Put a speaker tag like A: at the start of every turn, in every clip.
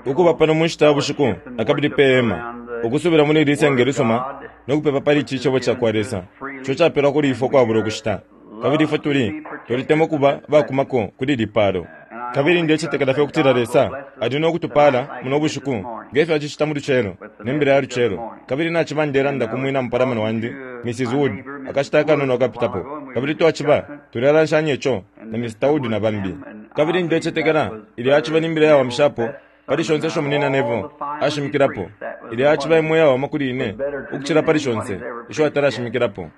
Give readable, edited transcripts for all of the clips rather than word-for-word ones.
A: Ukuba pano mu nshita ya bushiku na kabili pe hema, ukusubila muli ili senge lisuma no kupepa pali ici Cebo cakwa Lesa ico capelwa kuli ifwe ukwabula ukushita. Kabili ifwe tuli, twalitemwa ukuba abakumako kuli ili palo. Kabili ndecetekela fye ukutila Lesa ali no kutupala muno bushiku nge fyo Acicita mu lucelo, ne Mbila ya lucelo. Kabili naciba ndelanda ku mwina mupalamano wandi, Mrs. Wood, akashita akanono akapitapo, kabili twaciba tulelanshanya ico na Mr. Wood na bambi. Kabili ndecetekela ilya yaciba ni Mbila iyawamishapo pali shonse isho Munyina Neville ashimikilapo. Ilya yaciba imo iyawama kuli ine ukucila pali shonse isho atala ashimikilapo.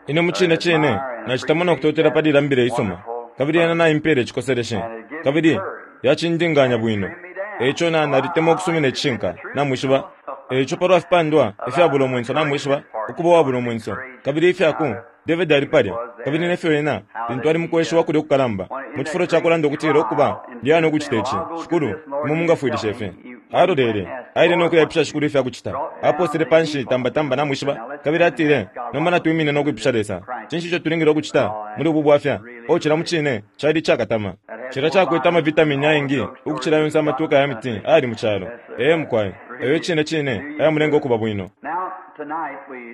A: Ine mucine cine nacitemwa no kutotela pali ilya Mbila isuma, kabili yena naimpela icikoseleshe, kabili yacindinganya bwino. Eico na, nalitemwa ukusumina icishinka, namwishiba. Eico palwa fipandwa ifyabula umwenso, namwishiba, ukuba uwabula umwenso, kabili ifya ku, David ali palya, kabili nefyo ena, lintu ali mukweshiwa kulya ukukalamba, mucifulo cakulanda ukutila, Ukuba, ndiyana ukucita ici, Shikulu, Imwe mungafwilishe fye. Alolele, aile nokuyaipusha Shikulu ifyakucita. Aposele panshi tamba tamba, namwishiba, kabili atile, Nomba natwimine nokwipusha Lesa. Cinshi ico tulingile ukucita muli ubu bwafya? Oh, cilya mucine cali icakatama. Cilya cakwete ama vitamini ayengi ukucila yonse amatuka ya miti ayali mu calo. Ee, mukwai. Ayo icine cine ayamulenga ukuba bwino.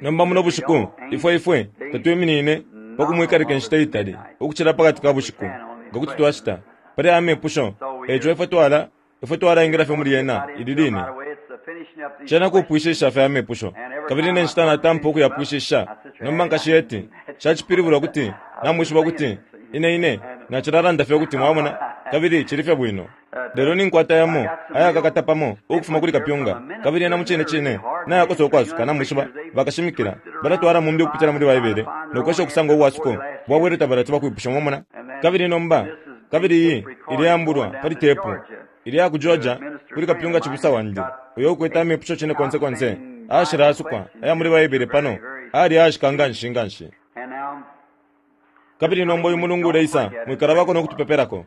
A: Nomba muno bushiku, ifwe, ifwe tatwiminine pa kumwikalika inshita itali ukucila pakati ka bushiku, nga kuti twacita, pali aya mepusho. Eico ifwe twala, ifwe twalaingila fye muli yena ili line. Cena kupwishisha fye amepusho. Kabili ne nshita natampa ukuyapwishisha, nomba Nkashi Hattie, nshacipilibula ukuti namwishiba ukuti ine, ine nacilalanda fye ukuti mwamona, kabili cili fye bwino. Lelo ninkwata yamo ayakakata pamo ukufuma kuli kapyunga, kabili yena mucine cine nayakosa ukwasuka. Namwishiba, bakashimikila balatwala mumbi ukupitila muli Baibele no kwesha ukusanga ubwasuko bwabwele tabalati bakwipusha, mwamona. Kabili nomba, kabili iyi ileambulwa pali tepu, ilya ku Georgia, kuli kapyunga cibusa wandi, uyo ukwete amepusho cine konse konse ayashilaasukwa aya muli Baibele pano, ayali ayashika nganshi nganshi. Kabili nomba uyu mulungu uleisa, mwikalabako no kutupepelako.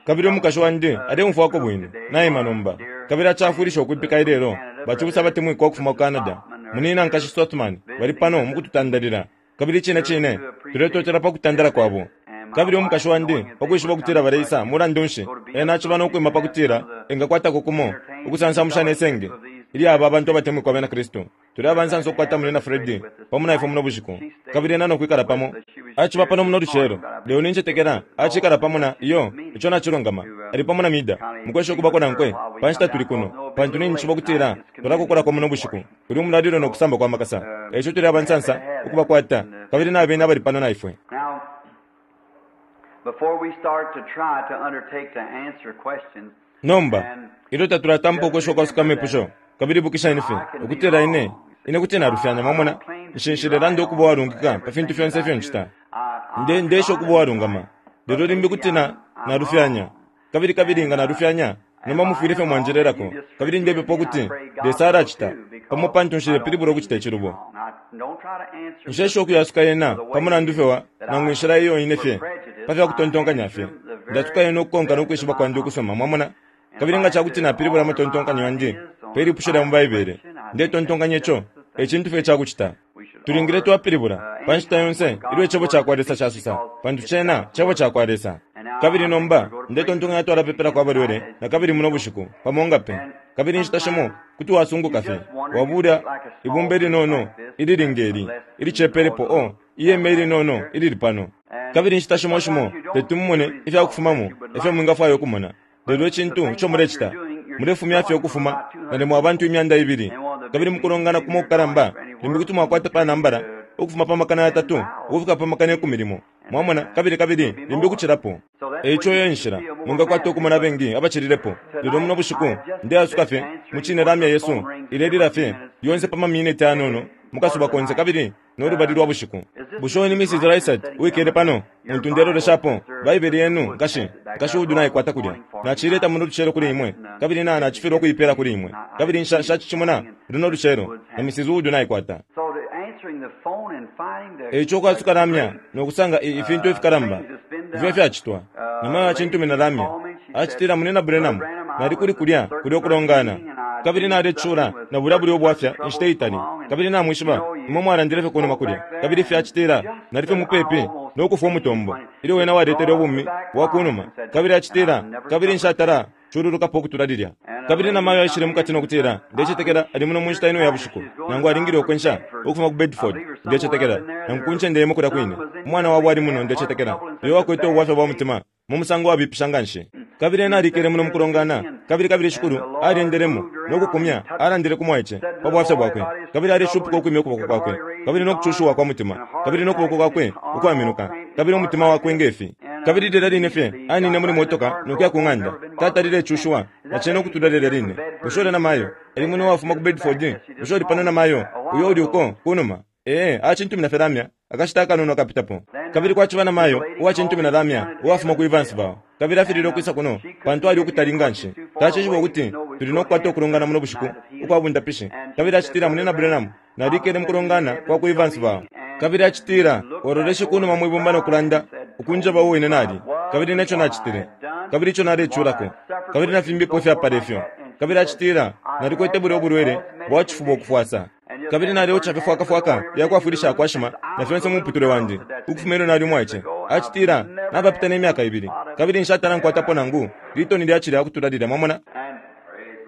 A: Kabili umukashi wandi aleumfwako bwino, naima nomba, kabili acafwilisha ukwipika ilelo. Bacibusa abatemwikwa ukufuma ku Canada, Munina Nkashi Sothmann, bali pano mukututandalila. Kabili icine cine tuletotela pa kutandala kwabo. Kabili umukashi wandi, pa kwishiba ukutila baleisa, mulandu nshi, ena aciba no kwima pa kutila engakwatako kumo ukusansamusha ne senge ilya aba bantu abatemwikwa abena Kristu. Tuli abansansa ukukwata Munyina Fred pamo na ifwe muno bushiku, kabili ena no kwikala pamo. Aciba pano muno lucelo, lelo nincetekela acikala pamo na, iyo, ico nacilungama, ali pamo na Meda, mukwesha ukubako nankwe pa nshita tuli kuno, pantu ninjishiba ukutila twalakokolako muno bushiku kuli umulalilo no kusamba kwa makasa. Eico tuli abansansa ukubakwata, kabili nabene abali pano na ifwe. Nomba, ilyo tatulatampa ukwesha ukwasuka amepusho, kabili ibukisheni fye ukutila ine, ine kuti nalufyanya, mwamona. Nshi, nshilelanda ukuba uwalungika pa fintu fyonse ifyo ncita. Nde, ndeesha ukuba uwalungama. Lelo limbi kuti na, nalufyanya. Kabili, kabili nga nalufyanya, nomba mufwile fye mwanjelelako. Kabili ndepepa ukuti Lesa alacita, pamo, pantu nshilepilibula ukucita icilubo. Nshesha ukuyasuka yena pa mulandu fye wa, nangu inshila iyo ine fye, pa fya kutontonkanya fye. Ndasuka yena ukukonka no kwishiba kwandi ukusuma, mwamona. Kabili nga ca kuti napilibula amatontonkanyo yandi pe lipusho lya mu Baibele, ndetontonkanya ico e cintu fye ica kucita. Tulingile twapilibula, pa nshita yonse, ilyo Icebo cakwa Lesa casosa, pantu cena Cebo cakwa Lesa. Kabili nomba, ndetontonkanya twalapepelako abalwele nakabili muno bushiku, pamo nga pe. Kabili inshita shimo kuti wasunguka fye, wabula ibumba ilinono ilili nge li, ilicepelepo, oh, ihema ilinono ilili pano. Kabili inshita shimo shimo teti mumone ifya kufumamo ifyo mwingafwaya ukumona. Lelo icintu ico mulecita, mulefumya fye ukufuma nalimo abantu 2000, kabili mukulongana kumo ukukalamba limbi kuti mwakwata pa nambala ukufuma pa 300 ukufika pa 10,000, mwamona, kabili, kabili limbi ukucilapo. E ico iyo e nshila mwingakwata ukumona abengi abacililepo. Lelo muno bushiku, ndeasuka fye, mucine lamya yesu ilelila fye lyonse pa maminiti ayanono mukasuba konse, kabili no lubali lwa bushiku. Bushe uyu ni Mrs. Reisert uwikele pano, untu ndeloleshapo? Baibele yenu, nkashi, Nkashi Wood naikwata kulya. Naciileta muno lucelo kuli imwe, kabili na, nacifilwa ukuipela kuli imwe. Kabili nsha, nshacicimona luno lucelo, na Mrs. Wood naikwata. Eico ukwasuka lamya no kusanga i, ifintu ifikalamba ifyo ifyacitwa. Namayo acintumina lamya, acitila, Munyina Branham, nali kuli kulya, kulyo kulongana. Kabili nalecula na bulya bulya ubwafya inshita itali. Kabili namwishiba, imwe mwalandile fye kunuma kulya, kabili fyacitila nali fye mupepi no kufwa umutombo, ilyo wena waletele ubumi bwa kunuma. Kabili acitila, kabili nshatala cululukapo ukutula lilya. Kabili na mayo aishile mukati no kutila, Ndecetekela ali muno mu nshita ino ya bushiku, nangu alingile ukwensha ukufuma ku Bedford, ndecetekela, nangu ku ncende imo kulya kwine. Umwana wabo ali muno, ndecetekela, uyo wakwete ubwafya bwa mutima mu musango wabipisha nganshi. Kabili ena alikele muno mukulongana, kabili, kabili Shikulu alyendelemo no kukumya, alandile ku mwaice pa bwafya bwakwe, kabili aleshupuka ukwimya ukuboko kwakwe, kabili no kucushiwa kwa mutima, kabili no kuboko kwakwe ukwaminuka, kabili umutima wakwe nge fi. Kabili lilya line fye anine muli motoka no kuya ku ng'anda, tatalile cushiwa na cena ukutula lilya line. Bushe ulya namayo ali muno uwafuma ku Bedford? Bushe uli pano namayo uyo uli uko kunuma? Ee, acintumina fye lamya akashita akanono akapitapo. Kabili kwaciba namayo uwacintumina lamya uwafuma ku Evansville, kabili afililwe ukwisa kuno pantu ali ukutali nganshi. Tacishiba ukuti tuli no kukwata ukulongana muno bushiku ukwa bundapishi. Kabili acitila, Munyina Branham, Nalikele mukulongana kwa ku Evansville. Kabili acitila, Waloleshe kunuma mwibumba no kulanda, ukunjeba uo ine nali, kabili neco nacitile, kabili ico naleculako, kabili na fimbipo ifyapala ifyo. Kabili acitila, Nalikwete bulya ubulwele bwa cifuba ukufwasa. Kabili naleoca fye fwaka fwaka ya kwafwilishako ashima na fyonse mu muputule wandi, ukufuma ilyo nali umwaice. Acitila, Napapita ne myaka ibili, kabili nshatala nkwatapo nangu litoni lya cilya ukutula lilya. Mwamona?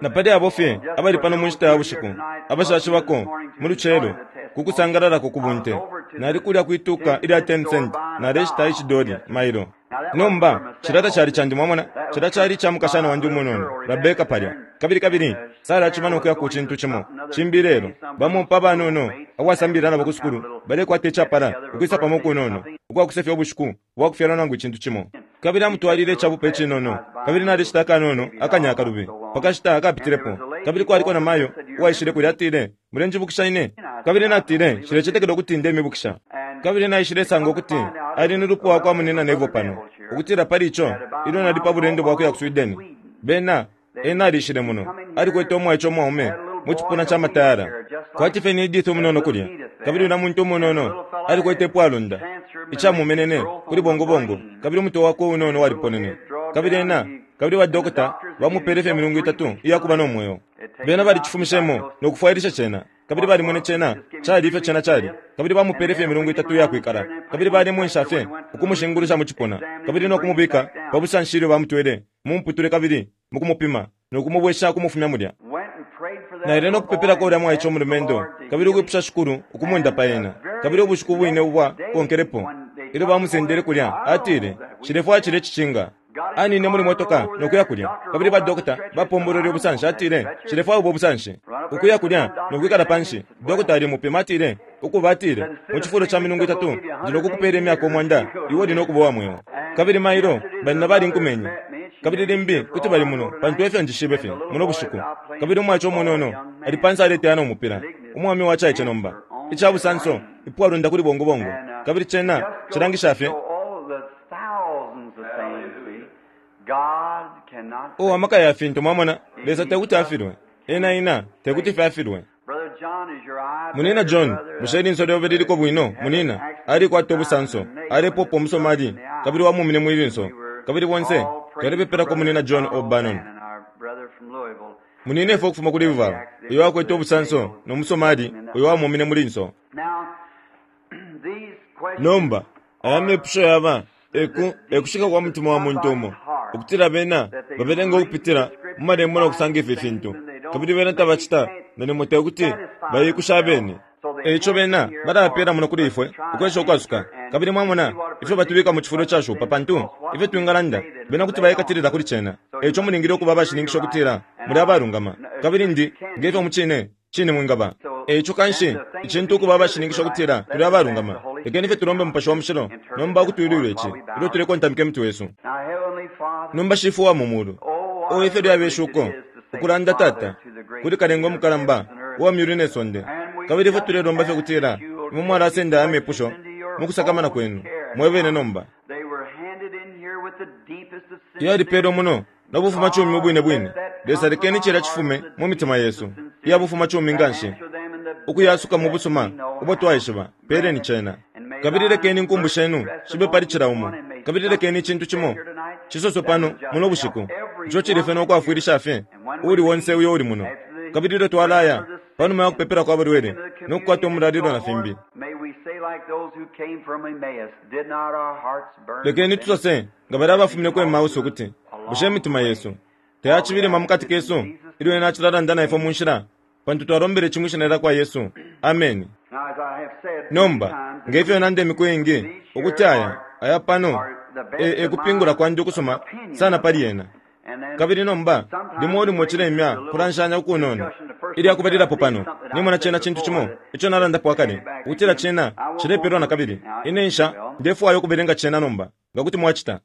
A: Na pali abo fye abali pano mu nshita ya bushiku, abashashibako mu lucelo ku kusangalalako ku bunte, nali kulya kwi tuka ilya 10 cent naleshita icidoli mailo. Nomba, cilya tacali candi, mwamona, cilya cali ica mukashana wandi umunono, Rabeka palya. Kabili, kabili Sara aciba no kuya ku cintu cimo cimbi ilelo. Bamo pa banono abo asambilila nabo ku sukulu balekwata icapala ukwisa pamo ukunono ukwa kusefya ubushiku bwa kufyalwa nangu icintu cimo. Kabili amutwalile icabupe icinono, kabili nalishita akanono akanya akalubi pa kashita akapitilepo. Kabili kwaliko na mayo uwaishile kulya, atile, Mulenjibukisha ine? Kabili natile, Nshilecetekela ukuti ndemibukisha. Kabili naishilesanga ukuti ali ni lupwa wakwa Munyina Neville pano, ukutila pali ico, ilyo nali pa bulendo bwa kuya ku Sweden, bena, ena alishile muno, alikwete umwaice umwaume mu cipuna ca matayala, kwati fye ni Edith umunono kulya. Kabili ulya muntu umunono alikwete ipwalonda, icamumenene kuli bongobongo, kabili umutwe wakwe unono waliponene. Kabili ena, kabili ba dokota bamupele fye imilungu itatu iya kuba no mweo. Bena balicifumishemo no kufwailisha cena, kabili balimwene cena cali ifyo cena cali, kabili bamupele fye imilungu itatu iya kwikala. Kabili balemwensha fye ukumushingulusha mu cipuna, kabili no kumubika pa busanshi ilyo bamutwele mu muputule kabili mukumupima no kumubwesha ukumufumya mulya. Naile no kupepelako ulya mwaice umulumendo kabili ukwipusha Shikulu ukumundapa ena. Kabili ubushiku bwine ubwa konkelepo, ilyo bamusendele kulya, atile, Nshilefwaya cilye cicinga. Anine muli motoka no kuya kulya, kabili ba dokota bapombolwele ubusanshi. Atile, Nshilefwaya ubo busanshi. Ukuya kulya no kwikala panshi, dokota alimupima, atile, Ukuba, atile, mu cifulo ca milungu itatu, ndi no kukupela imyaka 100, iwe uli no kuba uwa mweo. Kabili mailo, banyina balinkumenye. Kabili limbi kuti bali muno, pantu efyo njishibe fye, muno bushiku. Kabili umwaice umunono ali panse aleteya no mupila, umwaume wacaice nomba. Ica busanso, ipwalonda kuli bongobongo. Kabili cena cilangisha fye. Oh, amaka ya fintu, mwamona, Lesa tekuti afilwe. Ena, ena tekuti fye afilwe. Munina John, bushe ilinso lyobe liliko bwino, munina? Alikwata ubusanso, alepopa umusomali, kabili wamumine mwi linso. Kabili bonse twalepepelako Munina John O'Bannon. Muninefwe ukufuma ku Louisville, uyo wakwete ubusanso no musomali uyo wamumine mu linso. Nomba, aya mepusho yaba eku, ekushika kwa mutima wa muntu umo, ukutila bena babelenga ukupitila mu Malembo no kusanga ifi fintu, kabili bena tabacita nalimo te kuti baiikushe abene. E ico bena balapela muno kuli ifwe ukwesha ukwasuka. Kabili mwamona ifyo batubika mu cifulo icashupa, pantu ifyo twingalanda, bena kuti baikatilila kuli cena. E ico mulingile ukuba abashininkisha ukutila muli abalungama. Kabili ndi, nge fyo mucine cine mwingaba. E ico kanshi, icintu ukuba abashininkisha ukutila tuli abalungama, lekeni fye tulombe Mupashi wa Mushilo nomba ukutwilwila ici ilyo tulekontamika imitwe yesu. Nomba Shifwe uwa mu Mulu, oh, ifyo lyabe shuko ukulanda, Tata, kuli Kalenga umukalamba uwa myulu ne sonde. Kabili ifwe tulelomba fye ukutila Imwe mwalasenda aya mepusho mukusakamana Kwenu Mwebene nomba. Yalipelwe muno no bufumacumi ubwine bwine. Lesa, lekeni cilya cifume mu mitima yesu iya bufumacumi nganshi, ukuyasuka mu busuma ubo twaishiba. Peleni cena. Kabili lekeni inkumbu Shenu shibe pali cila umo. Kabili lekeni icintu cimo cisoswe pano muno bushiku, ico cili fye no kwafwilisha fye uuli onse uyo uli muno. Kabili ilyo twalaya, panuma ya kupepela kwa balwele, no kukwata umulalilo na fimbi. Lekeni tusose nga balya abafumine ku Emmaus ukuti, Bushe imitima yesu tayacibilima mukati kesu ilyo Ena acilalanda na ifwe mu nshila? Pantu twalombele ici mwi Shina lyakwa Yesu. Ameni. Nomba, nge fyo nanda imiku iingi, ukuti aya, aya pano e, e kupingula kwandi ukusuma sana pali yena. Kabili nomba, limo limo cilemya kulanshanya ukunono. Ilya kubalilapo pano, nimona cena cintu cimo ico nalandapo akale, ukutila cena cilepelwa nakabili. Ine nsha, ndefwaya ukubelenga cena nomba, nga kuti mwacita.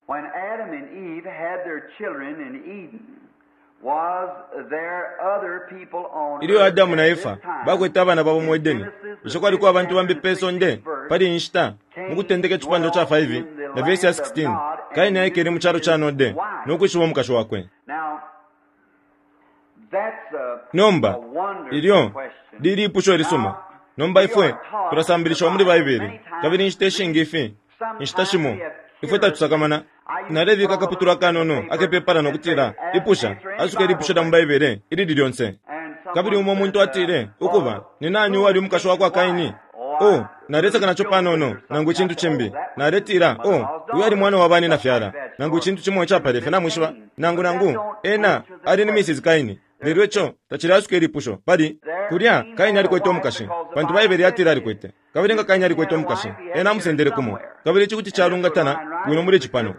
A: Ilyo Adamu na Efa bakwete abana babo mu Edeni, bushe kwaliko abantu bambi pe sonde pali iyi nshita? Mu Kutendeka icipandwa ca 5 na vesi ya 16, Kaini aikele mu calo ca Node no kwishiba umukashi wakwe. Nomba, ilyo li lipusho ilisuma. Nomba ifwe tulasambilishiwa muli Baibele, kabili inshita ishingi ifi, inshita shimo, ifwe tatusakamana. Nalebika akaputula akanono akepepala no kutila, Ipusha, asuka ilipusho lya mu Baibele ilili lyonse. Kabili umo muntu atile, Ukuba, ni nani uwali umukashi wa kwa Kaini? Oh, naleseka naco panono, nangu icintu cimbi. Naletila, Oh, uyo ali mwana wa bani nafyala, nangu icintu cimo icapala ifyo, namwishiba. Nangu, nangu, ena ali ni Mrs. Kaini. Lelo ico tacileasuka ilipusho, pali, kulya, Kaini alikwete umukashi, pantu Baibele yatile alikwete. Kabili nga Kaini alikwete umukashi, ena amusendele kumo. Kabili ici kuti calungatana bwino muli ici pano.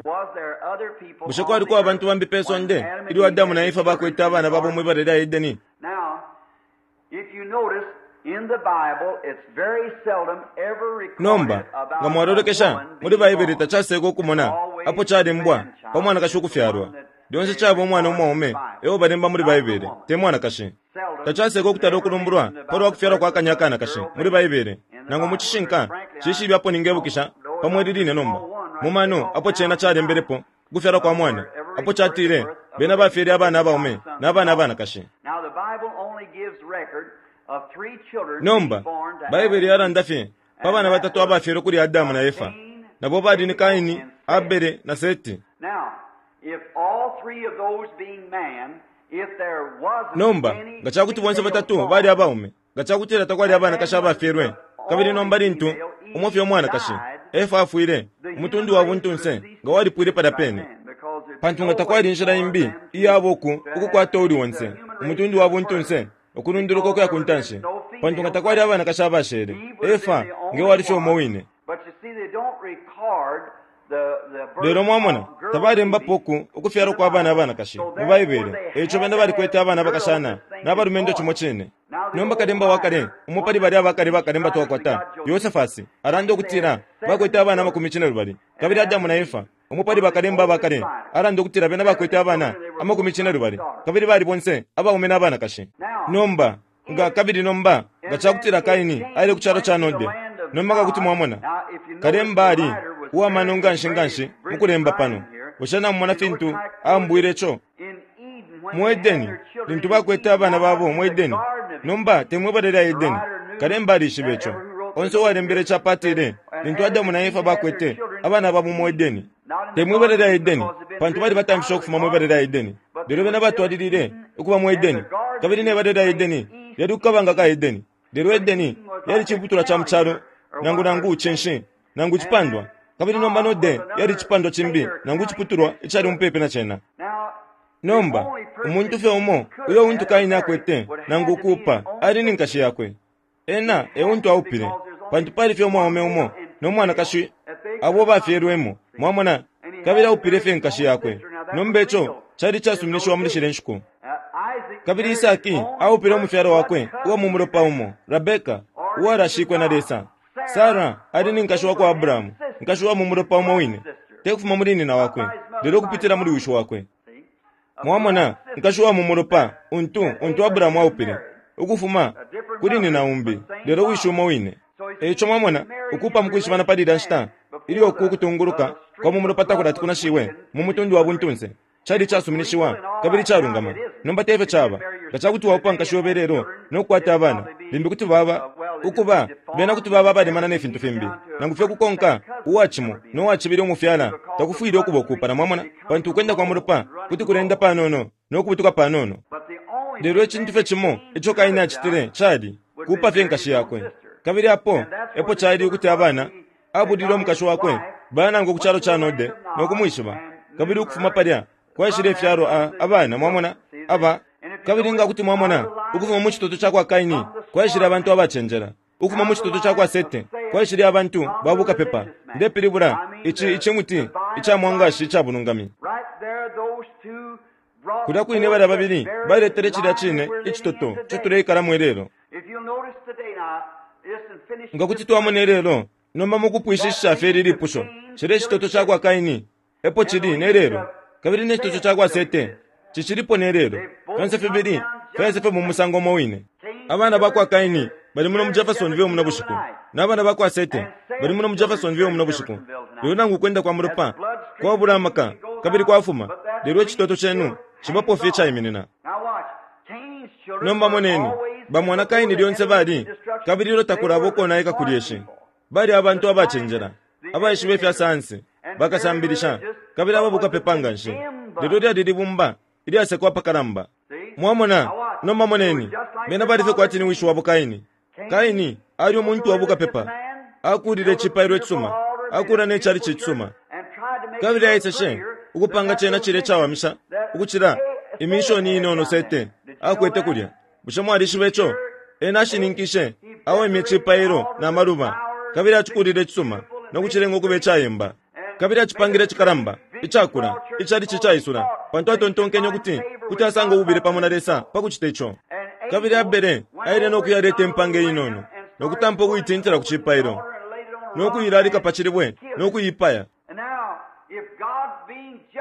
A: Bushe kwaliko abantu bambi pe sonde ilyo Adamu na Efa bakwete abana babo mwi bala lya Edeni? Nomba, nga mwalolekesha muli Baibele tacaseeka ukumona apo calembwa pa mwanakashi ukufyalwa. Lyonse caba umwana umwaume e o balemba muli Baibele, te mwanakashi. Tacaseeka ukutala ukulumbulwa pa lwa kufyalwa kwa kanya akanakashi muli Baibele, nangu mu cishinka nshishibe apo ningebukisha pamo ili line nomba. Mu mano apo cena calembelepo ukufyalwa kwa mwana, apo catile, Bena bafyele abana abaume na bana abanakashi. Nomba, Baibele yalanda fye pa bana batatu abafyelwe kuli Adamu na Efa, na bo bali ni Kaini, Abele, na Seti. Nomba, nga ca kuti bonse batatu bali abaume, nga ca kutila takwali abanakashi abafyelwe, kabili nomba lintu umo fye umwanakashi, Efa afwile, umutundu wa buntunse nga walipwile palya pene. Pantu nga takwali inshila imbi iyaba uku ukukwata uuli onse, umutundu wa buntunse, ukulunduluka ukuya ku ntanshi, pantu nga takwali abanakashi abashele, Efa nge wali fye umo wine. Lelo, mwamona, tabalembapo uku ukufyalwa kwa bana abanakashi mu Baibele, e ico bena balikwete abana abakashana na balumendo cimo cine. Nomba kalemba wa kale, umo pali balya abakale bakalemba twakwata, Yosefasi, alanda ukutila bakwete abana amakumi cinelubali. Kabili Adamu na Efa, umo pali bakalemba abakale, alanda ukutila bena bakwete abana amakumi cinelubali, kabili bali bonse abaume na banakashi. Nomba, nga, kabili nomba, nga cakutila Kaini aile ku calo ca Node, nomba nga kuti mwamona, kalemba ali uwa mano nganshi nganshi mu kulemba pano. Bushe namumona fintu aambwile co? Mu Edeni, lintu bakwete abana babo mu Edeni, nomba te mwi bala lya Edeni. Kalemba alishibe ico. Onse uwalembele ici apa atile, lintu Adamu na Efa bakwete abana babo mu Edeni, te mwi bala lya Edeni, pantu balibatamfishe ukufuma mwi bala lya Edeni, lelo bena batwalilile ukuba mu Edeni. Kabili ne bala lya Edeni lyali ku kabanga ka Edeni. Lelo Edeni yali ciputulwa ca mu calo, nangu, nangu cinshi, nangu icipandwa. Kabili nomba Node yali icipandwa cimbi, nangu iciputulwa icali mupepi na cena. Nomba, umuntu fye umo uyo untu Kaini akwete, nangu ukuupa, ali ni nkashi yakwe. Ena e untu aupile, pantu pali fye umwaume umo no mwanakashi abo bafyelwemo, mwamona, kabili aupile fye nkashi yakwe. Nomba ico cali icasuminishiwa muli shilya nshiku. Kabili Isaki aupile umufyalo wakwe uwa mu mulopa umo, Rabeka, uwalashikwe na Lesa. Sara ali ni nkashi wa kwa Abrahamu, nkashi wa mu mulopa umo wine, te kufuma muli nyina wakwe, lelo ukupitila muli wishi wakwe. Mwamona, nkashi wa mu mulopa untu, untu Abrahamu aupile, ukufuma kuli nyina umbi, lelo wishi umo wine. E ico mwamona, ukuupa mu kwishibana pali ilya nshita, ilyo uku kutunguluka kwa mu mulopa takulati kunashiwe mu mutundu wa buntunse, cali icasuminishiwa kabili icalungama. Nomba te fyo caba. Nga ca kuti waupa nkashi yobe ilelo no kukwata abana, limbi kuti baba, ukuba, bena kuti baba abalemana ne fintu fimbi. Nangu fye kukonka uwa cimo no wa cibili umufyala takufwile ukuba ukuupana, mwamona, pantu ukwenda kwa mulopa kuti kuleenda panono no kubutuka panono. Lelo icintu fye cimo ico Kaini acitile cali kuupa fye nkashi yakwe. Kabili apo epo cali ukuti abana abulile umukashi wakwe baya nankwe ku calo ca Node no kumwishiba. Kabili ukufuma palya kwaishile ifyalwa a, abana, mwamona, aba. Kabili nga kuti mwamona, ukufuma mu citoto ca kwa Kaini kwaishile abantu abacenjela. Ukufuma mu citoto ca kwa Sete kwaishile abantu ba bukapepa, ndepilibula, ici icimuti ica mwangashi ica bulungami. Kulya kwine balya babili baletele cilya cine icitoto ico tuleikalamo ilelo. Nga kuti twamona ilelo, nomba mukupwishishisha fye ili lipusho, cilya icitoto ca kwa Kaini epo cili ne lelo, kabili ne citoto ca kwa Sete cicilipo ne lelo. Fyonse fibili fyaisa fye mu musango umo wine. Abana ba kwa Kaini bali muno mu Jeffersonville muno bushiku, na bana ba kwa Sete bali muno mu Jeffersonville muno bushiku. Lelo nangu kwenda kwa mulopa kwabula amaka kabili kwafuma, lelo icitoto cenu cibapo fye caiminina. Nomba moneni, bamwana Kaini lyonse bali, kabili ilyo takulaba ukonaika ku lyeshi, bali abantu abacenjela, abaishiba ifya sayansi, bakasambilisha, kabili ababukapepa nga nshi. Lelo lyali libumba ilyasekwa apakalamba. Mwamona? Nomba moneni, bena bali fye kwati ni wishi wabo Kaini. Kaini ali umuntu wa bukapepa. Akuulile icipailo icisuma, akuula ne calici icisuma. Kabili aeseshe ukupanga cena cilya icawamisha ukucila imishoni inono Sete akwete kulya. Bushe mwalishiba ico? Ena ashininkishe, awemye icipailo na maluba, kabili acikulile icisuma no kucilenga ukuba icayemba. Kabili acipangile icikalamba, icakula, icalici icaisula, pantu atontonkenye ukuti kuti asanga ububile pamo na Lesa pa kucita ico. Kabili Abele aile no kuyaleta impanga inono, no kutampa ukuitintila ku cipailo, no kuilalika pa cilibwe, no kuiipaya.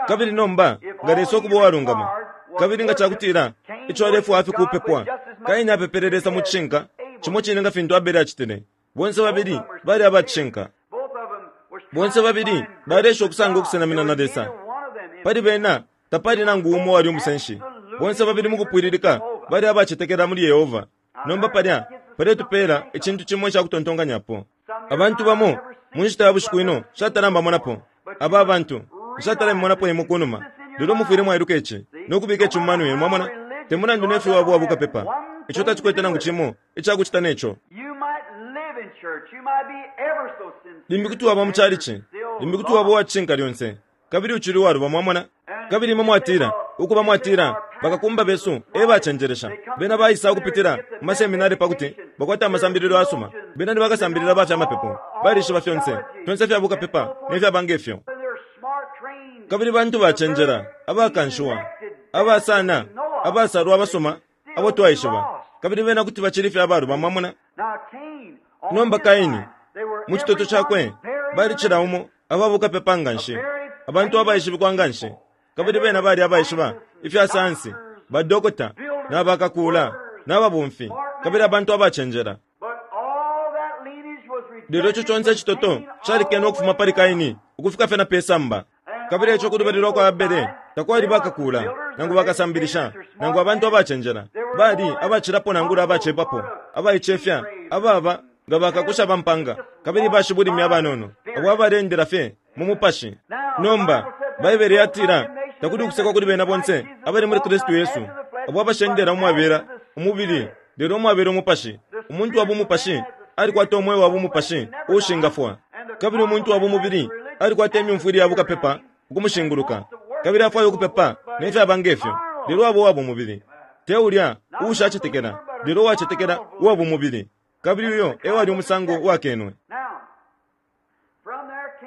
A: Kabili nomba, nga Lesa ukuba uwalungama, kabili nga cakutila ico alefwaya fye kupepwa, Kaini apepele Lesa mu cishinka, cimo cine nga fintu Abele acitile. Bonse babili bali aba cishinka. Bonse babili baleesha ukusanga ukusenamina na Lesa. Pali bena tapali nangu umo uwali umusenshi. Bonse babili mu kupwililika bali abacetekela muli Yehova. Nomba palya paletupeela icintu cimo ica kutontonkanyapo. Abantu bamo mu nshita ya bushiku ino nshatala mbamonapo. Aba bantu, nshatala mimonapo imwe ku numa. Lelo mufwile mwailuka ici, no kubika ici mu mano yenu. Mwamona? Te mulandu ne fyo waba uwa bukapepa, ico tacikwete nangu cimo ica kucita ne co. Limbi kuti waba mu calici, limbi kuti waba uwa cishinka lyonse, kabili ucili uwaluba. Mwamona? Kabili imwe mwatila, ukuba mwatila, Bakakumba besu e bacenjelesha. Bena baisa ukupitila mu maseminari pa kuti bakwate amasambililo ayasuma. Bena ni bakasambilila ba fya mapepo. Balishiba fyonse, fyonse ifya bukapepa ne fyaba nge fyo. Kabili bantu bacenjela, abakanshiwa, aba sana, abasalwa abasuma abo twaishiba, kabili bena kuti bacili fye abaluba. Mwamona? Nomba Kaini, mu citoto cakwe, bali cila umo aba bukapepa nganshi, abantu abaishibikwa nganshi. Kabili bena bali abaishiba ifya sayansi, badokota, na bakakuula, na babomfi, kabili abantu abacenjela. Lelo ico conse icitoto calikene ukufuma pali Kaini ukufika fye na pe samba. Kabili eco ku lubali lwa kwa Abele takwali bakakuula, nangu bakasambilisha, nangu abantu abacenjela. Bali abacilapo nangula abacepapo, abaicefya, ababa nga bakakusha ba mpanga, kabili bashibulimi abanono, abo abaleendela fye mu Mupashi. Nomba, Baibele yatila, Takuli ukusekwa kuli bena bonse abali muli Kristu Yesu, abo abashendela umwabela umubili, lelo umwabela umupashi. Umuntu wa bumupashi alikwata umweo wa bumupashi uushingafwa. Kabili umuntu wa bumubili alikwata imyumfwile ya bukapepa ukumushinguluka, kabili afwaya ukupepa ne fyaba nge fyo, lelo aba uwa bumubili. Te ulya uushacetekela, lelo uwacetekela uwa bumubili. Kabili uyo e wali umusango uwakenwe.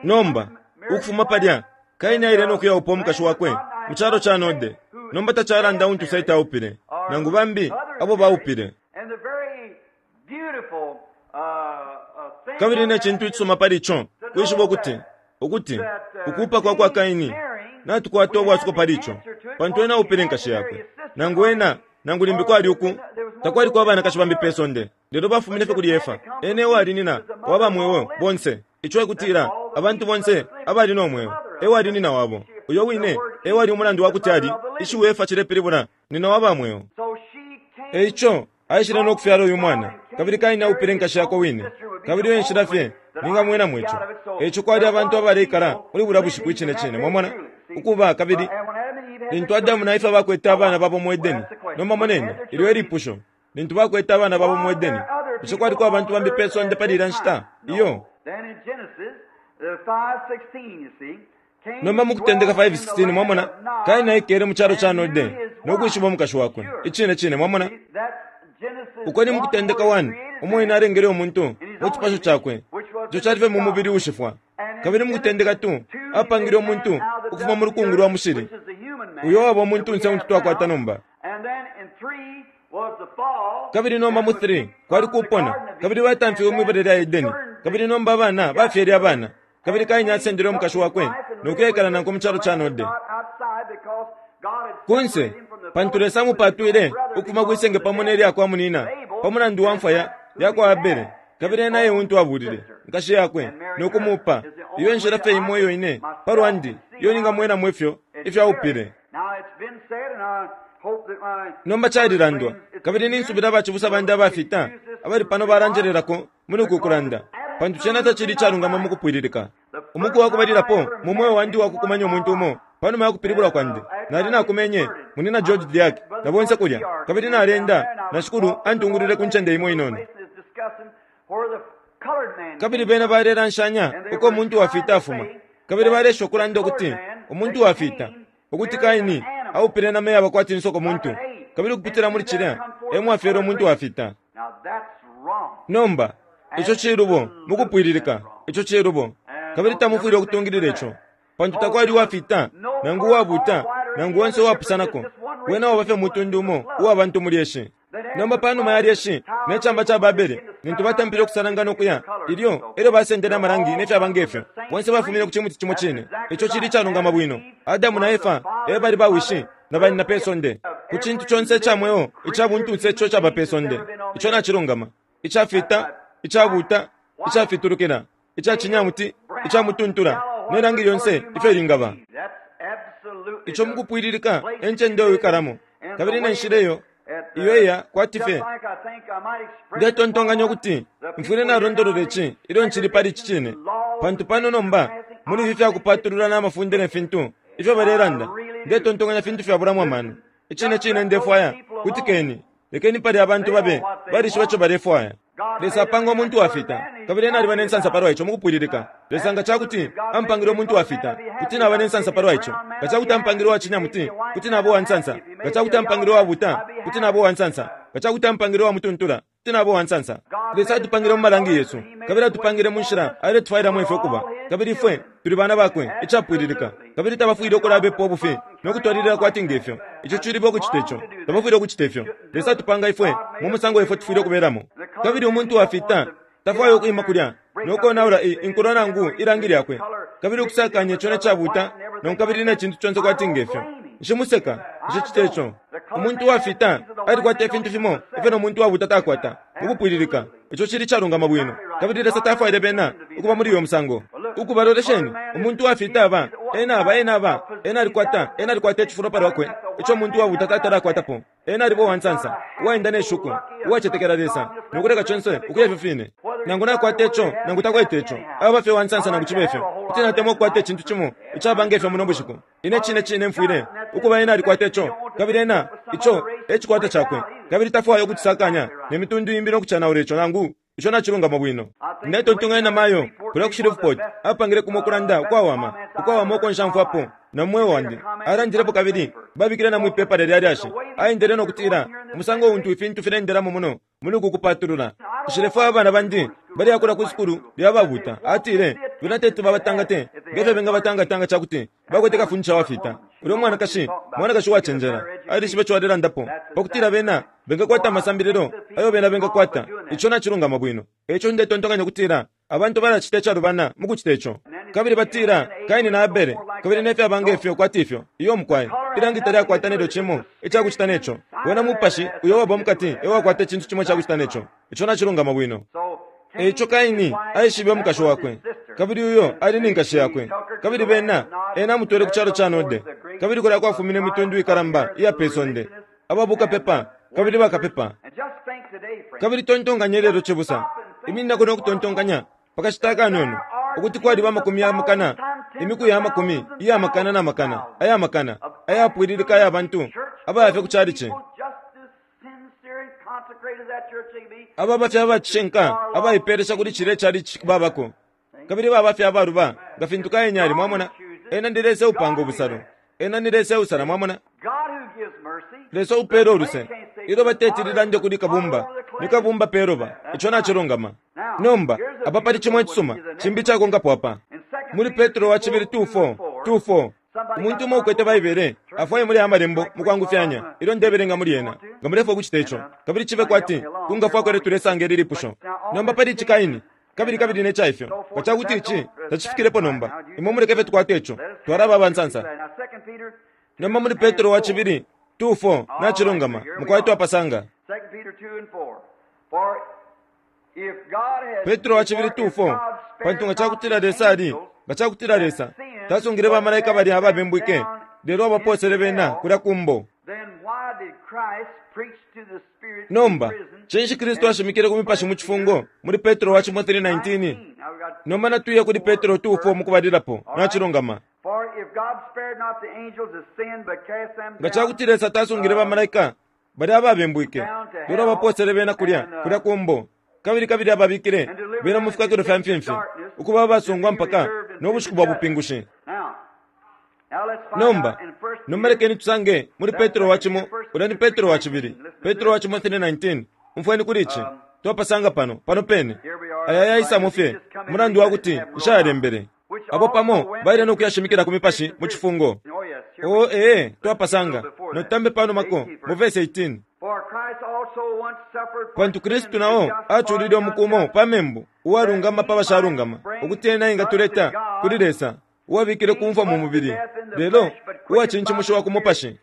A: Nomba, ukufuma palya, Kaini aile no kuyaupa umukashi wakwe mu calo ca Node. Nomba tacalanda untu Sete aupile, nangu bambi abo baupile. Kabili ne cintu icisuma pali ico kwishiba ukuti, ukuti ukuupa kwa kwa Kaini, natukwata ubwasuko pali ico, pantu ena aupile nkashi yakwe. Nangu ena, nangu limbi kwali uku, takwaliko abanakashi bambi pe sonde. Lelo bafumine fye kuli Efa, ena ewali nina wa ba mweo bonse, ico e kutila, abantu bonse abali no mweo, ewali nina wabo. Uyo wine ewali umulandu wa kuti ali, ishiwi Efa cilepilibula nina wa ba mweo. E ico aishile no kufyala uyu mwana, kabili Kaini aupile nkashi yakwe wine. Kabili iyo e nshila fye ningamwenamo ico. E ico kwali abantu abaleikala muli bulya bushiku icine cine, mwamona, ukuba, kabili lintu Adamu na Efa bakwete abana babo mu Edeni. Nomba moneni, ilyo e lipusho. Lintu bakwete abana babo mu Edeni, bushe kwaliko abantu bambi pe sonde pali ilya nshita? Iyo. Nomba mu Kutendeka 5:16, mwamona, Kaini aikele mu calo ca Node no kwishiba umukashi wakwe. Icine cine, mwamona. Uko ni mu Kutendeka 1, umo Ena alengele umuntu mu cipasho Cakwe, ico cali fye mu mubili uushifwa. Kabili mu Kutendeka 2, Apangile umuntu ukufuma mu lukungu lwa mushili, uyo waba umuntunse untu twakwata nomba. Kabili nomba mu 3, kwali kupona, kabili batamfiwe mwi bala lya Edeni. Kabili nomba abana bafyele abana. Kabili Kaini asendele umukashi wakwe no kuyaikala nankwe mu calo ca Node. Kunse, pantu Lesa amupatwile ukufuma kwi senge pamo ne lya kwa munina, pa mulandu wa mfwa ya, ya kwa Abele, kabili ena e untu abuulile, nkashi yakwe, no kumuupa. Iyo e nshila fye imo iyo ine, pa lwandi, iyo ningamwenamo ifyo, ifyo aupile. Nomba calilandwa, kabili ninsubila bacibusa bandi abafita abali pano balanjelelako muli uku kulanda, pantu cena tacili icalungama mukupwililika. Umuku wakubalilapo mu mweo wandi uwakukumanya umuntu umo, panuma yakupilibulwa kwandi, nali nakumenye Munyina George DeArk na bonse kulya, kabili naleenda, na Shikulu antungulwile ku ncende imo inono. Kabili bena balelanshanya uko umuntu wafita afuma, kabili baleesha ukulanda ukuti umuntu wafita, ukuti Kaini aupile inama iyaba kwati nsoko muntu, kabili ukupitila muli cilya e mwafyelwe umuntu wafita. Nomba, ico cilubo mukupwililika, ico cilubo. Kabili tamufwile ukutungilila ico, pantu takwali uwafita, nangu uwabuta, nangu onse uwapusanako. Wena waba fye mutundu umo uwa bantu mu lyeshi. Nomba panuma ya lyeshi ne camba ca Babele, lintu batampile ukusalangana ukuya, ilyo elyo basendele amalangi ne fyaba nge fyo, bonse bafumine ku cimuti cimo cine. Ico cili icalungama bwino. Adamu na Efa e bali ba wishi na banyina pe sonde, ku cintu conse ica mweo ica buntunse ico caba pe sonde. Ico nacilungama. Icafita, icabuuta, icafitulukila, ica cinyamuti, ica mutuntula, ne langi lyonse ifyo lingaba. Ico mukupwililika e ncende uyo wikalamo, kabili ne nshila iyo iyo iya kwati fye. Ndetontonkanya ukuti mfwile nalondolola ici ilyo ncili pali ici cine, pantu pano nomba muli ifi fyakupatulula na mafunde ne fintu ifyo balelanda, ndetontonkanya fintu fyabulamo amano. Icine cine ndefwaya, kutikeni, lekeni palya abantu babe balishiba ico balefwaya. Lesa apanga umuntu wafita, kabili ena aliba ne nsansa palwa ico mukupwililika. Lesa nga ca kuti ampangile umuntu wafita, kuti naba ne nsansa palwa ico. Nga ca kuti ampangile uwa cinyamuti, kuti naba uwa nsansa. Nga ca kuti ampangile uwabuuta, kuti naba uwa nsansa. Nga ca kuti ampangile uwa mutuntula, kuti naba uwa nsansa. Lesa atupangile mu malangi yesu, kabili atupangile mu nshila aletufwailamo ifwe ukuba. Kabili ifwe tuli bana bakwe, icapwililika. Kabili tabafwile ukulabepa ubufi no kutwalilila kwati nge fyo. Ico cilibo ukucita ico. Tabafwile ukucita ifyo. Lesa atupanga ifwe mu musango ifwe tufwile ukubelamo. Kabili umuntu wafita tafwaya ukwima kulya no konaula i, inkulo nangu ilangi lyakwe, kabili ukusakanya ico ne cabuta no kabili ne cintu conse kwati nge fyo. Nshimuseka, nshicita ico. Umuntu uwafita alikwata ifintu fimo ifyo no muntu uwabuta takwata, mukupwililika. Ico cili icalungama bwino. Kabili Lesa tafwaile bena ukuba muli uyo musango. Ukuba, lolesheni, umuntu uwafita aba, ena aba, ena aba, ena alikwata, ena alikwata icifulo palwakwe ico umuntu uwabuta tatala akwatapo. Ena aliba uwansansa, uwaenda ne shuko, uwacetekela Lesa, no kuleka conse ukuya ifyo fine. Nangu nakwata ico, nangu takwete ico, aba fye uwansansa nangu cibe fyo. Kuti natemwa ukukwata icintu cimo icaba nge fyo muno bushiku. Ine cine cine mfwile ukuba ena alikwata ico, kabili ena, ico e cikwata cakwe, kabili tafwaya ukucisakanya ne mitundu imbi no kucanaula ico nangu ico nacilungama bwino. Ndetontonkanya na mayo kulya ku Shreveport apangile kumo ukulanda ukwawama, ukwawama uko nshamfwapo na mu mweo wandi. Alandilepo kabili babikile na mwi pepala lya lyashi. Aendele no kutila, Umusango untu ifintu fileendelamo muno muli uku kupatulula. Nshilefwaya abana bandi baleyakula ku sukulu lya babuuta. Atile, Bena teti babatangate nge fyo bengabatangata nga ca kuti bakwete kafundisha wafita. Ulya umwanakashi, mwanakashi uwacenjela. Alishibe ico alelandapo, pa kutila bena bengakwata amasambililo ayo bena bengakwata. Ico nacilungama bwino. E ico ndetontonkanya ukutila abantu balacita icalubana mu kucita ico. Kabili batila, Kaini na Abele, kabili ne fyaba nge fyo kwati ifyo. Iyo, mukwai. Ilangi talyakwata nelyo cimo ica kucita ne co. Wena mupashi uyo uwaba mukati e wakwata icintu cimo ica kucita ne co. Ico nacilungama bwino. E ico Kaini aishibe umukashi wakwe, kabili uyo ali ni nkashi yakwe. Kabili bena, ena amutwele ku calo ca Node, kabili kulya kwafumine imitundu ikalamba iya pe sonde, aba bukapepa kabili bakapepa. Kabili tontonkanya ilelo, cibusa, imininako no kutontonkanya pa kashita akanono, ukuti kwaliba amakumi ya makana, imiku ya makumi iya makana na makana aya makana ayapwililika aya bantu abaya fye ku chalichi. Ababa fye aba cishinka abaipelesha kuli cilya icali babako, kabili baba fye abaluba nga fintu Kaini ali. Mwamona, ena ni Lesa upanga ubusalo, ena ni Lesa usala. Mwamona, Lesa upela uluse. Ilyo bateti lilande kuli kabumba, ni kabumba peloba. Ico nacilungama. Nomba apa pali cimo icisuma cimbi icakonkapo apa muli Petro wa cibili 2:4 2:4. Umuntu umo ukwete Baibele afwaye muli Amalembo mukwangufyanya ilyo ndebelenga muli yena, nga mulefwaya ukucita ico, kabili cibe kwati kungafwako ilyo tulesanga ili lipusho. Nomba pali ici Kaini, kabili kabili ne ca ifyo, nga ca kuti ici tacifikilepo nomba, imwe muleke fye tukwate ico, twalaba abansansa. Nomba muli Petro wa cibili 2:4, nacilungama, mukwai twapasanga. Petro wa cibili 2:4, Pantu nga ca kutila Lesa ali, nga ca kutila Lesa tasungile bamalaika balya ababembwike, lelo abapoosele bena kulya ku mbo. Nomba, cinshi Kristu ashimikile ku mipashi mu cifungo muli Petro wa cimo 3:19? Nomba natuye kuli Petro 2:4 mukubalilapo. Nacilungama. Nga ca kuti Lesa tasungile bamalaika balya ababembwike, lelo abapoosele bena kulya, kulya ku mbo, kabili kabili ababikile bena mu fikakilo fya mfimfi, ukuba abasungwa mpaka no bushiku bwa bupingushi. Nomba, nomba lekeni tusange muli Petro wa cimo, ulya ni Petro wa cibili, Petro wa cimo 3:19. Umfweni kuli ici. Twapasanga pano, pano pene. Aya yaisamo fye, mulandu wa kuti nshayalembele. Abo pamo baile no kuyashimikila ku mipashi mu cifungo. Oo, ee, twapasanga. Notambe pano mako, mu verse 18. Pantu Kristu na o aculile umuku umo pa membu, uwalungama pa bashalungama, ukuti ena engatuleta kuli Lesa, uwabikile ku mfwa mu mubili, lelo uwacincimushiwa ku mupashi.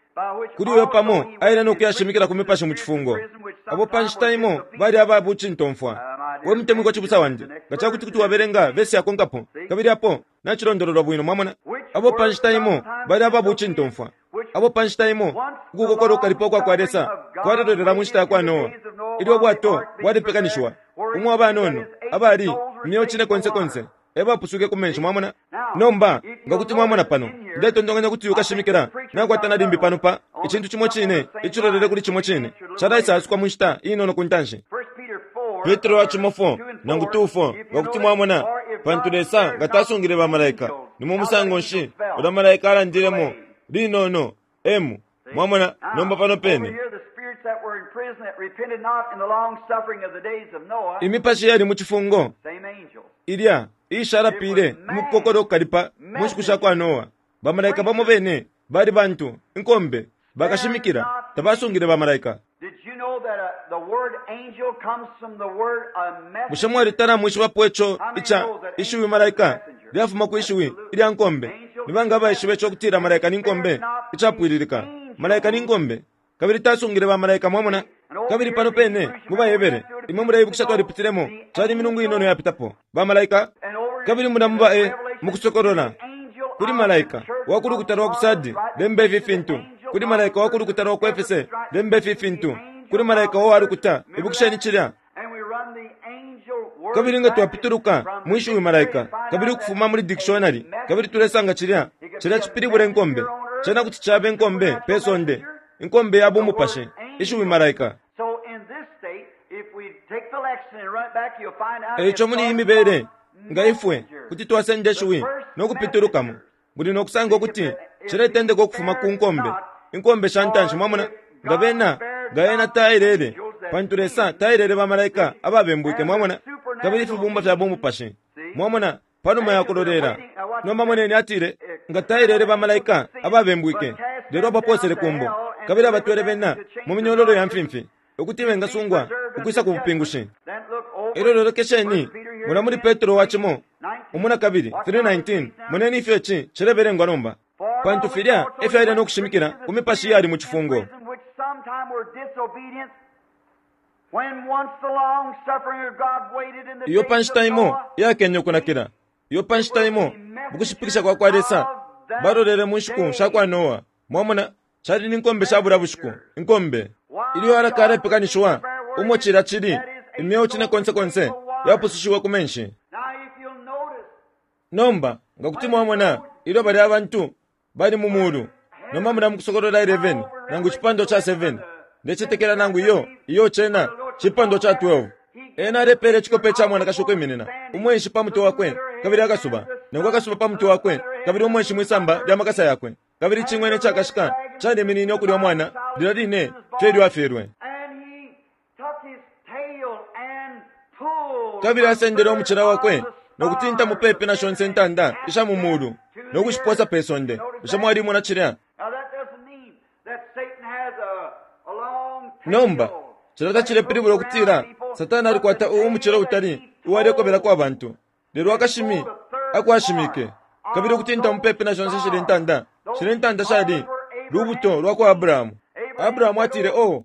A: Kuli uyo pamo aile no kuyashimikila ku mipashi mu cifungo, abo pa nshita imo bali aba bucintomfwa. We mutemwikwa cibusa wandi, nga ca kuti kuti wabelenga vesi yakonkapo, kabili apo nacilondololwa bwino, mwamona, abo pa nshita imo bali aba bucintomfwa, abo pa nshita imo ukukokola ukukalipa ukwa kwa Lesa kwalelolela mu nshita ya kwa Noa, ilyo ubwato bwalepekanishiwa, umo abanono abali imyeo cine konse konse e bapusuke ku menshi. Mwamona? Nomba nga kuti mwamona pano, ndetontonkanya kuti ukashimikila nakwata na limbi pano pa icintu cimo cine icilolele kuli cimo cine calaisa-asukwa mu nshita inono ku ntanshi. Petro wa cimo 4 nangu 2 4, nga kuti mwamona, pantu Lesa nga tasungile bamalaika, ni mu musango nshi ulya malaika alandilemo linono m? Mwamona? Nomba pano pene imipashi yali mu cifungo ilya iishalapile mu kukokola ukukalipa mu nshiku sha kwa Noa. Bamalaika bamo bene bali bantu, inkombe, bakashimikila, tabasungile bamalaika. Bushe mwalitala mwishibapo ico ica ishiwi malaika lyafuma kwi shiwi ilya nkombe? Ni banga abaishiba ico kutila malaika ni nkombe? Icapwililika, malaika ni nkombe, kabili tasungile bamalaika. Mwamona? Kabili pano pene mu baHebere, imwe muleibukisha twalipitilemo, cali imilungu inono yapitapo, bamalaika. Kabili muna muba e mu Kusokolola, kuli malaika wa ku lukuta lwa ku Sardi lemba ifi fintu, kuli malaika wa ku lukuta lwa ku Efese lemba ifi fintu, kuli malaika wa lukuta. Ibukisheni cilya. Kabili nga twapituluka mwi shiwi malaika, kabili ukufuma muli dictionary, kabili tulesanga cilya, cilya cipilibula inkombe. Cena kuti caba inkombe pe sonde, inkombe ya bumupashi, ishiwi malaika. E ico muli iyi mibele, nga ifwe kuti twasenda ishiwi no kupitulukamo, muli no kusanga ukuti ciletendeka ukufuma ku nkombe, inkombe sha ntanshi. Mwamona, nga bena, nga ena taelele, pantu Lesa taelele bamalaika ababembwike, mwamona, kabili ifibumba fya bumupashi, mwamona, panuma ya kulolela. Nomba moneni, atile, nga taelele bamalaika ababembwike, lelo abapoosele ku mbo, kabili abatwele bena mu minyololo ya mfimfi, ukuti bengasungwa ukwisa ku bupingushi. Elyo lolekesheni mona muli Petro wa cimo umu na kabili 3:19, moneni ifyo ici cilebelengwa nomba. Pantu filya e fyo aile no kushimikila ku mipashi iyali mu cifungo. Iyo pa nshita imo iyakenye ukunakila, iyo pa nshita imo mu kushipikisha kwa kwa Lesa balolele mu nshiku sha kwa Noa. Mwamona, cali ni nkombe sha bulya bushiku, inkombe. Ilyo araka alepekanishiwa, umo cilya cili, imyeo cine konse konse yapusushiwe ku menshi. Nomba, nga kuti mwamona, ilyo balya abantu bali mu mulu, nomba mulya mu Kusokolola 11, nangu icipandwa ca 7, ndecetekela nangu iyo, iyo cena cipandwa ca 12. Ena alepela icikope ca mwanakashi ukwiminina, umwenshi pa mutwe wakwe, kabili akasuba, nangu akasuba pa mutwe wakwe, kabili umwenshi mwisamba lya makasa yakwe. Kabili icing'wena icakashika caliminine ukulya umwana lilya line fye ilyo afyelwe. Kabili asendele umucila wakwe no kutinta mupepi na shonse intanda isha mu mulu no kushiposa pe sonde. Bushe mwalimona cilya? Nomba, cilya tacilepilibula ukutila Satana alikwata umucila utali uwalekobelako abantu, lelo akashimi ako ashimike, kabili ukutinta mupepi na shonse shilya intanda, shilya intanda shali lubuto lwa kwa Abrahamu. Abrahamu atile, Oh!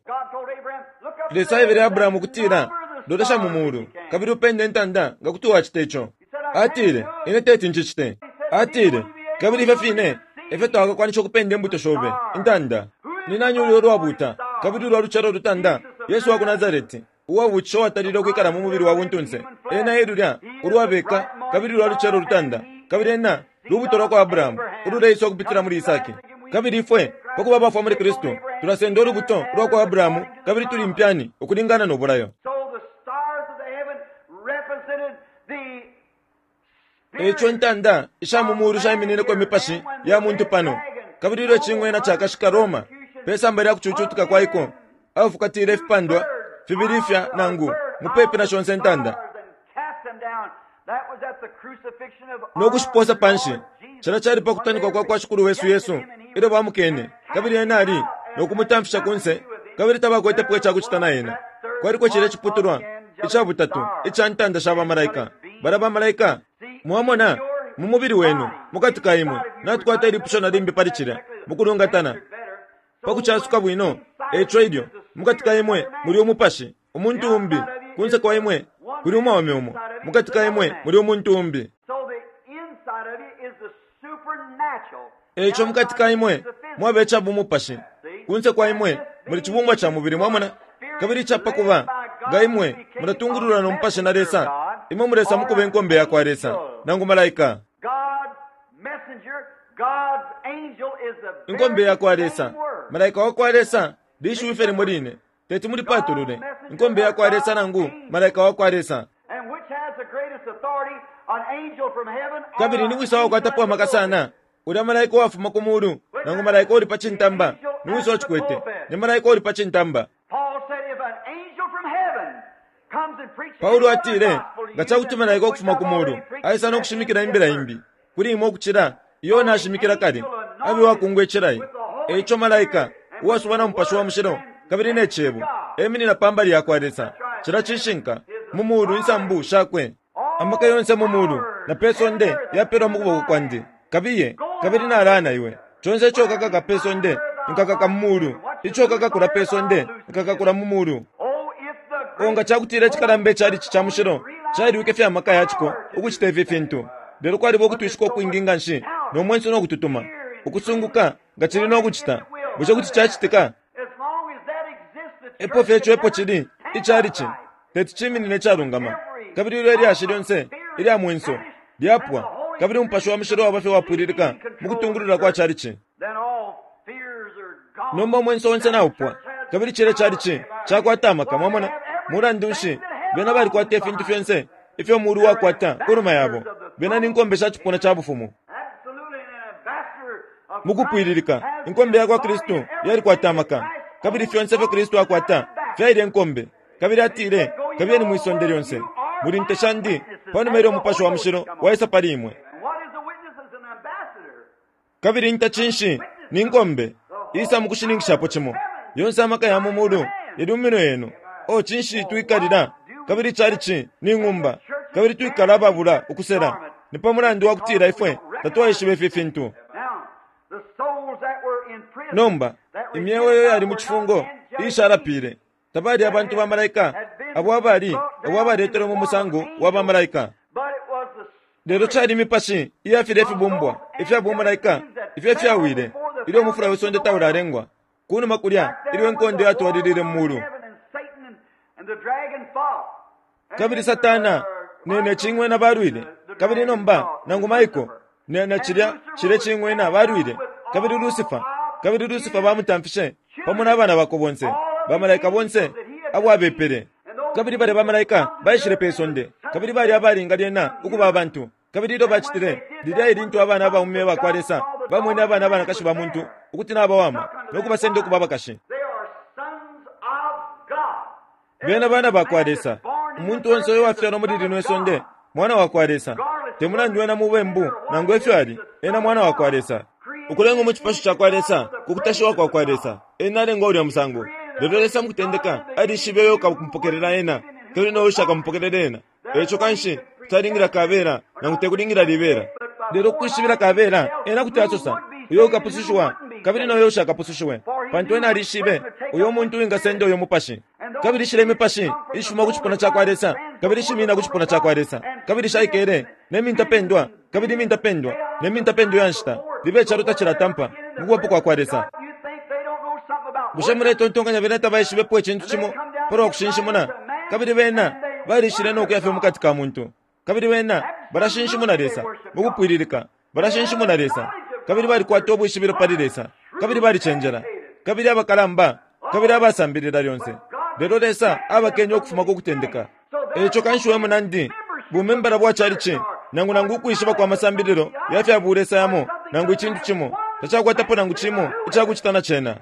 A: Lesa aebele Abrahamu ukutila, Lolesha mu mulu, kabili upende intanda nga kuti wacita ico. Atile, Ine teti ncicite. Atile, Kabili ifyo fine efyo tawakakwanisha ukupenda imbuto shobe, intanda. Ni nani ulya ulwabuuta kabili ulwa lucelo ulutanda? Yesu wa ku Nasareti, uwabuutisha uwatalile ukwikala mu mubili wa buntunse. Ena e lulya ulwabeka kabili ulwa lucelo ulutanda, kabili ena lubuto lwa kwa Abrahamu ululeisa ukupitila muli Isaki. Kabili ifwe, pa kuba abafwa muli Kristu, tulasenda ulubuto lwa kwa Abrahamu kabili tuli impyani ukulingana no bulayo. E ico intanda isha mu muulu shaiminineko imipashi ya muntu pano, kabili ilyo icing'wena cakashika Roma pe samba lya kucucutika kwa iko, afukatile ifipandwa fibili ifya nangu mupepi na shonse intanda no kushipoosa pa nshi. Cilya cali pa kutanikwa kwa kwa Shikulu wesu Yesu ilyo bamukene, kabili ena ali no kumutamfisha ku nse, kabili tabakwetepo ica kucita na ena. Kwaliko cilya ciputulwa ica butatu ica ntanda sha bamalaika. Balya bamalaika, mwamona, mu mubili wenu, mukati ka imwe. Natukwata ilipusho na limbi pali cilya, mukulungatana, pa kucasuka bwino. Eico ilyo mukati ka imwe muli umupashi, umuntu umbi, kunse kwa imwe kuli umwaume umo, mukati ka imwe muli umuntu umbi. Eico mukati ka imwe mwaba ica bumupashi, kunse kwa imwe muli cibumbwa ca mubili, mwamona. Kabili ica pa kuba, nga imwe mulatungululwa no Mupashi na Lesa, imwe mulesa mukuba inkombe yakwa Lesa, nangu malaika. Inkombe yakwa Lesa, malaika wakwa Lesa, lishiwi fye limo line. Teti mulipatulule, inkombe yakwa Lesa nangu malaika wakwa Lesa. Kabili ni wisa wakwatapo amaka sana, ulya malaika uwafuma ku mulu nangu malaika uuli pa cintamba? Ni wisa uwacikwete? Ni malaika uuli pa cintamba. Paulo atile, Nga ca kuti malaika ukufuma ku mulu aisa no kushimikila imbila imbi kuli imwe ukucila iyo nashimikila kale, abe uwakungwa icilayi. E ico malaika, uwasubwa na Mupashi wa Mushilo kabili ne Cebo, eminina pa mbali ya kwa Lesa. Cilya cishinka. Mu mulu insambu shakwe. Amaka yonse mu mulu na pe sonde yapelwa mu kuboko kwandi. Kabiye, kabili nalaya na iwe. Conse ico ukakaka pe sonde, nkakaka mu mulu. Ico ukakakula pe sonde, nkakakula mu mulu. O nga ca kutila icikalamba icalici ca mushilo cailwike fye amaka ya ciko ukucita ifi fintu! Lelo kwaliba ukutwishika ukwingi nga nshi no mwenso no kututuma, ukusunguka nga cili no kucita. Bushe kuti cacitika? Epo fye ico epo cili, icalici teti ciminine icalungama. Kabili ilyo ilyashi lyonse ilya mwenso lyapwa, kabili Umupashi wa Mushilo waba fye wapwililika mu kutungulula kwa calici, Nomba umwenso onse naupwa, kabili cilya chalichi cakwata amaka. Mwamona? Mulandu nshi, bena balikwata ifintu fyonse ifyo mulu wakwata kunuma yabo. Bena ni nkombe sha cipuna ca bufumu. Mukupwililika, inkombe yakwa Kristu yalikwata amaka. Kabili fyonse ifyo Kristu akwata fyaile nkombe. Kabili atile, Kabiyeni mwi sonde lyonse. Muli nte shandi, panuma ilyo Mupashi wa Mushilo waisa pali imwe. Kabili inta cinshi? Ni nkombe. Isa mukushininkishapo cimo. Yonse amaka ya mu mulu yali mu minwe yenu. Oh, cinshi twikalila? Kabili chalichi ni ng'umba, kabili twikala ababula ukusela. Ni pa mulandu wa kutila ifwe tatwaishiba ifi fintu. Nomba, imyeo iyo yali mu cifungo iishalapile, tabali abantu ba malaika abo abali abo abaletelwe mu musango wa ba malaika. Lelo cali mipashi iya filya ifibumbwa ifya bumalaika ifyo ifyawile ilyo umufula we sonde taulalengwa, ku numa kulya ilyo inkondo yatwalilile mu mulu. Kabili Satana ne, ne cing'wena balwile, kabili nomba nangu Michael ne, na cilya, cilye cing'wena balwile, kabili Lucifer, kabili Lucifer bamutamfishe pamo na bana bakwe bonse, bamalaika bonse abo abepele. Kabili balya ba malaika baishile pe sonde, kabili bali abalinga lyena ukuba abantu. Kabili ilyo bacitile, lilya e lintu abana abaume ba kwa Lesa bamwene abana abanakashi ba muntu ukuti nabawama, no kubasenda ukuba abakashi. Bena bana ba kwa Lesa. Umuntu onse uyo wafyalwa muli lino isonde mwana wa kwa Lesa. Te mulandu ena mubembu nangu efyo ali, ena mwana wa kwa Lesa. Ukulengwa mu cipasho ca kwa Lesa ku kutashiwa kwa kwa Lesa, ena alengwa ulya musango. Lelo Lesa mukutendeka alishibe uyo ukamupokelela ena kabili no ushakamupokelele ena. Eico kanshi talingila kabela nangu tekulingila libela. Lelo kukwishibila kabela ena kuti asosa uyo ukapusushiwa kabili no yo ushakapusushiwe, pantu ena alishibe uyo muntu uwingasenda uyo mupashi. Kabili shile imipashi ishifuma ku cipuna ca kwa Lesa kabili ishimina ku cipuna ca kwa Lesa, kabili shaikele ne mintapendwa kabili imintapendwa ne mintapendwa ya nshita libe icalo tacilatampa mu kubapo kwa kwa Lesa. Bushe muletontonkanya bena tabaishibepo icintu cimo palwa kushinshimuna? Kabili bena balishile no kuya fye mukati ka muntu, kabili bena balashinshimuna Lesa mukupwililika, balashinshimuna Lesa, kabili balikwata ubwishibilo pali Lesa, kabili balicenjela, kabili abakalamba, kabili abasambilila lyonse. Lelo Lesa abakenye ukufuma ku kutendeka. Eico kanshi we munandi, bumembala bwa chalichi, nangu nangu ukwishiba kwa masambililo ya fya bulesa yamo, nangu icintu cimo, tacakwatapo nangu cimo icakucita na cena.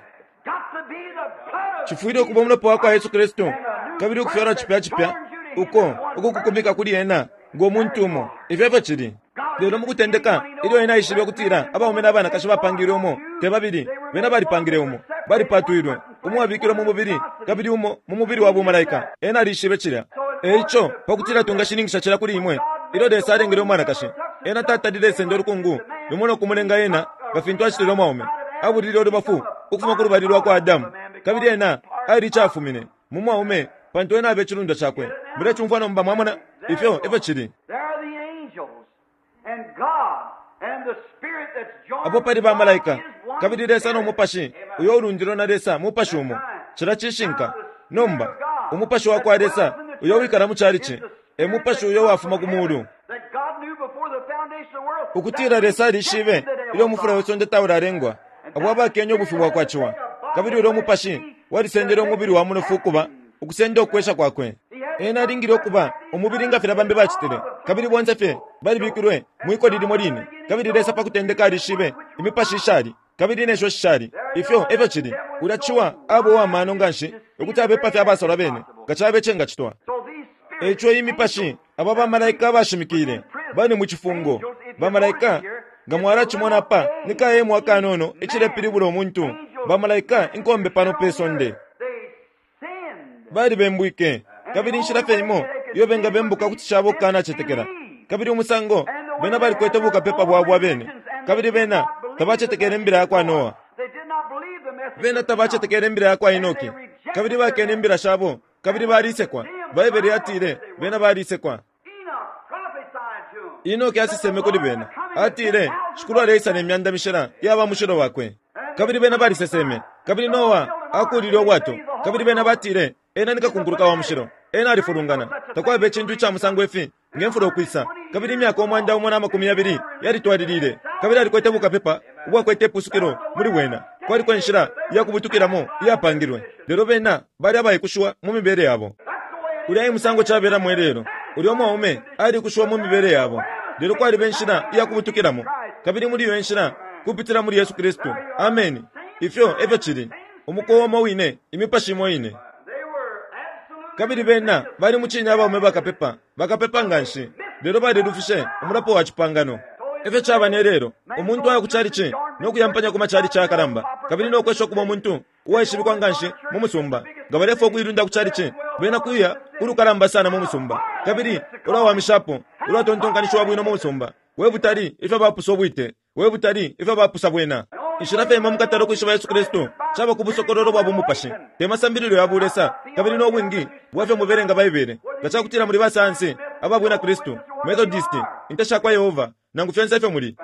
A: Cifwile ukuba umulopa wa kwa Yesu Kristu kabili ukufyalwa cipya cipya uko ukukukumika kuli ena ngo muntu umo. Ifyo efyo cili. Lelo mukutendeka, ilyo ena aishibe ukutila abaume na banakashi bapangilwe umo, te babili, bena balipangile umo, balipatwilwe, umo abikilwe mu mubili kabili umo mu mubili wa bumalaika. Ena alishibe cilya. E ico, pa kutila twingashininkisha cilya kuli imwe, ilyo Lesa alengele umwanakashi, Ena tatalile senda ulukungu lumo no kumulenga ena nga fintu acitile umwaume. Abulile ulubafu ukufuma ku lubali lwa kwa Adamu, kabili ena ali icafumine mu mwaume, pantu ena abe cilundwa cakwe. Mulecumfwa nomba, mwamona? Ifyo efyo cili. Apo pali ba malaika, kabili Lesa no Mupashi uyo ulundilwe na Lesa Mupashi umo. Cilya cishinka. Nomba, Umupashi wa kwa Lesa uyo wikala mu chalichi e Mupashi uyo wafuma ku Mulu. Ukutila Lesa alishibe ilyo umufula we sonde taulalengwa, abo abakenye ubufi bwa kwa Ciwa, kabili ulyo Mupashi walisendele umubili wa munofu ukuba ukusenda ukwesha kwakwe. Ena alingile ukuba umubili nga filya bambi bacitile, kabili bonse fye balibikilwe mwikoli limo line. Kabili Lesa pa kutendeka alishibe imipashi ishali kabili ne sho shishali. Ifyo efyo cili. Ulya Ciwa aba uwa mano nganshi ukuti abepa fye abasalwa bene nga cabe cengacitwa. Eico iyi mipashi, aba ba malaika abashimikile, bali mu cifungo. Ba malaika, nga mwalacimona apa, ni ka emu akanono icilepilibula umuntu. Ba malaika, inkombe pano pe sonde. Balibembwike, kabili inshila fye imo iyo bengabembuka kuti caba ukukanacetekela. Kabili umusango bena balikwete bukapepa bwabo abene, kabili bena tabacetekele imbila ya kwa Noa. Bena tabacetekele imbila ya kwa Enoki, kabili bakene imbila shabo, kabili balisekwa. Baibele yatile bena balisekwa. Enoki aseseme kuli bena, atile, Shikulu aleisa ne myanda mishila iya ba mushilo wakwe. Kabili bena baliseseme. Kabili Noa akuulile ubwato. Kabili bena batile, Ena ni kakunkuluka wa mushilo. Ena alifulungana. Takwaba icintu ica musango ifi nge mfula ukwisa. Kabili imyaka 120 yalitwalilile. Kabili alikwete bukapepa ubwakwete ipusukilo muli bwena. Kwaliko inshila ya kubutukilamo iyapangilwe. Lelo bena bali abaikushiwa mu mibele yabo. Ulya e musango cabelamo ilelo. Ulya umwaume alikushiwa mu mibele yabo. Lelo kwaliba inshila iya kubutukilamo, kabili muli iyo inshila kupitila muli Yesu Kristu. Ameni. Ifyo efyo cili. Umukowa umo wine, imipashi imo ine. Kabili bena bali mucine abaume bakapepa, bakapepa nganshi, lelo balilufishe umulapo wa cipangano. Efyo caba ne lelo. Umuntu aya ku chalichi no kuyampanya ku machalichi ayakalamba, kabili no kwesha ukuba umuntu uwaishibikwa nganshi mu musumba. Nga balefwaya ukuilunda ku chalichi, bena kuya ulukalamba sana mu musumba, kabili ulwawamishapo, ulwatontonkanishiwa bwino mu musumba. We butali ifyo bapusa ubwite! We butali ifyo bapusa bwena! Inshila fye imo mukatala ukwishiba Yesu Kristu caba ku busokololo bwa bumupashi, te masambililo ya bulesa kabili no bwingi bwa fyo mubelenga Baibele. Nga ca kutila muli basayansi aba Bwina Kristu, Methodist, Inte sha kwa Yehova, nangu fyonse ifyo muli,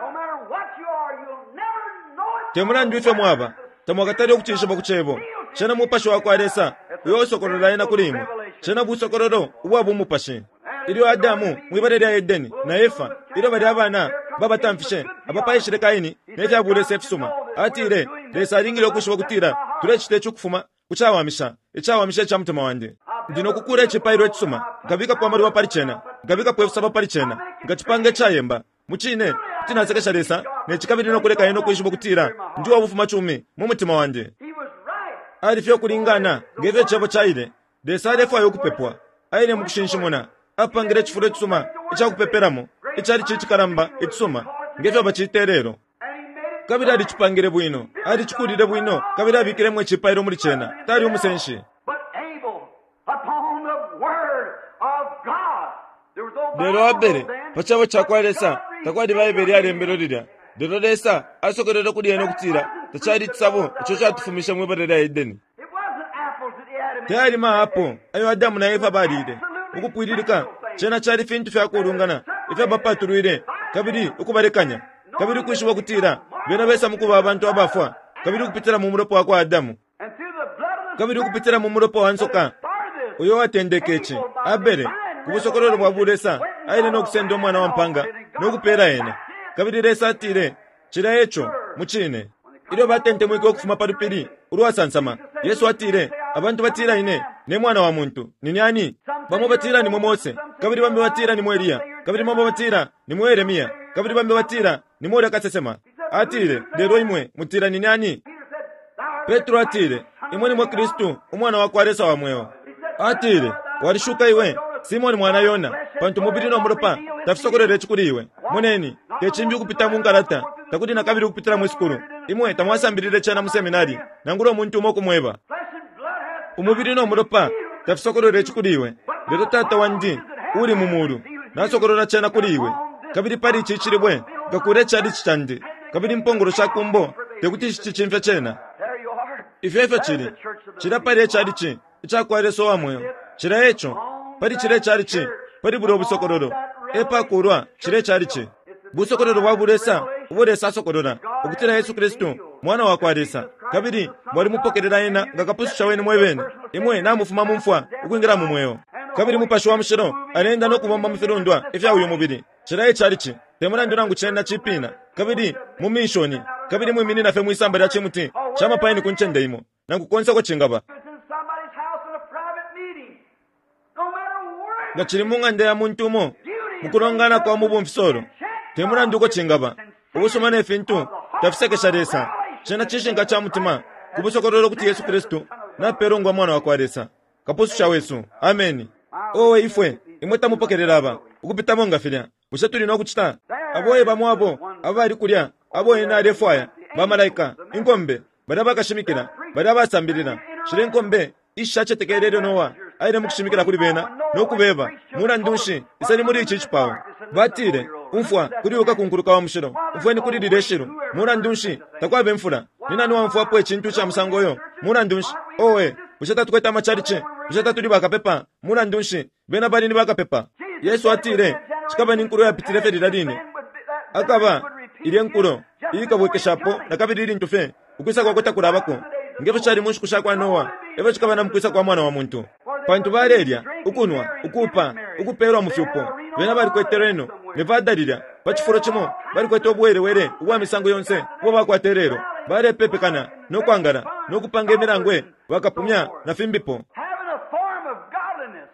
A: te mulandu ifyo mwaba, tamwakatale ukucishiba ku Cebo. Cena Mupashi wa kwa Lesa uyo usokolola Ena kuli imwe. Cena busokololo ubwa bumupashi. Ilyo Adamu mwi bala lya Edeni na Efa, ilyo balya abana babatamfishe, apa paishile Kaini ne fya bulesa ifisuma. Atile, Lesa alingile ukwishiba ukutila tulecita ici ukufuma ku cawamisha, icawamisha ica mutima wandi. Ndi no kukuula icipailo icisuma, nkabikapo amaluba pali cena, nkabikapo ifisabo pali cena, nkacipanga icayemba. Mucine, kuti nasekesha Lesa ne ci kabili no kuleka Ena ukwishiba ukutila ndi uwa bufumacumi mu mutima wandi. Ali fye ukulingana nge fyo Icebo caile. Lesa alefwaya ukupepwa. Aile mu kushinshimuna. Apangile icifulo icisuma ica kupepelamo, icalici icikalamba icisuma, nge fyo bacita ilelo. Kabili alicipangile bwino, alicikulile bwino, kabili abikilemo icipailo muli cena. Tali umusenshi. Lelo Abele, pa Cebo cakwa Lesa, takwali Baibele iyalembelwe lilya, lelo Lesa asokolwele kuli ena ukutila tacali icisabo ico catufumishe mwi bala lya Edeni. Tayali ma apo ayo Adamu na Efa balile. Mukupwililika, cena cali fintu fya kuulungana ifyo bapatulwile kabili ukubalekanya, kabili ukwishiba ukutila bena besa mukuba abantu abafwa, kabili ukupitila mu mulopa wakwa Adamu, kabili ukupitila mu mulopa wa nsoka uyo watendeke ici, Abele, ku busokololo bwa bulesa, aile no kusenda umwana wa mpanga no kupela ena. Kabili Lesa atile, Cilya eco, mucine. Ilyo batentemwike ukufuma pa lupili ulwasansama, Yesu atile, Abantu batila Ine, ne Mwana wa muntu, nine ani? Bamo batila nimwe Mose, kabili bambi batila nimwe Eliya, kabili bamo batila nimwe Yeremia, kabili bambi batila nimwe ulya kasesema. Atile, Lelo imwe mutila nine ani? Petro atile, Imwe nimwe Kristu, Umwana wa kwa Lesa wa mweo. Atile, Walishuka iwe, Simone mwana Yona, pantu umubili no mulopa tafisokolwele ici kuli iwe. Moneni, te cimbi ukupita mu nkalata, takuli na kabili ukupitila mwi sukulu. Imwe tamwasambilile cena mu seminari, nangula umuntu umo ukumweba. Umubili no mulopa tafisokolwele ici kuli iwe, lelo Tata wandi uuli mu mulu nasokolola cena kuli iwe. Kabili pali ici cilibwe nkakuula icalici candi, kabili impongolo sha kumbo tekuti shicicimfye cena. Ifyo efyo cili. Cilya palya icalici icakwa Lesa uwa mweo. Cilya eco. Pali cilya icalici, pali bulya ubusokololo, epakuulwa cilya icalici. Busokololo bwa bulesa ubo Lesa asokolola, ukutila Yesu Kristu Mwana wakwa Lesa, kabili mwalimupokelela Ena nga Kapususha wenu mwebene. Imwe namufuma mu mfwa ukwingila mu Mweo. Kabili Mupashi wa Mushilo aleenda no kubomba mu filundwa ifya uyu mubili. Cilya icalici, te mulandu nangu cena cipina, kabili mu minshoni, kabili mwiminina fye mwisamba lya cimuti ca mapaini ku ncende imo, nangu konse uko cingaba. Nga cili mu ng'anda ya muntu umo, mu kulongana kwa mu bumfisolo, te mulandu uko cingaba, ubusuma ne fintu tafisekesha Lesa. Cena cishinka ca mutima ku busokololo ukuti Yesu Kristu napelwa ngo Mwana wa kwa Lesa, Kapususha wesu. Ameni. Owe, ifwe, imwe tamupokelela aba, ukupitamo nga filya. Bushe tuli no kucita? Abo e bamo abo abali kulya abo ena alefwaya, ba malaika, inkombe, balya bakashimikila, balya abasambilila, shilya inkombe ishishacetekele ilyo Noa aile mukushimikila kuli bena no kubeba, Mulandu nshi, iseni muli ici cipao. Batile, Umfwa kuli uyu kakunkuluka wa mushilo. Umfweni kuli lilye shilu. Mulandu nshi, takwaba imfula. Ni nani waumfwapo icintu ica musango yo? Mulandu nshi, owe, bushe tatukwete amachalichi? Bushe tatuli bakapepa? Mulandu nshi, bena bali ni bakapepa. Yesu atile, Cikaba ni nkulo yapitile fye lilya line. Akaba ilye nkulo iikabwekeshapo na kabili ilintu fye ukwisa kwakwe takulabako. Nge fyo cali mu nshiku sha kwa Noa, e fyo cikaba na mu kwisa kwa Mwana wa muntu. Pantu balelya, ukunwa, ukuupa, ukupeelwa mu fyupo. Bena balikwete Reno, Nevada lilya, pa cifulo cimo, balikwete ubuwelewele ubwa misango yonse ubo bakwata ilelo. Balepepekana, no kwangala, no kupanga imilangwe, bakapumya, na fimbipo.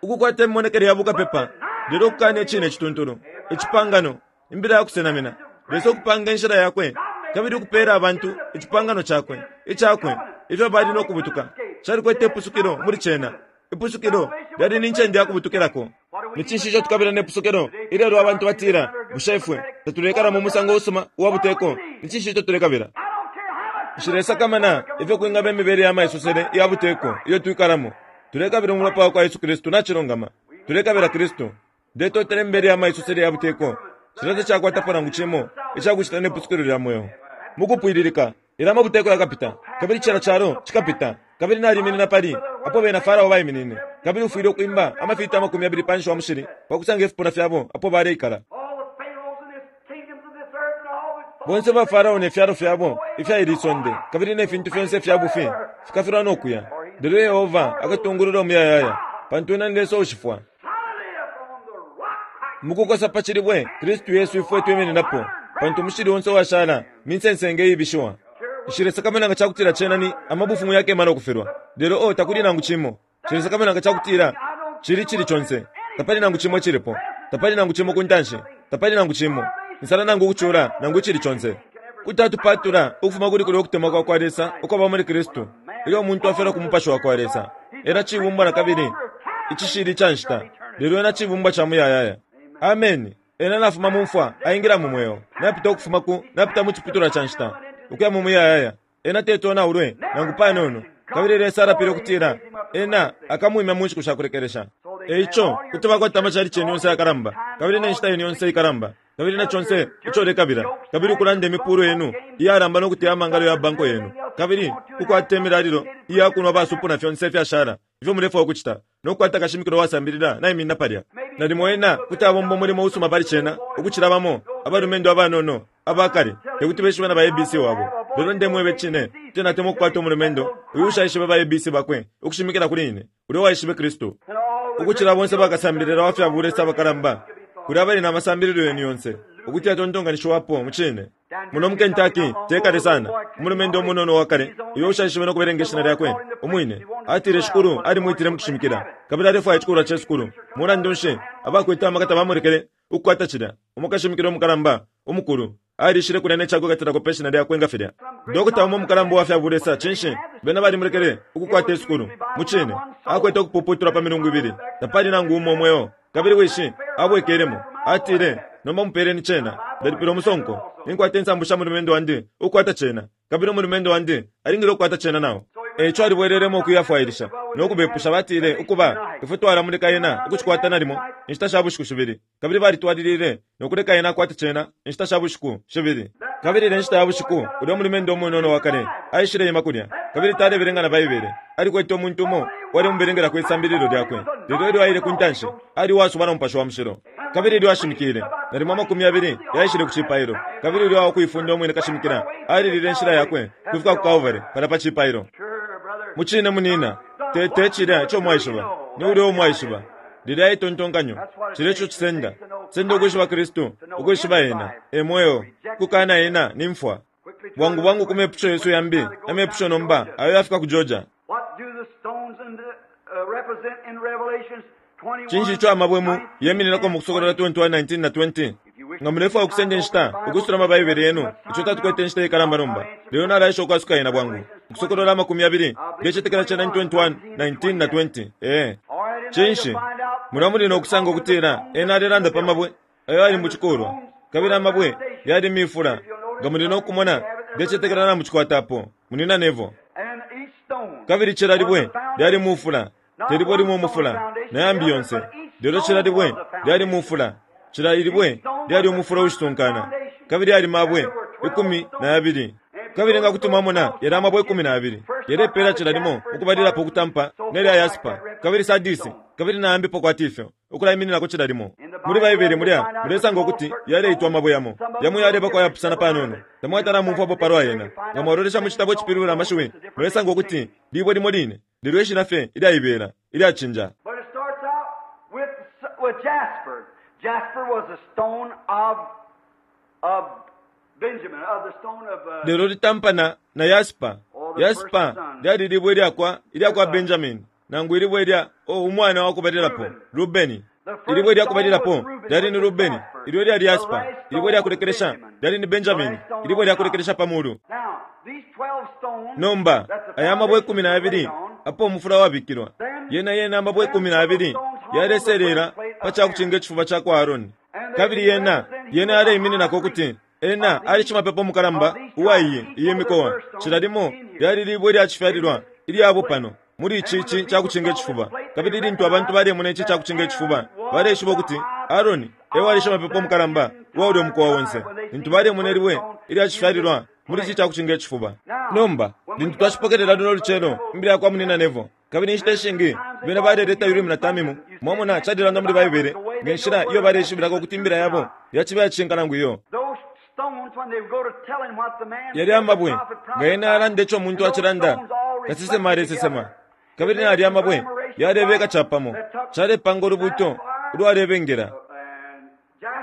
A: Ukukwata imimonekele ya bukapepa, lelo ukukana Icine icituntulu, icipangano, Imbila ya kusenamina, Lesa ukupanga inshila Yakwe kabili ukupela abantu icipangano Cakwe, Icakwe, ifyo bali no kubutuka. Calikwete ipusukilo muli cena. Ipusukilo lyali ni ncende ya kubutukilako. Ni cinshi ico tukabila ne pusukilo ilelo? Abantu batila, Bushe ifwe tatuleikala mu musango usuma uwa buteko? Ni cinshi ico tulekabila? Nshilesakamana ifyo kwingaba imibele ya maisosele iya buteko iyo twikalamo. Tulekabila Umulopa wakwa Yesu Kristu. Nacilungama. Tulekabila Kristu. Ndetotela imibele ya maisosele ya buteko. Cilya tacakwatapo nangu cimo icakucita ne pusukilo lya mweo. Mukupwililika, ilyo amabuteko yakapita, kabili cila calo cikapita, kabili naliminina pali apo bena Farao baiminine, kabili ufwile ukwimba amafiti 20 panshi wa mushili pa kusanga ifipuna fyabo apo baleikala. Bonse ba Farao ne fyalo fyabo ifya ili sonde, kabili ne fintu fyonse ifya bufi, fikafilwa no kuya. Lelo Yehova akatungulula umuyayaya, pantu ena ni Lesa uushifwa. Mukukosa pa cilibwe, Kristu Yesu ifwe twimininapo, pantu umushili onse uwashala minsensenge iibishiwa. Nshilesakamana nga cakutila cena ni amabufumu yakema no kufilwa, lelo oh, takuli nangu cimo. Nshilesakamana nga cakutila Cili icili conse. Tapali nangu cimo icilipo. Tapali nangu cimo ku ntanshi. Tapali nangu cimo. Insala nangu ukucula, nangu icili conse. Kuti atupatula ukufuma kuli kulya ukutemwa kwa kwa Lesa ukwaba muli Kristu. Ilyo umuntu afyalwa ku Mupashi wa kwa Lesa, ena cibumbwa na kabili icishili ica nshita, lelo ena cibumbwa ca muyayaya. Ameni. Ena nafuma mu mfwa aingila mu mweo, napita ukufuma ku, napita mu ciputulwa ca nshita, ukuya mu muyayaya. Ena teti onaulwe nangu panono, kabili Lesa alapile ukutila Ena akamwimya mu nshiku sha kulekelesha. E ico, kuti bakwata amachalichi yenu yonse ayakalamba, kabili ne nshita yenu yonse ikalamba, kabili na conse ico ulekabila, kabili ukulanda imipuulo yenu iyalamba no kuteya amangalo ya banko yenu, kabili ukukwata imilalilo iya kunwa basupu na fyonse ifyashala ifyo mulefwaya ukucita, no kukwata kashimikila uwasambilila naiminina palya. Nalimo ena kuti abomba umulimo usuma pali cena ukucila bamo abalumendo abanono aba kale te kuti beshibe na ba ABC wabo. Lelo ndemwebe cine, kuti natemwa ukukwata umulumendo uyu ushaishibe ba ABC bakwe ukushimikila kuli ine, ulya uwaishibe Kristu. Ukucila bonse bakasambilila wa fya bulesa abakalamba kulya abali na masambililo yenu yonse ukuti yatontonkanishiwapo mucine. Muno mu Kentucky, te kale sana, umulumendo umunono uwa kale uyo ushaishibe no kubelenga ishina lyakwe umwine, atile Shikulu alimwitile mu kushimikila, kabili alefwaya icikulwa ce sukulu. Mulandu nshi, abakwete amaka tabamulekele ukukwata cilya. Umo kashimikila umukalamba umukulu alishile kulya ne cakwikatilako pe shina lyakwe nga filya. Dokota umo umukalamba uwa fya bulesa, cinshi, bena balimulekele ukukwata isukulu. Mucine, akwete ukupuputulwa pa milungu ibili. Tapali nangu umo umweo. Kabili wishi abwekelemo, atile, Nomba mupeleni cena. Ndalipila umusonko. Ninkwata insambu sha mulumendo wandi ukukwata cena, kabili umulumendo wandi alingile ukukwata cena nao. E ico alibwelelemo ukuyafwailisha no kubepusha. Batile, Ukuba, ifwe twalamuleka ena ukucikwata nalimo inshita sha bushiku shibili. Kabili balitwalilile no kuleka ena akwate cena inshita sha bushiku shibili. Kabili ilya nshita ya bushiku, ulya umulumendo umunono wa kale aishileima kulya, kabili talebelenga na Baibele. Alikwete umuntu umo uwalemubelengelako isambililo lyakwe. Lelo ilyo aile ku ntanshi, ali uwasubwa na Mupashi wa Mushilo. Kabili ilyo ashimikile, nalimo amakumi yabili yaishile ku cipailo. Kabili ulya uwakuifunda umwine kashimikila alilile inshila yakwe ukufika ku Kalvari, palya pa cipailo. Mucine, munina, te, te cilya ico mwaishiba, ni ulya uo mwaishiba. Lilya itontonkanyo, cilya eco cisenda. Cisenda ukwishiba Kristu, ukwishiba Ena. E Mweo. Ukukana Ena ni mfwa. Bwangu bwangu ku mepusho yesu yambi, amepusho nomba ayo yafika ku Georgia. Cinshi ico amabwe mu yemininako mu Kusokolola 21, 19 na 20? Nga mulefwaya ukusenda inshita ukwisula amaBaibele yenu, ico tatukwete inshita ikalamba nomba, lelo nalaesha ukwasuka yena bwangu. Ukusokolola amakumi yabili, ndecetekela cena ni 21, 19 na 20. Ee. Cinshi? Mulya muli no kusanga ukutila ena alelanda pa mabwe ayo ali mu cikulwa, kabili amabwe yali mifula. Nga muli no kumona, ndecetekela na mucikwata apo, Munyina Neville. Kabili cila libwe lyali mufula, te libwe limo umufula, na yambi yonse, lelo cila libwe lyali mufula. Cila ilibwe lyali umufula ushitunkana, kabili yali mabwe 12. Kabili nga kuti mwamona yalya amabwe 12, yalepeela cila limo ukubalilapo ukutampa nelya yasipa, kabili sardisi, kabili na yambipo kwati ifyo, ukulaimininako cila limo. Muli Baibele mulya mulesanga ukuti yaleitwa amabwe yamo. Yamo yalebako ayapusana panono. Tamwatala amumfwapo palwa yena. Nga mwalolesha mu citabo icipilibula amashiwi, mulesanga ukuti libwe limo line, lelo ishina fye ilyaibela, ilyacinja.
B: But it starts out with, with Jasper. Jasper was a stone of, of Benjamin, of the stone of,
A: Lelo litampana na yaspa. Yaspa lyali libwe ilyakwa, ilyakwa Benjamini, nangu ilibwe ilya, oh, umwana wa kubalilapo, Rubeni. Ilibwe ilya kubalilapo lyali ni Rubeni, ilyo lyali yaspa. Ilibwe ilya kulekelesha lyali ni Benjamini, ilibwe ilya kulekelesha pa mulu.
B: Now, these 12 stones,
A: Nomba,
B: that the
A: aya amabwe
B: foundation
A: ikumi na
B: was
A: yabili
B: laid on,
A: apo umufula wabikilwa, yena yena amabwe 12 yaleselela pa ca kucinga icifuba ca kwa Aarone. Kabili yena, yena yaleimininako ukuti ena ali shimapepo mukalamba uwa iyi, iyi mikowa. Cila limo lyali libwe lya cifyalilwa ilya bupano muli ici ici ca kucinga icifuba. Kabili lintu abantu balemona ici ca kucinga icifuba, baleishiba ukuti Aarone e wali shimapepo mukalamba uwa ulyo mukowa onse. Lintu balemona ilibwe ilya cifyalilwa muli ici ca kucinga icifuba. Nomba, lintu twashipokelela luno lucelo imbila ya kwa Munyina Neville, kabili inshita ishingi bena baleleta Urimu na Tamimu, mwamona, calilanda muli Baibele nge nshila iyo baleishibilako ukuti imbila yabo yaciba iyacishinka nangu iyo.
B: Those stones, when they go to telling what the man
A: Yalya
B: said, the
A: amabwe,
B: prophet
A: nga yena
B: prophesied,
A: yalanda ico umuntu
B: and those
A: acilanda,
B: stones all
A: kasesema
B: reflected
A: alesesema.
B: together.
A: Kabili na yalya amabwe yalebeka capamo, calepanga ulubuuto ulwalebengela.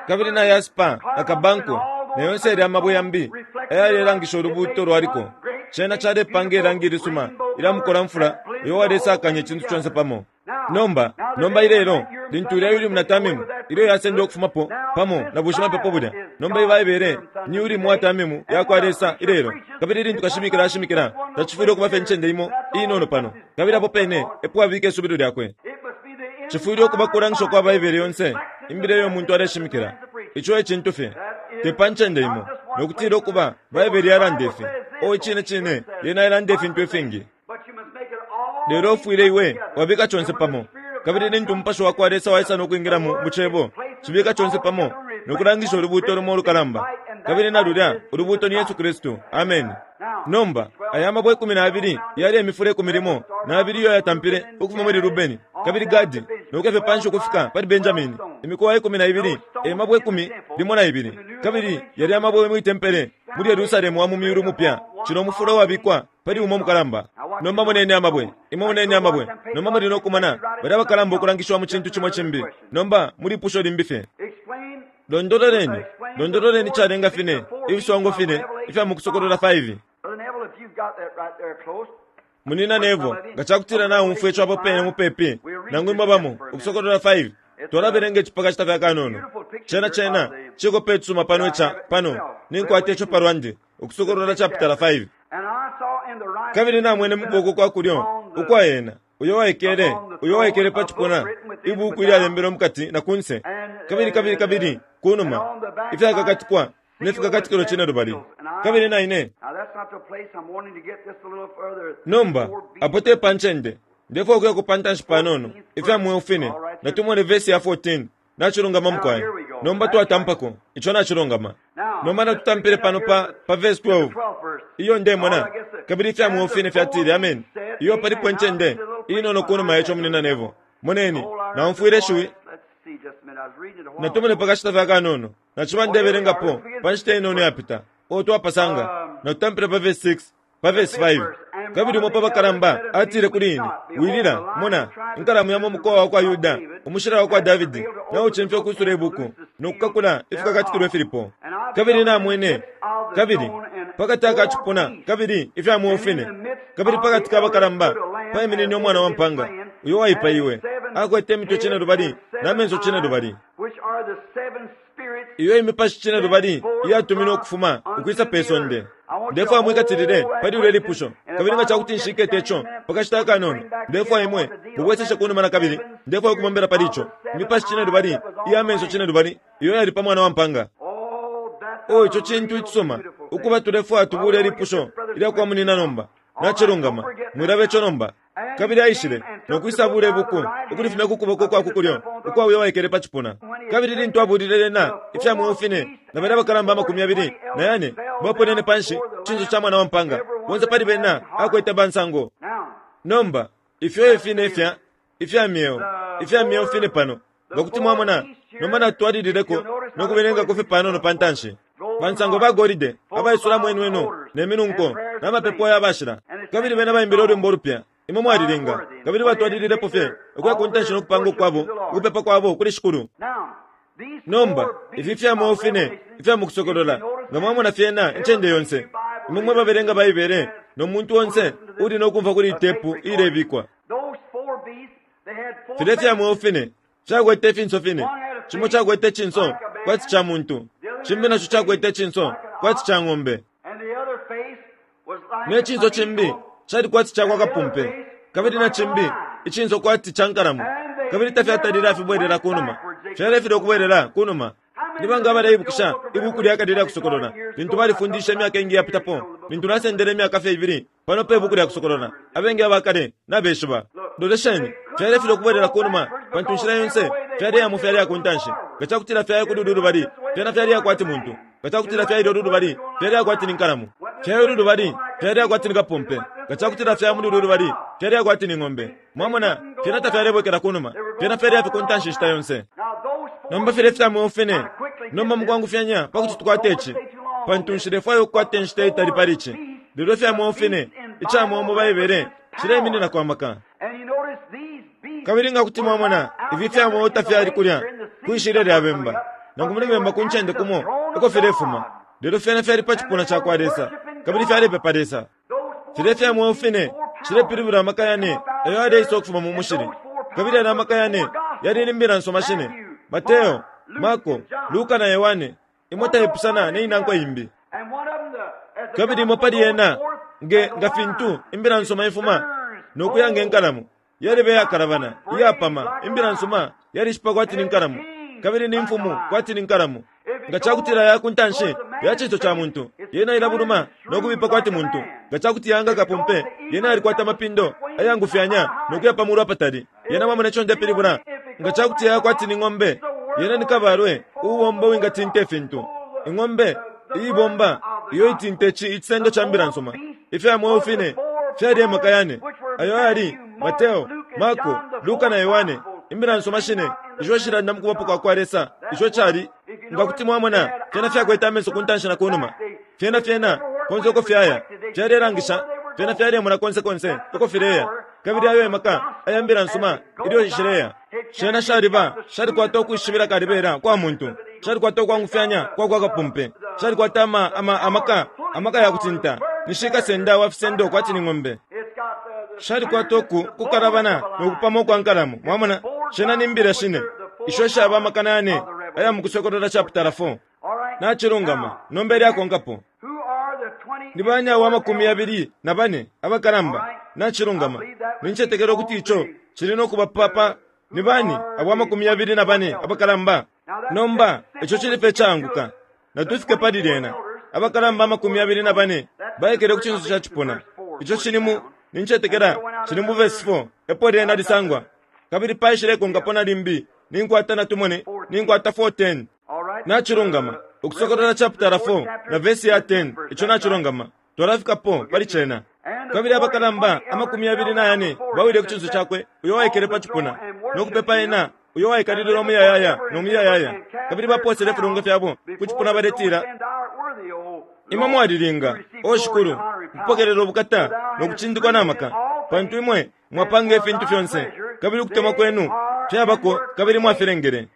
A: Kabili na yaspa na kabanko na yonse yalya amabwe yambi ayalelangisha ulubuuto lwaliko, cena calepanga ilangi ilisuma ilya mukolamfula uyo walesakanya icintu conse pamo. Nomba, nomba ilelo, lintu ilya Urimu na Tamimu ilyo yasendwa ukufumapo pamo na bushimapepo bulya, nomba iyi Baibele ni Urimu wa Tamimu yakwa Lesa ilelo. Kabili lintu kashimikila ashimikila, tacifwile ukuba fye incende imo inono pano, kabili apo pene epo abika isubilo lyakwe. Cifwile ukuba kulangisha kwa Baibele yonse, imbila iyo umuntu aleshimikila. Ico e cintu fye. Te pa ncende imo, no kutila ukuba Baibele yalanda ifi. Oh, icine cine, yena ilanda ifintu ifingi. Lelo ufwile iwe wabika conse pamo. Kabili lintu Umupashi wakwa Lesa waisa no kwingilamo mu Cebo, cibika conse pamo no kulangisha ulubuuto lumo ulukalamba. Kabili na lulya ulubuuto ni Yesu Kristu. Ameni. Nomba, aya mabwe 12 yali emifula ikumi limo na yabili iyo yatampile ukufuma muli Rubeni, kabili Gadi, no kuya fye panshi ukufika pali Benjamini. Imikowa 12 e mabwe ikumi limo na ibili. Kabili yali amabwe mwi tempele muli Yerusalemu wa mu myulu mupya, cila umufula uwabikwa pali umo mukalamba. Nomba moneni amabwe, imwe moneni amabwe. Nomba muli no kumona balya abakalamba ukulangishiwa mu cintu cimo cimbi. Nomba muli ipusho limbi fye. Londololeni, londololeni icalenga fine, ifiswango fine ifya mu Kusokolola 5. Munina Neville, nga cakutila naumfwa ico apo pene mupepi, nangu imwe bamo, Ukusokolola 5, twalabelenga ici pa kashita fye akanono. Cena, cena cikope icisuma pano ica, pano, ninkwata ico palwandi, Ukusokolola chapitala 5. Kabili namwene mu kuboko kwa kulyo ukwa ena uyo waikele, uyo waikele pa cipuna, ibuku ilyalembelwe mukati na kunse, kabili, kabili, kabili kunuma, ifyakakatikwa ne fikakatikilo cinelubali. Kabili na ine. Nomba, apo te pa ncende, ndefwaya ukuyako pa ntanshi panono, ifya mweo fine. Natumone vesi ya 14. Nacilungama, mukwai. Nomba twatampako. Ico nacilungama. Nomba natutampile pano pa, pa vesi 12. Iyo ndemona. Kabili ifya mweo fine fyatile, Ameni. Iyo palipo incende inono kunuma ya ico, Munina Neville. Moneni, naumfwile ishiwi. Natumone pa kashita fye akanono. Naciba ndebelengapo pa nshita inono iyapita. O twapasanga. Natutampile pa vesi 6, pa vesi 5. Kabili umo pa bakalamba atile kuli ine, Wilila, mona, inkalamu ya mu mukowa wa kwa Yuda, umushila wa kwa Davidi, naucimfya ukwisula ibuku no kukakula ifikakatikilwe ifilipo. Kabili namwene, kabili pakati aka cipuna kabili ifya mweo fine, kabili pakati ka bakalamba paiminine umwana wa mpanga, uyo waipaiwe, akwete imitwe cinelubali na menso cinelubali. Iyo imipashi cinelubali iyatuminwe ukufuma ukwisa pe sonde. Ndefwaya mwikatilile pali lulya lipusho, kabili nga ca kuti nshikete ico pa kashita akanono, ndefwaya imwe mubweseshe ku numa na kabili. Ndefwaya ukubombela pali ico. Imipashi cinelubali iya menso cinelubali iyo yali pa Mwana wa mpaanga. Oh, ico cintu icisuma ukuba tulefwaya tubuule ilipusho ilya kwa munina nomba. Nacilungama. Mwilaba ico nomba. Kabili aishile, no kwisa buula ibuku, ukulifumya ku kuboko kwa ku kulyo ukwa uyo waikele pa cipuna. Kabili lintu abuulile lyena ifya mweo fine, na balya abakalamba 24 baponene panshi ku cinso ca Mwana wa mpaanga, bonse pali bena akwete bansango. Nomba, ifyo e fine ifya, ifya myeo, ifya myeo fine pano. Nga kuti mwamona, nomba natutwalilileko no kubelengako fye panono pa ntanshi. Bansango ba golide abaisulamo inweno ne minunko na mapepo ya bashila, kabili bena baimbile ulwimbo ulupya, Imwe mwalilinga, kabili batwalililepo fye ukuya ku ntanshi no kupanga ukwabo, ukupepa kwabo kuli Shikulu. Nomba, ifi ifya mweo fine ifya mu Kusokolola, nga mwamona fyena incende yonse, imwe mwe babelenga Baibele no muntu onse uuli no kumfwa kuli iyi tepu iilebikwa. Filya ifya mweo fine fyakwete ifinso fine, cimo cakwete icinso kwati ca muntu, cimbi naco cakwete icinso kwati ca ng'ombe, ne cinso cimbi cali kwati ca kwa kapumpe, kabili na cimbi icinso kwati ca nkalamo, kabili tafyatalile afibwelela ku numa, fyalefilwa ukubwelela ku numa. Ni banga abaleibukisha ibuuku lya kale ilya Kusokolola lintu balifundishe imyaka ingi iyapitapo, lintu nasendele imyaka fye ibili pano pe buuku lya Kusokolola? Abengi aba kale nabeshiba. Lolesheni, fyalefilwa ukubwelela ku numa, pantu inshila yonse fyaleyamo fyaleya ku ntanshi. Nga ca kutila fyaya kuli ulu lubali, fyena fyaleya kwati muntu. Nga ca kutila fyaile ulu lubali, fyaleya kwati ni nkalamo. Fyaya ulu lubali, fyaleya kwati ni kapumpe. Nga ca kutila fyaya muli ulu lubali, fyaleya kwati ni ng'ombe. Mwamona, fyena tafyalebwekela ku numa, fyena fyaleya fye ku ntanshi inshita yonse. Nomba filya ifya mweo fine, nomba mukwangufyanya pa kuti tukwate ici, pantu nshilefwaya ukukwata inshita itali pali ici. Lelo ifya mweo fine, ica mweo mu Baibele, cileimininako amaka. Kabili nga kuti mwamona, ifi ifya mweo tafyali kulya kwi shilya lya bemba, nangu muli bemba ku ncende kumo eko filefuma, lelo fyena fyali pa cipuna ca kwa Lesa, kabili fyalepepa Lesa. Filya ifya mweo fine cilepilibula amaka yane ayo yaleisa ukufuma mu mushili. Kabili yalya amaka yane yali ni Mbila nsuma shine, Mateo, Marko, Luka na Yohane, imo taipusana ne inankwe imbi. Kabili imo pali yena, nge nga fintu Imbila nsuma ifuma no kuya nge nkalamo, yaliba iyakalabana, iyapama. Imbila nsuma yalishipa kwati ni nkalamo, kabili ni mfumu kwati ni nkalamo. Nga ca kutila ya ku ntanshi ya cinso ca muntu, yena ilabuluma no kubipa kwati muntu. Nga ca kuti yanga kapumpe, yena yalikwata amapindo ayangufyanya no kuya pa mulu apatali. Yena mwamona ico ndepilibula? Nga ca kuti yaya kwati ni ng'ombe, yena ni kabalwe uubomba uwingatinta ifintu. Ing'ombe iibomba iyo itinta ici icisendo ca mbila nsuma. Ifya mweo fine fyali e maka yane, ayo ayali Mateo, Marko, Luka na Yohane, imbila nsuma shine isho shilanda mu kubapo kwa kwa Lesa, ico cali, nga kuti mwamona, fyena fyakwete amenso ku ntanshi na ku numa. Fyena, fyena, konse uko fyaya, fyalelangisha, fyena fyalemona konse konse uko fileya. Kabili ayo e maka aya mbila nsuma ilyo shileya. Shena shaliba, shalikwata ukwishibila kalibela kwa muntu, shalikwata ukwangufyanya kwa kwa kapumpe, shalikwata ama, ama, amaka, amaka ya kutinta, ni shikasenda wa fisendo kwati ni ng'ombe. Shalikwata uku kukalabana no kupama ukwa nkalamo. Mwamona? Shena ni mbila shine isho shaba amakana yane aya mu Kusokolola chaputala 4. Nacilungama. Nomba ilyakonkapo. Ni bani abo amakumi 24 abakalamba? Nacilungama. Nincetekela ukuti ico cili no kuba papa. Ni bani abo 24 abakalamba? Nomba, ico cili fye icaanguka. Natufike pali lyena. Abakalamba 24 baikele ku cinso ca cipuna. Ico cili mu, nincetekela, cili mu vesi 4, epo lyena lisangwa. Kabili paishilekonkapo na limbi, ninkwata natumone, ninkwata 4:10. Nacilungama. Ukusokolola chaputala 4 na vesi ya 10, ico nacilungama. Twalafikapo pali cena. Kabili abakalamba 24 bawile ku cinso cakwe uyo waikele pa cipuna, no kupepa ena uyo waikalilila umuyayaya no muyayaya. Kabili bapoosele ifilungo fyabo ku cipuna baletila, Imwe mwalilinga, O Shikulu, ukupokelela ubukata no kucindikwa na maka, pantu imwe mwapanga ifintu fyonse, kabili ukutemwa kwenu fyabako kabili mwafilengele.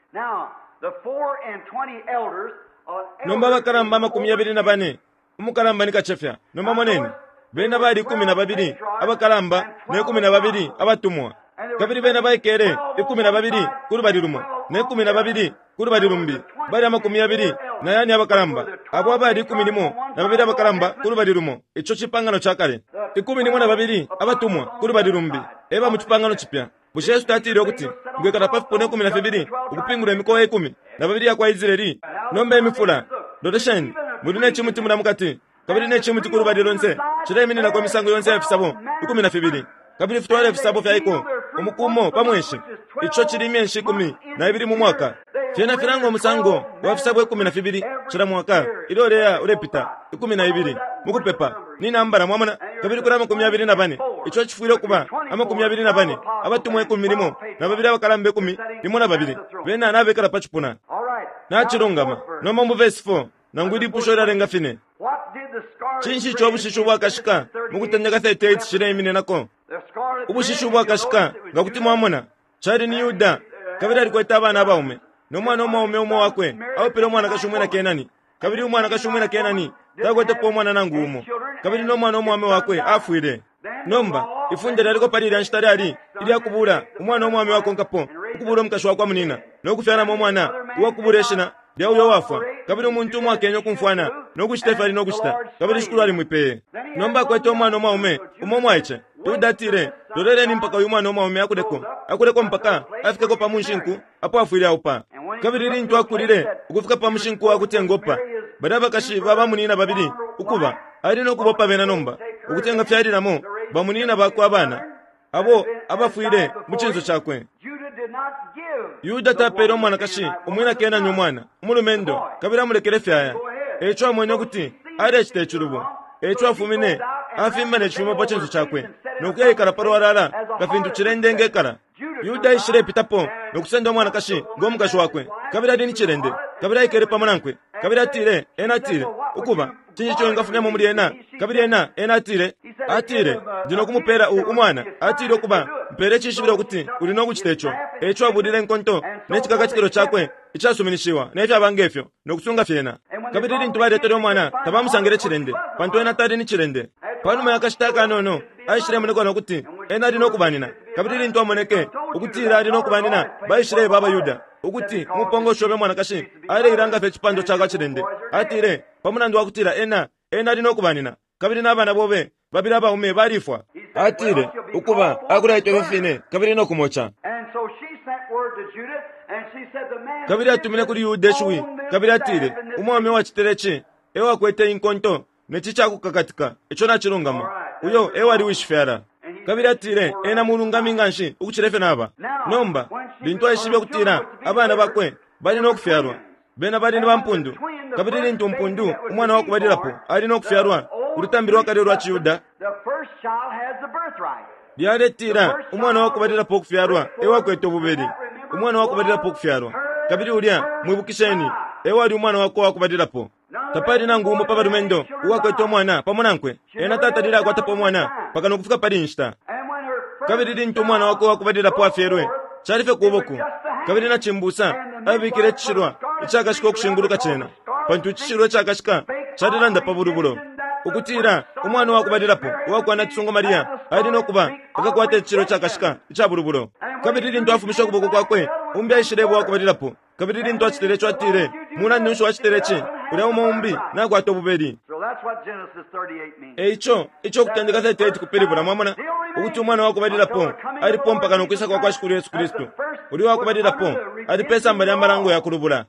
A: Nomba abakalamba 24, umukalamba ni kacefya. Nomba moneni, bena bali 12 abakalamba ne 12 abatumwa. Kabili bena baikele 12 ku lubali lumo ne 12 ku lubali lumbi, bali 24 abakalamba, abo abali 12 abakalamba ku lubali lumo, ico cipangano ca kale, 12 abatumwa ku lubali lumbi, e ba mu cipangano cipya. Bushe Yesu tatile ukuti, Ngekala pa fipuna 12 ukupingula imikowa 12 ya kwa Israeli? Nomba imifula, lolesheni, muli ne cimuti mulya mukati, kabili ne cimuti ku lubali lonse cileimininako imisango yonse ya fisabo 12, kabili fitwala ifisabo fya iko umuku umo pa mweshi, ico cili imyeshi 12 mu mwaka. Fyena filanga umusango wa fisabo 12 cila mwaka ilyo uleya ulepita, 12 mu kupepa ni nambala, mwamona, kabili kuli 24, ico cifwile ukuba 24, abatumwa 12 abakalamba 12 bena nabekala pa cipuna. Nacilungama. Nomba mu vesi 4, nangu ilipusho ilyalenga fine. Cinshi ico ubushishi ubwakashika mu Kutendeka 38 cileimininako? Ubushishi ubwakashika, nga kuti mwamona, cali ni Yuda, kabili alikwete abana abaume, no mwana umwaume umo wakwe aupile umwanakashi umwina Kenani, kabili umwanakashi umwina Kenani takwetepo umwana nangu umo, kabili no mwana umwaume wakwe afwile. Nomba, ifunde lyaliko pali ilya nshita lyali ilya kubuula umwana umwaume wakonkapo, ukubuula umukashi wa kwa munina, no kufyalamo umwana uwa kubuula ishina lya uyo uwafwa. Kabili umuntu umo akenye ukumfwana no kucita ifyo ali no kucita, kabili Shikulu alimwipeye. Nomba akwete umwana umwaume umo umwaice. Yuda atile, Loleleni mpaka uyu mwana umwaume akuleko, akuleko mpaka afikeko pa munshinku apo afwile aupa. Kabili lintu akulile ukufika pa mushinku wa kuti engopa balya bakashi ba bamunina babili, ukuba, ali no kubopa bena nomba, ukuti engafyalilamo bamunina bakwe abana, abo abafwile mu cinso cakwe. Yuda tapeele umwanakashi umwina Kenani umwana umulumendo, kabili amulekele fye aya. E ico amwene ukuti alecita icilubo. E ico afumine, afimba ne cifumo pa cinso cakwe, no kuyaikala pa lwalala nga fintu cilende engekala. Yuda aishilepitapo no kusenda umwanakashi ngo mukashi wakwe, kabili ali ni cilende, kabili aikele pamo nankwe. Kabili atile, ena atile, Ukuba, cinshi ico wingafumyamo muli ena? Kabili ena, ena atile, atile, Ndi no kumupela u, umwana. Atile, Ukuba, mpele icishibilo ukuti uli no kucita ico. E ico abulile inkonto ne cikakatikilo cakwe icasuminishiwa, ne fyaba nge fyo, no kusunga fyena. Kabili lintu baletele umwana, tabamusangile cilende, pantu ena tali ni cilende. Panuma ya kashita akanono, aishilemonekwa no kuti Ena ali no kubanina. Kabili lintu amoneke ukutila ali no kubanina, baishileba abaYuda ukuti umupongoshi obe mwanakashi aleilanga fye icipando ca kwa cilende. Atile, pa mulandu wa kutila ena, ena ali no kubanina, kabili na bana bobe babili abaume balifwa. Atile, Ukuba, akulaitwa ifyo fine, kabili no kumoca. Kabili atumine kuli Yuda ishiwi, kabili atile, Umwaume uwacitile ici e wakwete inkonto ne ci ca kukakatika. Ico nacilungama. Uyo e wali wishifyala. Kabili atile, Ena mulungami nganshi ukucila ifyo naba. Nomba, lintu aishibe ukutila abana bakwe bali no kufyalwa, bena bali ni bampundu. Kabili lintu mpundu, umwana wa kubalilapo, ali no kufyalwa, ulutambi lwa kale ulwa ciYuda lyaletila umwana wa kubalilapo ukufyalwa e wakwete ububeli, umwana wa kubalilapo ukufyalwa. Kabili ulya, mwibukisheni, e wali umwana wakwe uwa kubalilapo. Tapali nangu umo pa balumendo uwakwete umwana pamo nankwe. Ena tatalile akwatapo umwana mpaka no kufika pali inshita. Kabili lintu umwana wakwe uwa kubalilapo afyelwe, cali fye kuboko, kabili na cimbusa abikile icishilwa icakashika ukushinguluka cena, pantu icishilwa icakashika calelanda pa bulubulo, ukutila umwana wa kubalilapo uwa kwa nacisungu Maria ali no kuba akakwata icishilwa icakashika ica bulubulo. Kabili lintu afumishe ukuboko kwakwe, umbi aishileba uwa kubalilapo. Kabili lintu acitile ico, atile, Mulandu nshi wacitile ci? Ulya umo umbi nakwata ububeli. E ico, ico Ukutendeka 38 kupilibula, mwamona, ukuti umwana wa kubalilapo alipo mpaka no kwisa kwa kwa Shikulu Yesu Kristu. Ulya uwa kubalilapo ali pe samba lya malango ya kulubula.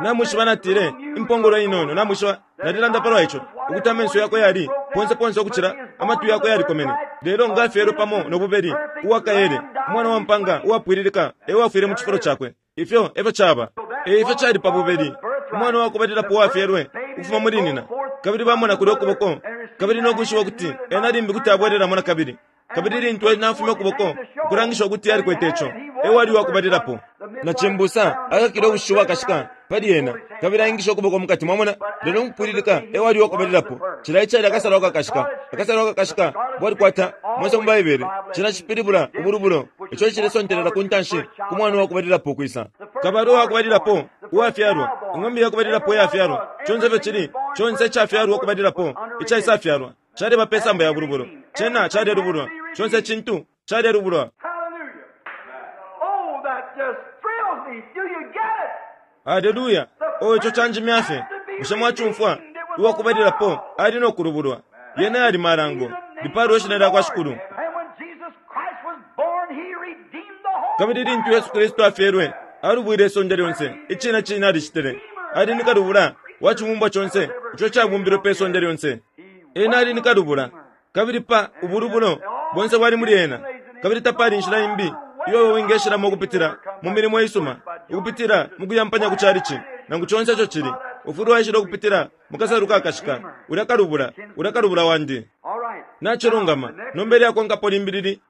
A: Namwishiba, natile, impongolo inono, namwishiba, nalilanda palwa ico, ukuti amenso yakwe yali ponse ponse ukucila amatwi yakwe yalikomene. Lelo nga afyelwe pamo no bubeli, uwa kaele, umwana wa mpanga uwapwililika e wafwile mu cifulo cakwe. Ifyo e fyo caba. E ifyo cali pa bubeli, umwana wa kubalilapo uwafyelwe ukufuma muli nyina, kabili bamona kulyo kuboko, kabili no kwishiba ukuti ena limbi kuti abwelelamo na kabili. Kabili lintu ena afumya ukuboko, ukulangisha ukuti alikwete ico, e wali uwa kubalilapo. Na cimbusa akakile ubushishi ubwakashika pali ena, kabili aingisha ukuboko mukati, mwamona, lelo mukupwililika e wali uwa kubalilapo. Cilya icali akasalo akakashika. Akasalo akakashika bwalikwata, monse mu Baibele, cena cipilibula ubulubulo, ico icilesontelela ku ntanshi ku mwana uwa kubalilapo ukwisa. Kabalwe uwa kubalilapo uwafyalwa, ing'ombe ya kubalilapo iyafyalwa, conse ifyo cili, conse icafyalwa ukubalilapo, icaisafyalwa, caleba pe samba ya bulubulo. Cena calelubulwa. Conse icintu calelubulwa. Aleluya! Oh, ico canjimya fye. Bushe mwacumfwa? Uwa kubalilapo ali no kulubulwa. Yena yali malango. Lipaalwe ishina lya kwa Shikulu. Kabili lintu Yesu Kristu afyelwe, alubwile isonde lyonse. Icine cine alicitile. Ali ni kalubula wa cibumbwa conse ico cabumbilwe pe sonde lyonse. Ena ali ni kalubula. Kabili pa ubulubulo bonse bwali muli ena. Kabili tapali inshila imbi iyo iwe wingeshilamo ukupitila mu milimo isuma, ukupitila mu kuyampanya ku chalichi, nangu conse ico cili. Ufwile waishila ukupitila mu kasalu kakashika, ulya kalubula, ulya kalubula wandi. Nacilungama. Nomba ilyakonkapo limbi lili,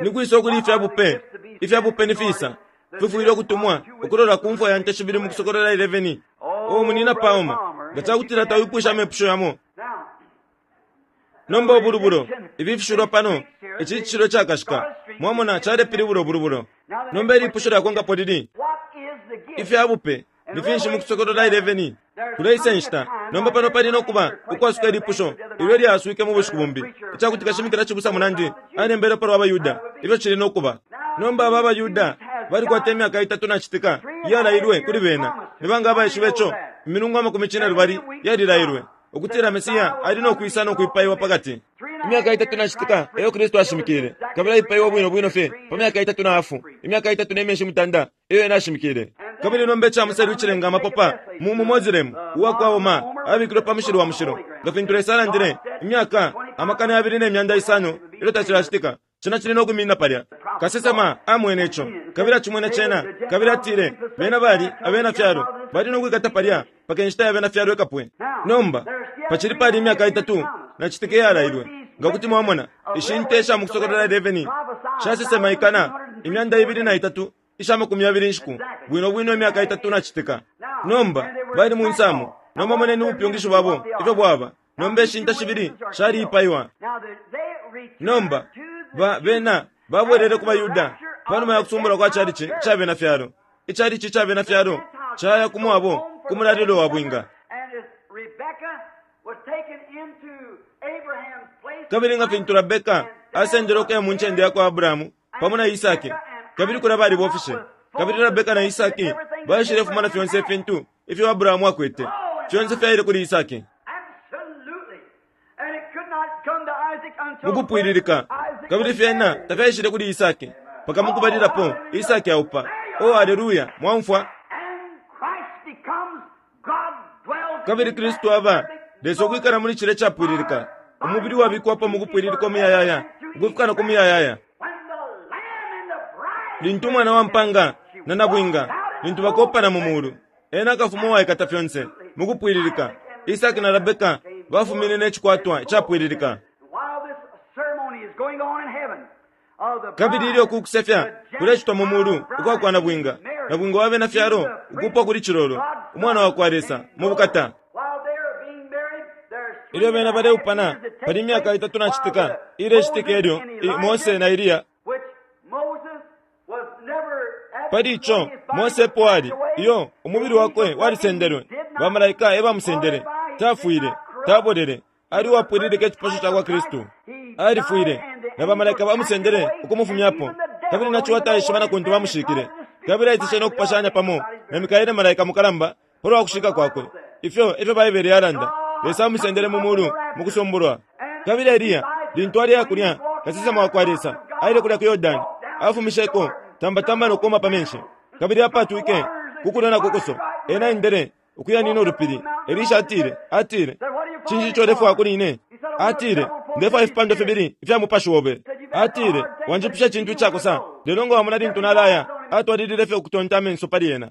A: Ni kwisa ukuli ifya bupe? Ifya bupe ni fisa? Fifwile ukutumwa ukulola ku mfwa ya nte shibili mu Kusokolola 11. Oh, Munyina Palmer, nga ca kutila tawipwishe amepusho yamo. Nomba ubulubulo, ifi ifishilwa pano, ici cishilwa icakashika, mwamona, calepilibula ubulubulo. Nomba ilipusho lyakonkapo lili, Ifya bupe ni finshi mu Kusokolola 11? Kuleisa inshita. Nomba pano pali no kuba ukwasuka ilipusho ilyo ilyaswike mu bushiku bumbi, ica kuti kashimikila cibusa munandi alembele pa lwa baYuda, ifyo cili no kuba. Nomba aba abaYuda balikwata imyaka itatu na citika iyalailwe kuli bena. Ni banga abaishiba ico? Imilungu amakumi cinelubali yalilailwe, ukutila Mesia ali no kwisa no kwipaiwa pakati. Imyaka itatu na citika eyo Kristu ashimikile, kabili aipaiwe bwino bwino fye pa myaka itatu na hafu, imyaka itatu ne myeshi mutanda eyo ena ashimikile. Kabili nomba ica muselu icilenga amapopa mu mu Mozilemu uwa kwa Omar abikilwe pa mushili wa mushilo, nga fintu Lesa alandile imyaka 2600 ilyo tacilacitika. Cena cili no kwiminina palya. Kasesema amwene ico, kabili acimwene cena, kabili atile, Bena bali abena Fyalo, bali no kwikata palya mpaka inshita ya bena Fyalo ikapwe. Nomba, pacili pali imyaka itatu na citika iyalailwe. Nga kuti mwamona, ishi nte isha mu Kusokolola 11 shasesema ikana 203 isha makumi yabili inshiku, bwino bwino imyaka itatu na citika. Nomba, bali mu nsamu. Nomba moneni ubupyungishi bwabo ifyo bwaba. Nomba ishi nte shibili shaliipaiwa. Nomba, ba, bena babwelele ku baYuda pa numa ya kusumbulwa kwa calici ca Bena fyalo. Icalici ca Bena fyalo caya ku mwabo ku mulalilo wa bwinga. Kabili nga fintu Rabeka asendele ukuya mu ncende ya kwa Abrahamu pamo na Isaki, kabili kulya balibofishe. Kabili Rabeka na Isaki baishilefuma na fyonse ifintu ifyo Abrahamu akwete, fyonse fyaile kuli Isaki. Mukupwililika, kabili fyena tafyaishile kuli Isaki mpaka mukubalilapo Isaki aupa. Oh, aleluya! Mwaumfwa? Kabili Kristu aba Lesa ukwikala muli cilya icapwililika, umubili uwabikwapo mukupwililika umuyayaya, ukufika na ku muyayaya. Lintu Umwana wa mpanga na Nabwinga, lintu bakopana mu mulu, Ena akafuma uwaikata fyonse mukupwililika. Isaki na Rabeka bafumine ne cikwatwa icapwililika. Kabili ilyo uku kusefya kulecitwa mu mulu ukwa kwa Nabwinga, Nabwinga wa bena fyalo ukuupwa kuli Cilolo, Umwana wa kwa Lesa, mu bukata. Ilyo bena baleupana, pali imyaka itatu na citika iilecitika ilyo i, Mose na Eliya. Pali ico, Mose epo ali, iyo, umubili wakwe walisendelwe, bamalaika e bamusendele, tafwile, tabolele, ali uwapwililika icipasho ca kwa Kristu. Alifwile, na bamalaika bamusendele ukumufumyapo, kabili na ciwa taishiba na kuntu bamushikile. Kabili aitishe no kupashanya pamo na Mikaele malaika mukalamba pa lwa kushika kwakwe. Ifyo e fyo Baibele yalanda. Lesa amusendele mu mulu mu kusumbulwa. Kabili Eliya, lintu aleya kulya, kasesema wa kwa Lesa, aile kulya ku Yordani, afumisheko tambatamba no kuuma pa menshi, kabili apaatwike ku kulyo na ku kuso. Ena aendele ukuya nina ulupili. Elisha atile, atile, Cinshi ico ulefwaya kuli ine? Atile, Ndefwaya ifipandwa fibili ifya mupashi obe. Atile, Wanjipusha icintu icakosa, lelo nga wamona lintu nalaya. Atwalilile fye ukutonta amenso pali ena.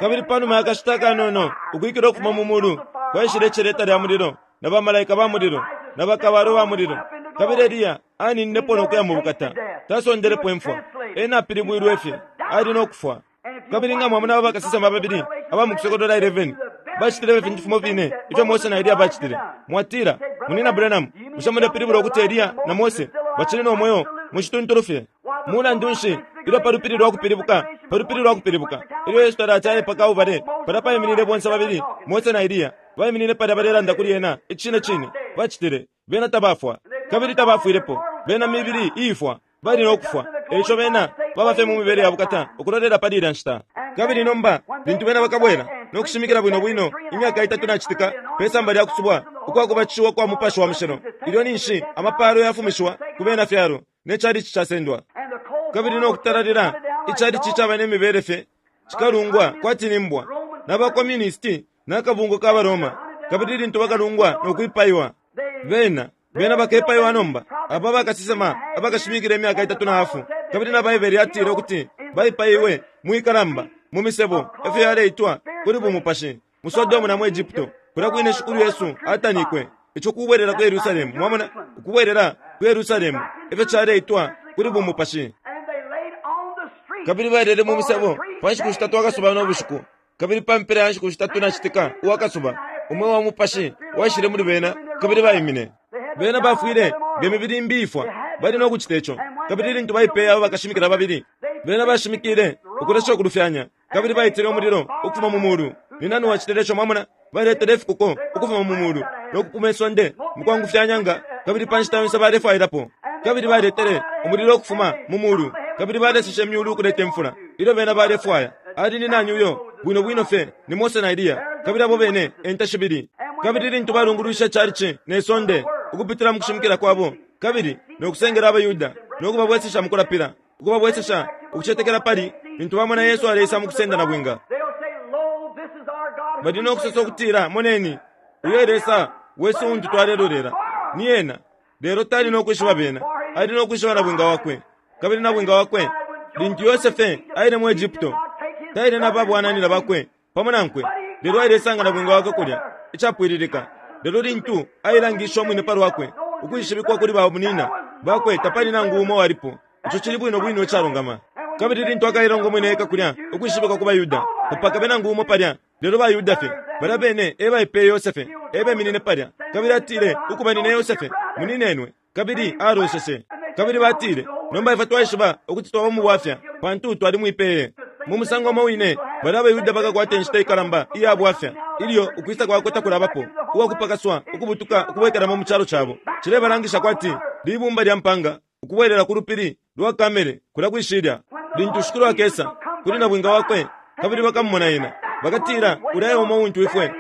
A: Kabili pa numa ya kashita akanono, ukwikila ukufuma mu mulu kwaishile iceleta lya mulilo, na bamalaika ba mulilo, na bakabalwe ba mulilo. Kabili Eliya anininepo no kuya mu bukata. Tasondelepo imfwa. Ena apilibwilwe fye. Ali no kufwa. Kabili nga mwamona aba bakasesema babili aba mu Kusokolola 11, bacitile ifintu fimo fine ifyo Mose na Eliya bacitile. Mwatila, Munyina Branham, bushe mulepilibula ukuti Eliya na Mose bacili no mweo mu cituntulu fye? Mulandu nshi, ilyo pa lupili lwa kupilibuka, pa lupili lwa kupilibuka, ilyo Yesu talati aye pa Kalbale, palya paiminine bonse babili Mose na Eliya, baiminine palya balelanda kuli ena. Icine cine, bacitile. Bena tabafwa, kabili tabafwilepo. Bena mibili iifwa. Bali no kufwa. E ico bena baba fye mu mibele ya bukata ukulolela pali ilya nshita. Kabili nomba lintu bena bakabwela no kushimikila bwino bwino imyaka itatu na citika pe samba lya kusubwa ukwa kubatishiwa kwa Mupashi wa Mushilo, ilyo ninshi amapalo yafumishiwa ku bena fyalo ne chalichi casendwa, kabili no kutalalila ichalichi caba ne mibele fye cikalungwa kwati ni mbwa na ba communisti na kabungwe ka baRoma, kabili lintu bakalungwa no kwipaiwa, bena Bena bakepaiwa nomba, aba bakasesema abakashimikila imyaka itatu na hafu, kabili na Baibele yatile ukuti baipaiwe mwikalamba, mu misebo, efyo yaleitwa, kuli bumupashi, mu Sodomu na mu Egypto, kulya kwine Shikulu Yesu atanikwe. Ico kubwelela ku Yerusalemu, mwamona, ukubwelela ku Yerusalemu, efyo caleitwa kuli bumupashi. Kabili balele mu misebo pa nshiku shitatu akasuba no bushiku. Kabili pa mpela ya nshiku shitatu na citika uwa kasuba, umweo wa mupashi waishile muli bena, kabili baimine. Bena bafwile nge mibili imbi iifwa. Bali no kucita ico. Kabili lintu baipeye aba bakashimikila babili, bena bashimikile ukulesha ukulufyanya, kabili baitile umulilo ukufuma mu mulu. Ni nani wacitile ico? Mwamona? Baletele ifikuko ukufuma mu mulu, no kupuma isonde mukwangufyanya nga, kabili pa nshita yonse balefwailapo. Kabili baletele umulilo ukufuma mu mulu, kabili baleseshe imyulu ukuleta imfula ilyo bena balefwaya. Ali ni nani uyo? Bwino bwino fye ni Mose na Eliya, kabili abo bene e nte shibili. Kabili lintu balungulwishe icalici ne sonde ukupitila mu kushimikila kwabo, kabili no kusengela abaYuda no kubabwesesha mu kulapila, ukubabwesesha ukucetekela pali, lintu bamona Yesu aleisa mu kusenda nabwinga, bali no kusosa ukutila, Moneni, uyo e Lesa wesu untu twalelolela. Ni ena. Lelo tali no kwishiba bena, ali no kwishiba nabwinga wakwe. Kabili nabwinga wakwe, lintu Yosefe aile mu Egypto, taile na babwananyina bakwe pamo nankwe, lelo ailesanga nabwinga wakwe kulya, icapwililika. Lelo lintu ailangishe umwine pa lwakwe, ukwishibikwa kuli bamunina bakwe, tapali nangu umo uwalipo. Ico cili bwino bwino icalungama. Kabili lintu akailonga umwine eka kulya, ukwishibikwa ku baYuda, tapakabe nangu umo palya, lelo baYuda fye. Balya bene e baipeye Yosefe, e beminine palya. Kabili atile, Ukuba nine Yosefe, muninenwe. Kabili alooseshe. Kabili batile, Nomba ifwe twaishiba ukuti twaba mu bwafya, pantu twalimwipeye. Mu musango umo wine, balya abaYuda bakakwata inshita ikalamba iya bwafya ilyo ukwisa kwakwe takulabapo, uwa kupakaswa ukubutuka ukubwekelamo mu calo cabo. Cilebalangisha kwati libumba lya mpanga ukubwelela ku lupili lwa Kamele kulya kwi shilya. Lintu Shikulu akesa kuli nabwinga wakwe kabili bakamumona ena, bakatila, Ulya e umo untu ifwe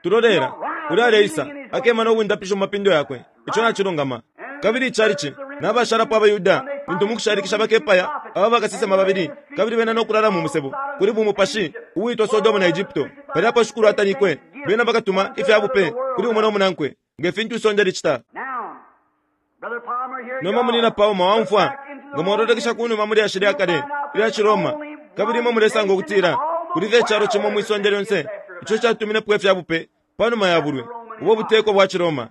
A: tulolela. Ulya aleisa, akema no bundapisho mu mapindo yakwe. Ico nacilungama. Kabili icalici, na bashalapo abaYuda, lintu mukushalikisha bakepaya aba bakasesema babili, kabili bena no kulala mu musebo kuli bumupashi uwitwa Sodomu na Egypto, palya apo Shikulu atanikwe, bena bakatuma ifya bupe kuli umo no munankwe, nge fintu isonde licita. Nomba, Munyina Palmer, waumfwa, nga mwalolekesha kunuma mu lyashi lya kale ilya ciRoma, kabili imwe mulesanga ukutila kuli fye icalo cimo mwi sonde lyonse ico catuminepo ifya bupe panuma ya bulwi, ubo buteko bwa ciRoma.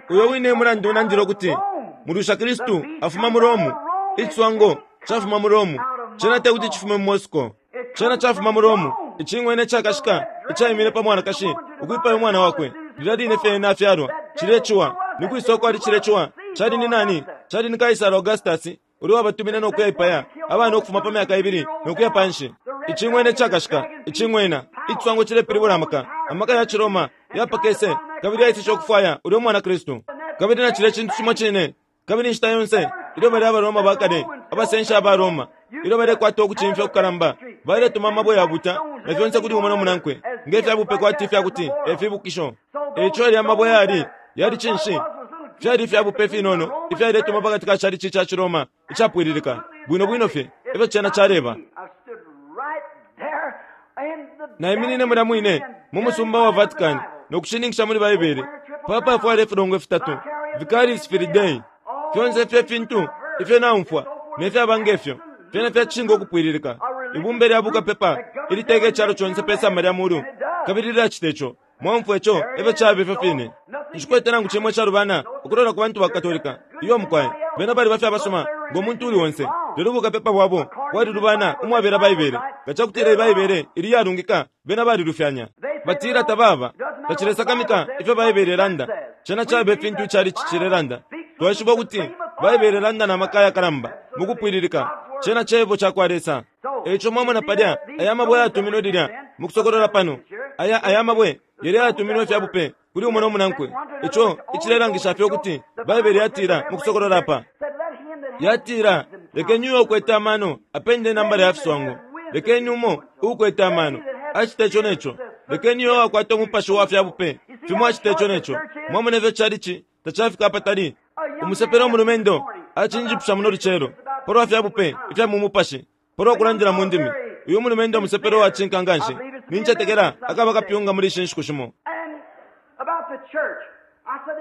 A: Uyo wine e mulandu nandila ukuti mulwisha Kristu afuma mu Rome, iciswango cafuma mu Rome. Cena te kuti cifume mu Moscow. Cena cafuma mu Rome, icing'wena icakashika icaimine pa mwanakashi ukwipaya umwana wakwe lilya line fye ena afyalwa. Cilye ciwa, ni kwisa ukwali cilye ciwa? Cali ni nani? Cali ni Kaisara Augustus ulya wabatumine no kuyaipaya abana ukufuma pa myaka ibili no kuya panshi. Icing'wena icakashika, icing'wena, iciswango cilepilibula amaka, amaka ya ciRoma yapakese kabili yaiseshe ukufwaya ulya umwana Kristu. Kabili na cilya cintu cimo cine, kabili inshita yonse ilyo balya abaRoma ba kale, abasenshi aba Roma, ilyo balekwata ukucimfya kukalamba, baletuma amabwe ya buta na fyonse kuli umo no munankwe nge fya bupe kwati ifya kuti e fibukisho. E ico yalya mabwe yali, yali cinshi? Fyali ifya bupe ifinono ifyaletuma pa kati ka calici ca ciRoma icapwililika, bwino bwino fye efyo cena caleba. Naiminine mulya mwine mu musumba wa Vatican no kushininkisha muli Baibele, papa afwala ifilongwe fitatu, Vicaris Filii Dei. Fyonse ifyo ifintu ifyo naumfwa ne fyaba nge fyo, fyena fya cishinka ukupwililika. Ibumba lya bukapepa iliteka icalo conse pe samba lya mulu, kabili lilacita ico. Mwaumfwa ico efyo caba ifyo fine. Nshikwete nangu cimo icalubana ukulola ku bantu ba Katolika. Iyo mukwai. Bena baliba fye abasuma ngo muntu uli onse. Lelo bukapepa bwabo bwalilubana umwabela Baibele. Nga ca kutila iyi Baibele ili iyalungika, bena balilufyanya. Batila tababa. Tacilesakamika ifyo Baibele ilanda, cena caba ifintu icalici cilelanda. Twaishiba ukuti Baibele ilanda na maka ayakalamba mukupwililika. Cena Cebo cakwa Lesa. E ico mwamona palya aya mabwe ayatuminwe lilya mu Kusokolola pano, aya aya mabwe yalya ayatuminwe ifya bupe kuli umo no munankwe, ico icilelangisha fye ukuti Baibele yatila mu Kusokolola apa. Yatila, Lekeni uyo ukwete amano apende inambala ya fiswango. Lekeni umo uukwete amano acite ico ne co. Lekeni uyo uwakwata umupashi wa fya bupe fimo acite ico ne co. Mwamona ifyo calici tacafika apatali? Umusepela umulumendo acinjipusha muno lucelo palwa fya bupe ifya mu mupashi, palwa kulandila mu ndimi. Uyu mulumendo musepela uwacinka nganshi. Nincetekela akaba kapyunga muli ishi nshiku shimo.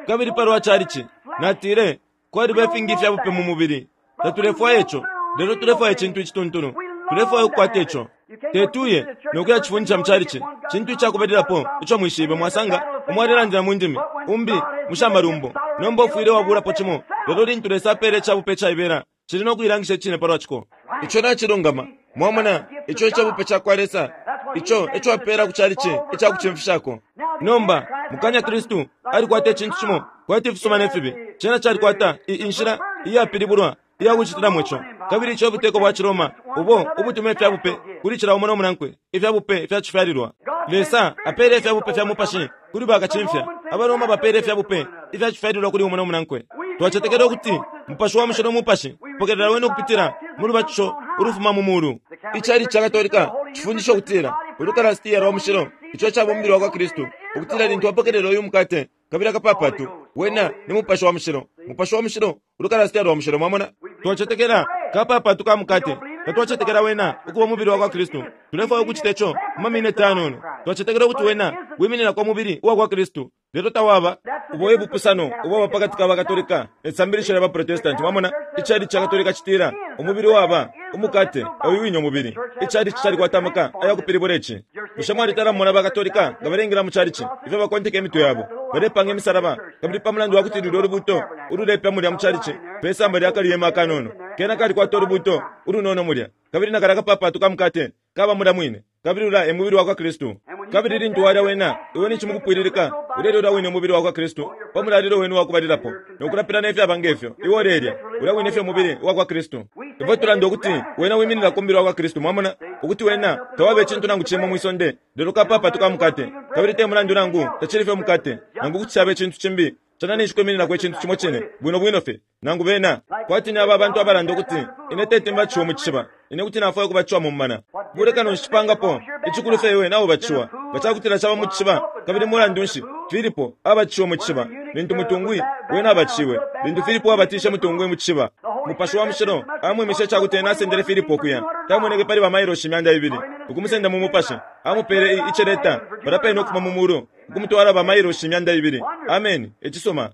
A: Kabili palwa calici, natile, Kwaliba ifingi ifya bupe mu mubili. Tatulefwaya ico, lelo tulefwaya icintu icituntulu. Tulefwaya ukukwata ico. Tetuye no kuyacifundisha mu calici. Cintu icakubalilapo ico mwishibe, mwasanga umo alelandila mu ndimi, umbi mu sha malumbo. Nomba ufwile wabuulapo cimo. Lelo lintu Lesa apeela ica bupe icaibela, cili no kuilangisha icine palwa ciko. Ico nacilungama. Mwamona, ico ica bupe ca kwa Lesa. Ico eco apeela ku calici ica kucimfishako. Nomba, mukanya Kristu alikwata icintu cimo kwati ifisuma ne fibi. Cena calikwata i, inshila iyapilibulwa iya kucitilamo ico. Kabili ico buteko bwa ciRoma ubo ubutuma ifya bupe kuli cila umo no munankwe, ifya bupe fya cifyalilwa. Lesa apeele ifya bupe fya mupashi kuli bakacimfya. AbaRoma bapeele ifya bupe ifya cifyalilwa kuli umo no munankwe. Twacetekela ukuti Mupashi wa Mushilo Mupashi pokelela wene ukupitila mu lubatisho ulufuma mu mulu. Icalici ca Katolika cifundisha ukutila Ulukalasitiya lwa Mushilo, ico icaba umubili wa kwa Kristu, ukutila lintu wapokelela uyu mukate kabili akapapatu, wena ni Mupashi wa Mushilo. Mupashi wa Mushilo, Ulukalasitiya lwa Mushilo, mwamona. Twacetekela kapapatu ka mukate, tatwacetekela wena ukuba umubili wa kwa Kristu. Tulefwaya ukucita ico mu mamineti ayanono. Twacetekela ukuti wena wimininako umubili uwa kwa Kristu. Lelo tawaba. Ubo e bupusano ubwaba pa kati ka baKatolika ne sambilisho lya baProtestanti. Mwamona, icalici ca Katolika citila umubili waba umukate, e uyu wine umubili. Icalici calikwata amaka aya kupilibula ici. Bushe mwalitala mumona baKatolika nga baleingila mu calici, ifyo bakonteka imitwe yabo, balepanga imisalaba, kabili pa mulandu wa kuti lulyo lubuuto ululepya mulya mu calici pe samba lya kalihema akanono, kena kalikwata ulubuuto ulunono mulya, kabili na kalya kapapatu ka mukate kaba mulya mwine, kabili ulya e mubili wa kwa Kristu. Kabili lintu walya wena, iwe ninshi mukupwililika ulelya ulya wine umubili wakwa Kristu pa mulalilo wenu uwakubalilapo, no kulapila ne fyaba nge fyo. Iwe ulelya ulya wine fye umubili uwakwa Kristu. Ifwe tulanda ukuti wena wimininako umubili wakwa Kristu, mwamona, ukuti wena tawaba icintu nangu cimo mwi sonde lelo kapapatu ka mukate. Kabili te mulandu nangu tacili fye umukate, nangu kuti caba icintu cimbi, cena ninshi kwimininako icintu cimo cine, bwino bwino fye. Nangu bena, kwati ni aba bantu abalanda ukuti, Ine teti mbatishiwe mu cishiba. Ine kuti nafwaya ukubatishiwa mu mumana. Bulekano nshi cipangapo? Icikulu fye iwe naubatishiwa. Nga cakutila caba mu cishiba, kabili mulandu nshi, Filipo abatishiwe mu cishiba, lintu mutungwi wena abatishiwe. Lintu Filipo abatishe mutungwi mu cishiba, Mupashi wa Mushilo amwimishe icakuti ena asendele Filipo ukuya. Tamoneke pali ba mailoshi 200, ukumusenda mu Mupashi. Amupele i, iceleta, palya pene ukufuma mu mulu, ukumutwala ba mailoshi 200. Ameni. Icisuma.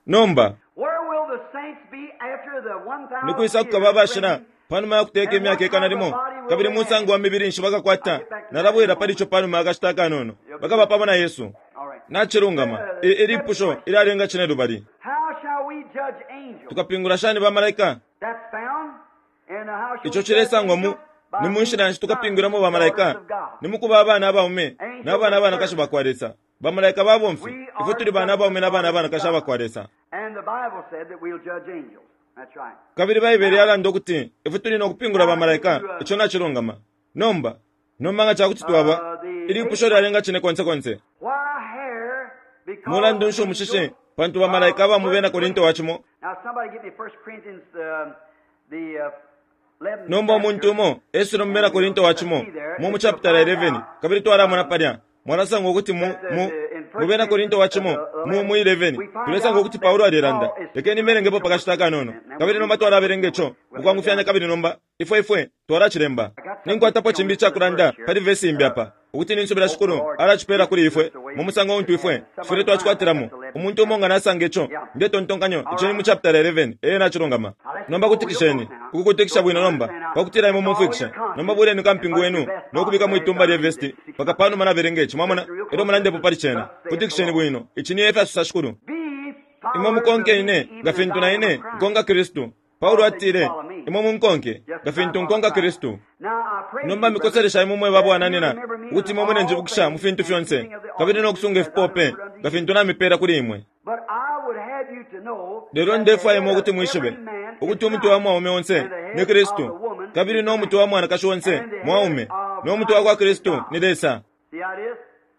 A: Nomba, ni kwisa kukaba abashila panuma ya kuteka imyaka 100,? Kabili musango wa mibili nshi bakakwata? Nalabwela pali ico panuma ya kashita akanono. Bakaba pamo na Yesu. Nacilungama. I, ilipusho ilyalenga cinelubali. Tukapingula shani bamalaika? Ico cilesangwa mu Ni mu nshila nshi tukapingwilamo bamalaika? Ni mu kuba abana abaume na bana abanakashi ba kwa Lesa. Bamalaika babomfi, ifwe tuli bana abaume na bana abanakashi aba kwa Lesa. Kabili Baibele yalanda ukuti ifwe tuli no kupingula bamalaika. Ico nacilungama. Nomba, nomba nga ca kuti twaba, ilipusho lyalenga cine konse konse. Mulandu nshi umushishi? Pantu bamalaika aba mu Bena Korinto wa cimo. Nomba umuntu umo esule mu Bena Korinto wa cimo mu mu chapitala 11, kabili twalamona palya. Mwalasanga ukuti mu, mu, mu Bena Korinto wa cimo mu, mu 11, tulesanga ukuti Paulo alelanda. Lekeni mbelengepo pa kashita akanono. Kabili nomba twalabelenga ico mukwangufyanya kabili nomba ifwe, ifwe twalacilemba. Ninkwatapo cimbi icakulanda pali vesi imbi apa, ukuti ninsubila Shikulu alacipela kuli ifwe mu musango untu ifwe tufwile twacikwatilamo. Umuntu umo nga nasanga ico, ndetontonkanyo ico ni mu chapitala 11. Ee, nacilungama. Nomba kutikisheni, ukukutikisha bwino nomba, pakutila imwe mumfwikishe. Nomba buleni kampingu wenu no kubika mwitumba lye vesti mpaka panuma nabelenga ici, mwamona, elyo mulandepo pali cena. Kutikisheni bwino. Ici ni efya sosa Shikulu. Imwe mukonke ine, nga fintu na ine nkonka Kristu. Paulo atile, Imwe munkonke, nga fintu nkonka Kristu. Nomba mikoselesha imwe mwe babwananina ukuti imwe mulenjibukisha mu fintu fyonse, kabili no kusunga ifipope, nga fintu namipela kuli imwe. Lelo ndefwaya imwe ukuti mwishibe ukuti umutwe wa mwaume onse ni Kristu, kabili no mutwe wa mwanakashi onse mwaume, no mutwe wa kwa Kristu ni Lesa.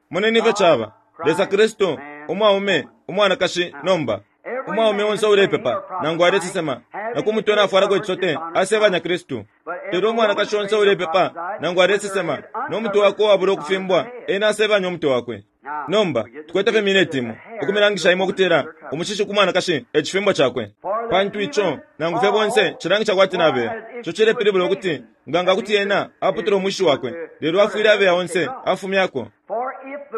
A: Moneni ifyo caba, Lesa Kristu, umwaume, umwanakashi. Nomba, umwaume onse ulepepa nangu alesesema, na ku mutwe nafwalako icisote, asebanya Kristu. Lelo umwanakashi onse ulepepa nangu alesesema, no mutwe wakwe uwabula ukufimbwa, ena asebanya umutwe wakwe. Nomba, tukwete fye mineti imo, ukumilangisha imwe ukutila umushishi ku mwanakashi e cifimbo cakwe. Pantu ico, nangu fye bonse, cilangisha kwati nabeya. Ico cilepilibula ukuti, nga nga kuti ena aputula umushishi wakwe, lelo afwile abeya onse afumyako.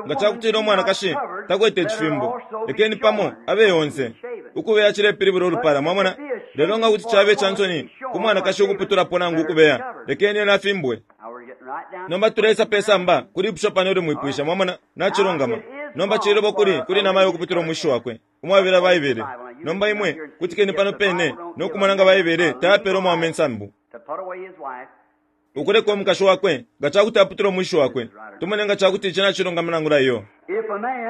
A: Nga cakutila umwanakashi takwete icifimbo, lekeni pamo abeye onse. Ukubeya cilepilibula ulupala, mwamona. Lelo nga kuti cabe ca nsoni ku mwanakashi ukuputulapo nangu ukubeya, lekeni ena afimbwe. Nomba tuleisa pe samba ku lipusho pano ilyo mwipwisha, mwamona, nacilungama. Nomba cililobo kuli, kuli namayo ukuputula umwishi wakwe, umwabela Baibele. Nomba imwe kutikeni pano pene no kumona nga Baibele tayapela umwaume insambu ukuleka umukashi wakwe nga cakuti aputula umwishi wakwe. Tumone nga cakuti ici nacilungama nangula iyo.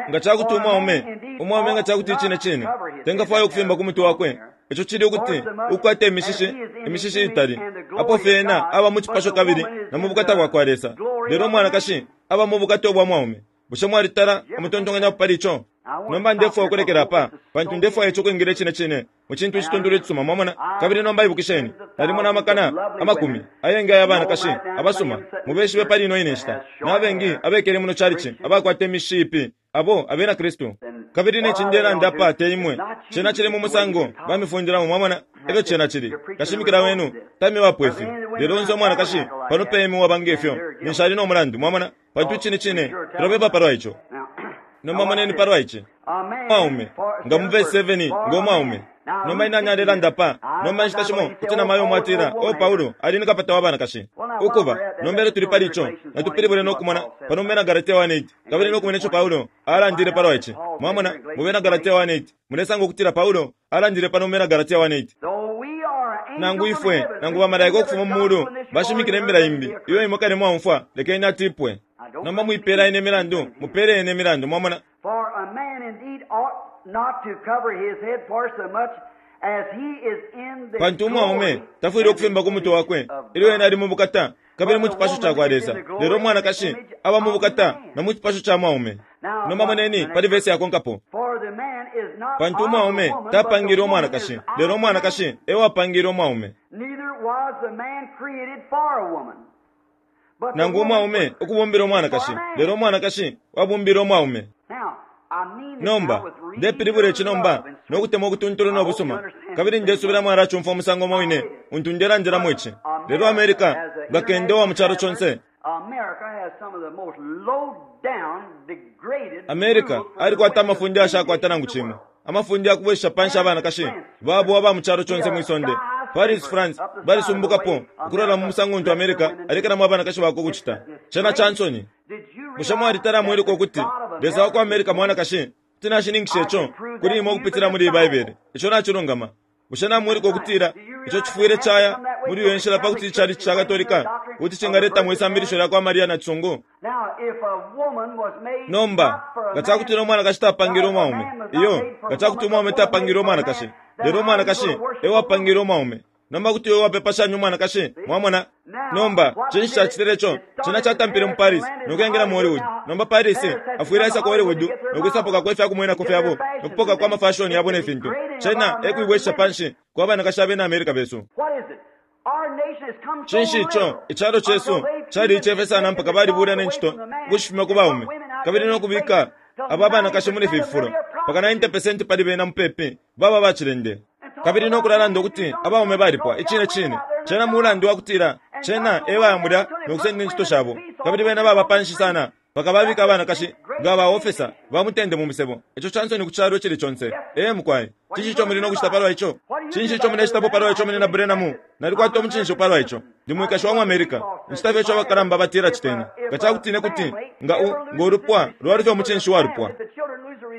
A: Nga cakuti umwaume, umwaume nga cakuti icine cine tengafwaya ukufimba ku mutwe wakwe, Ico cili ukuti ukukwata imishishi, imishishi itali, apo fye ena aba mu cipasho kabili na mu bukata bwa kwa Lesa, lelo umwanakashi aba mu bukata ubwa mwaume. Bushe mwalitala amutontonkanyapo pali ico? Nomba ndefwaya ukulekela apa, pantu ndefwaya ico ukwingila icine cine mu cintu icituntulu icisuma, mwamona. Kabili nomba ibukisheni, nalimona amakana amakumi ayengi aya banakashi abasuma, mubeshibe pali ino ine nshita, na bengi abekele muno calici abakwata imishishi ipi, abo abena Kristu. Kabili ne ci ndelanda apa te imwe, cena cili mu musango bamifundilamo, mwamona, efyo cena cili. Kashimikila wenu tamibapo ifi. Lelo onse umwanakashi pano pemi uwaba nge fyo, ninshi ali no mulandu, mwamona, pantu icine cine tulapepa palwa ico. Nomba moneni palwa ici. Umwaume, nga mu vesi 7, ngo mwaume. Nomba ni nani alelanda apa? Nomba inshita shimo kuti namayo umo atila, Oh, Paulo ali ni kapata wa banakashi. Ukuba, nomba ilyo tuli pali ico, natupilibule no kumona pano mu Bena Galatia 1:8, kabili no kumona ico Paulo alandile palwa ici. Mwamona, mu Bena Galatia 1:8, mulesanga ukutila Paulo alandile pano mu Bena Galatia 1:8. Nangu ifwe, nangu bamalaika ukufuma mu mulu bashimikila imbila imbi iyo imwe kale mwaumfwa, lekeni atipwe. Nomba mwipeela ine imilandu, mupeele ena imilandu. Mwamona?
B: For a man indeed ought not to cover his head for so much as he is in the
A: Pantu umwaume
B: glory
A: tafwile ukufimba ku mutwe wakwe ilyo ena ali mu bukata kabili mu cipasho ca kwa Lesa, lelo umwanakashi aba mu bukata na mu cipasho ca mwaume. Nomba moneni pali vesi yakonkapo.
B: For the man is not
A: Pantu
B: of the
A: umwaume
B: woman, but the
A: tapangile
B: woman
A: umwanakashi,
B: is of
A: lelo
B: the
A: umwanakashi
B: man.
A: e wapangile umwaume.
B: Neither was the man created for a woman. But the
A: Nangu
B: woman
A: umwaume
B: was
A: ukubumbila umwanakashi, lelo umwanakashi wabumbile umwaume.
B: Now, I mean this
A: Nomba,
B: now with real
A: ndepilibula ici nomba
B: love and
A: no kutemwa ukutuntulu no busuma, kabili ndesubila mwalacumfwa umusango umo wine untu ndelandilamo ici. Lelo America nga kende wa mu calo conse.
B: America has some of the most low-down, degraded
A: America
B: rules for the
A: alikwata
B: women
A: amafunde ayashakwata nangu cimo, amafunde yakubwesha panshi abanakashi babo aba mu calo conse mwi sonde. Paris, France balisumbukapo ukulola mu musango untu America alekelamo abanakashi bakwe ukucita. Cena ca nsoni.
B: Did you
A: Bushe mwalitala mwiluka ukuti Lesa wa ku America mwanakashi? Kuti nashininkisha ico kuli imwe ukupitila muli Baibele. Ico nacilungama. Bushe namwiluka ukutila ico cifwile caya muli iyo nshila pa kuti icalici ca Katolika ukuti cingaletamo isambilisho lya kwa Maria na Cisungu?
B: Now, if a woman was made
A: Nomba,
B: not for a
A: nga ca kutila
B: man,
A: umwanakashi tapangile umwaume, iyo, nga ca kuti umwaume tapangile umwanakashi, lelo umwanakashi e wapangile umwaume. Nomba kuti iwe wapepa shani umwanakashi? Mwamona? Nomba, cinshi cacitile ico? Cena catampile mu Paris, no kuyengela mu Hollywood. Nomba Paris afwile aisa ku Hollywood no kwisapokako ifya kumwenako fyabo, no kupokako amafashoni yabo ne fintu. Cena e kuibwesha panshi kwa banakashi abena America besu.
B: What is it? Our nation has come so
A: Cinshi ico?
B: little
A: Icalo cesu
B: until they've
A: cali
B: even
A: icefe sana
B: taken
A: mpaka
B: the
A: balibula
B: dogs
A: ne
B: away
A: ncito
B: from the man
A: ukushifumya ku
B: and put
A: baume,
B: women out
A: kabili
B: there
A: no
B: in
A: kubika
B: places till
A: aba banakashi muli
B: 90% of them
A: fifulo
B: are
A: mpaka
B: prostitutes.
A: 90% pali bena mupepi baba bacilende. Kabili no kulalanda ukuti abaume balipwa icine cine, cena mulandu wa kutila cena e bayamulya no kusenda incito shabo, kabili bena baba panshi sana mpaka babika abanakashi nga ba ofesa ba mutende mu misebo. Ico ca nsoni ku calo icili conse. Ee mukwai, cinshi ico muli no kucita palwa ico? Cinshi ico mulecitapo palwa ico muli na Branham? Nalikwata umucinshi palwa ico. Ndi mwikashi wa mu America. Ncita fye ico abakalamba batila citeni. Nga ca kuti ne kuti nga u nga ulupwa lwalufya umucinshi wa lupwa,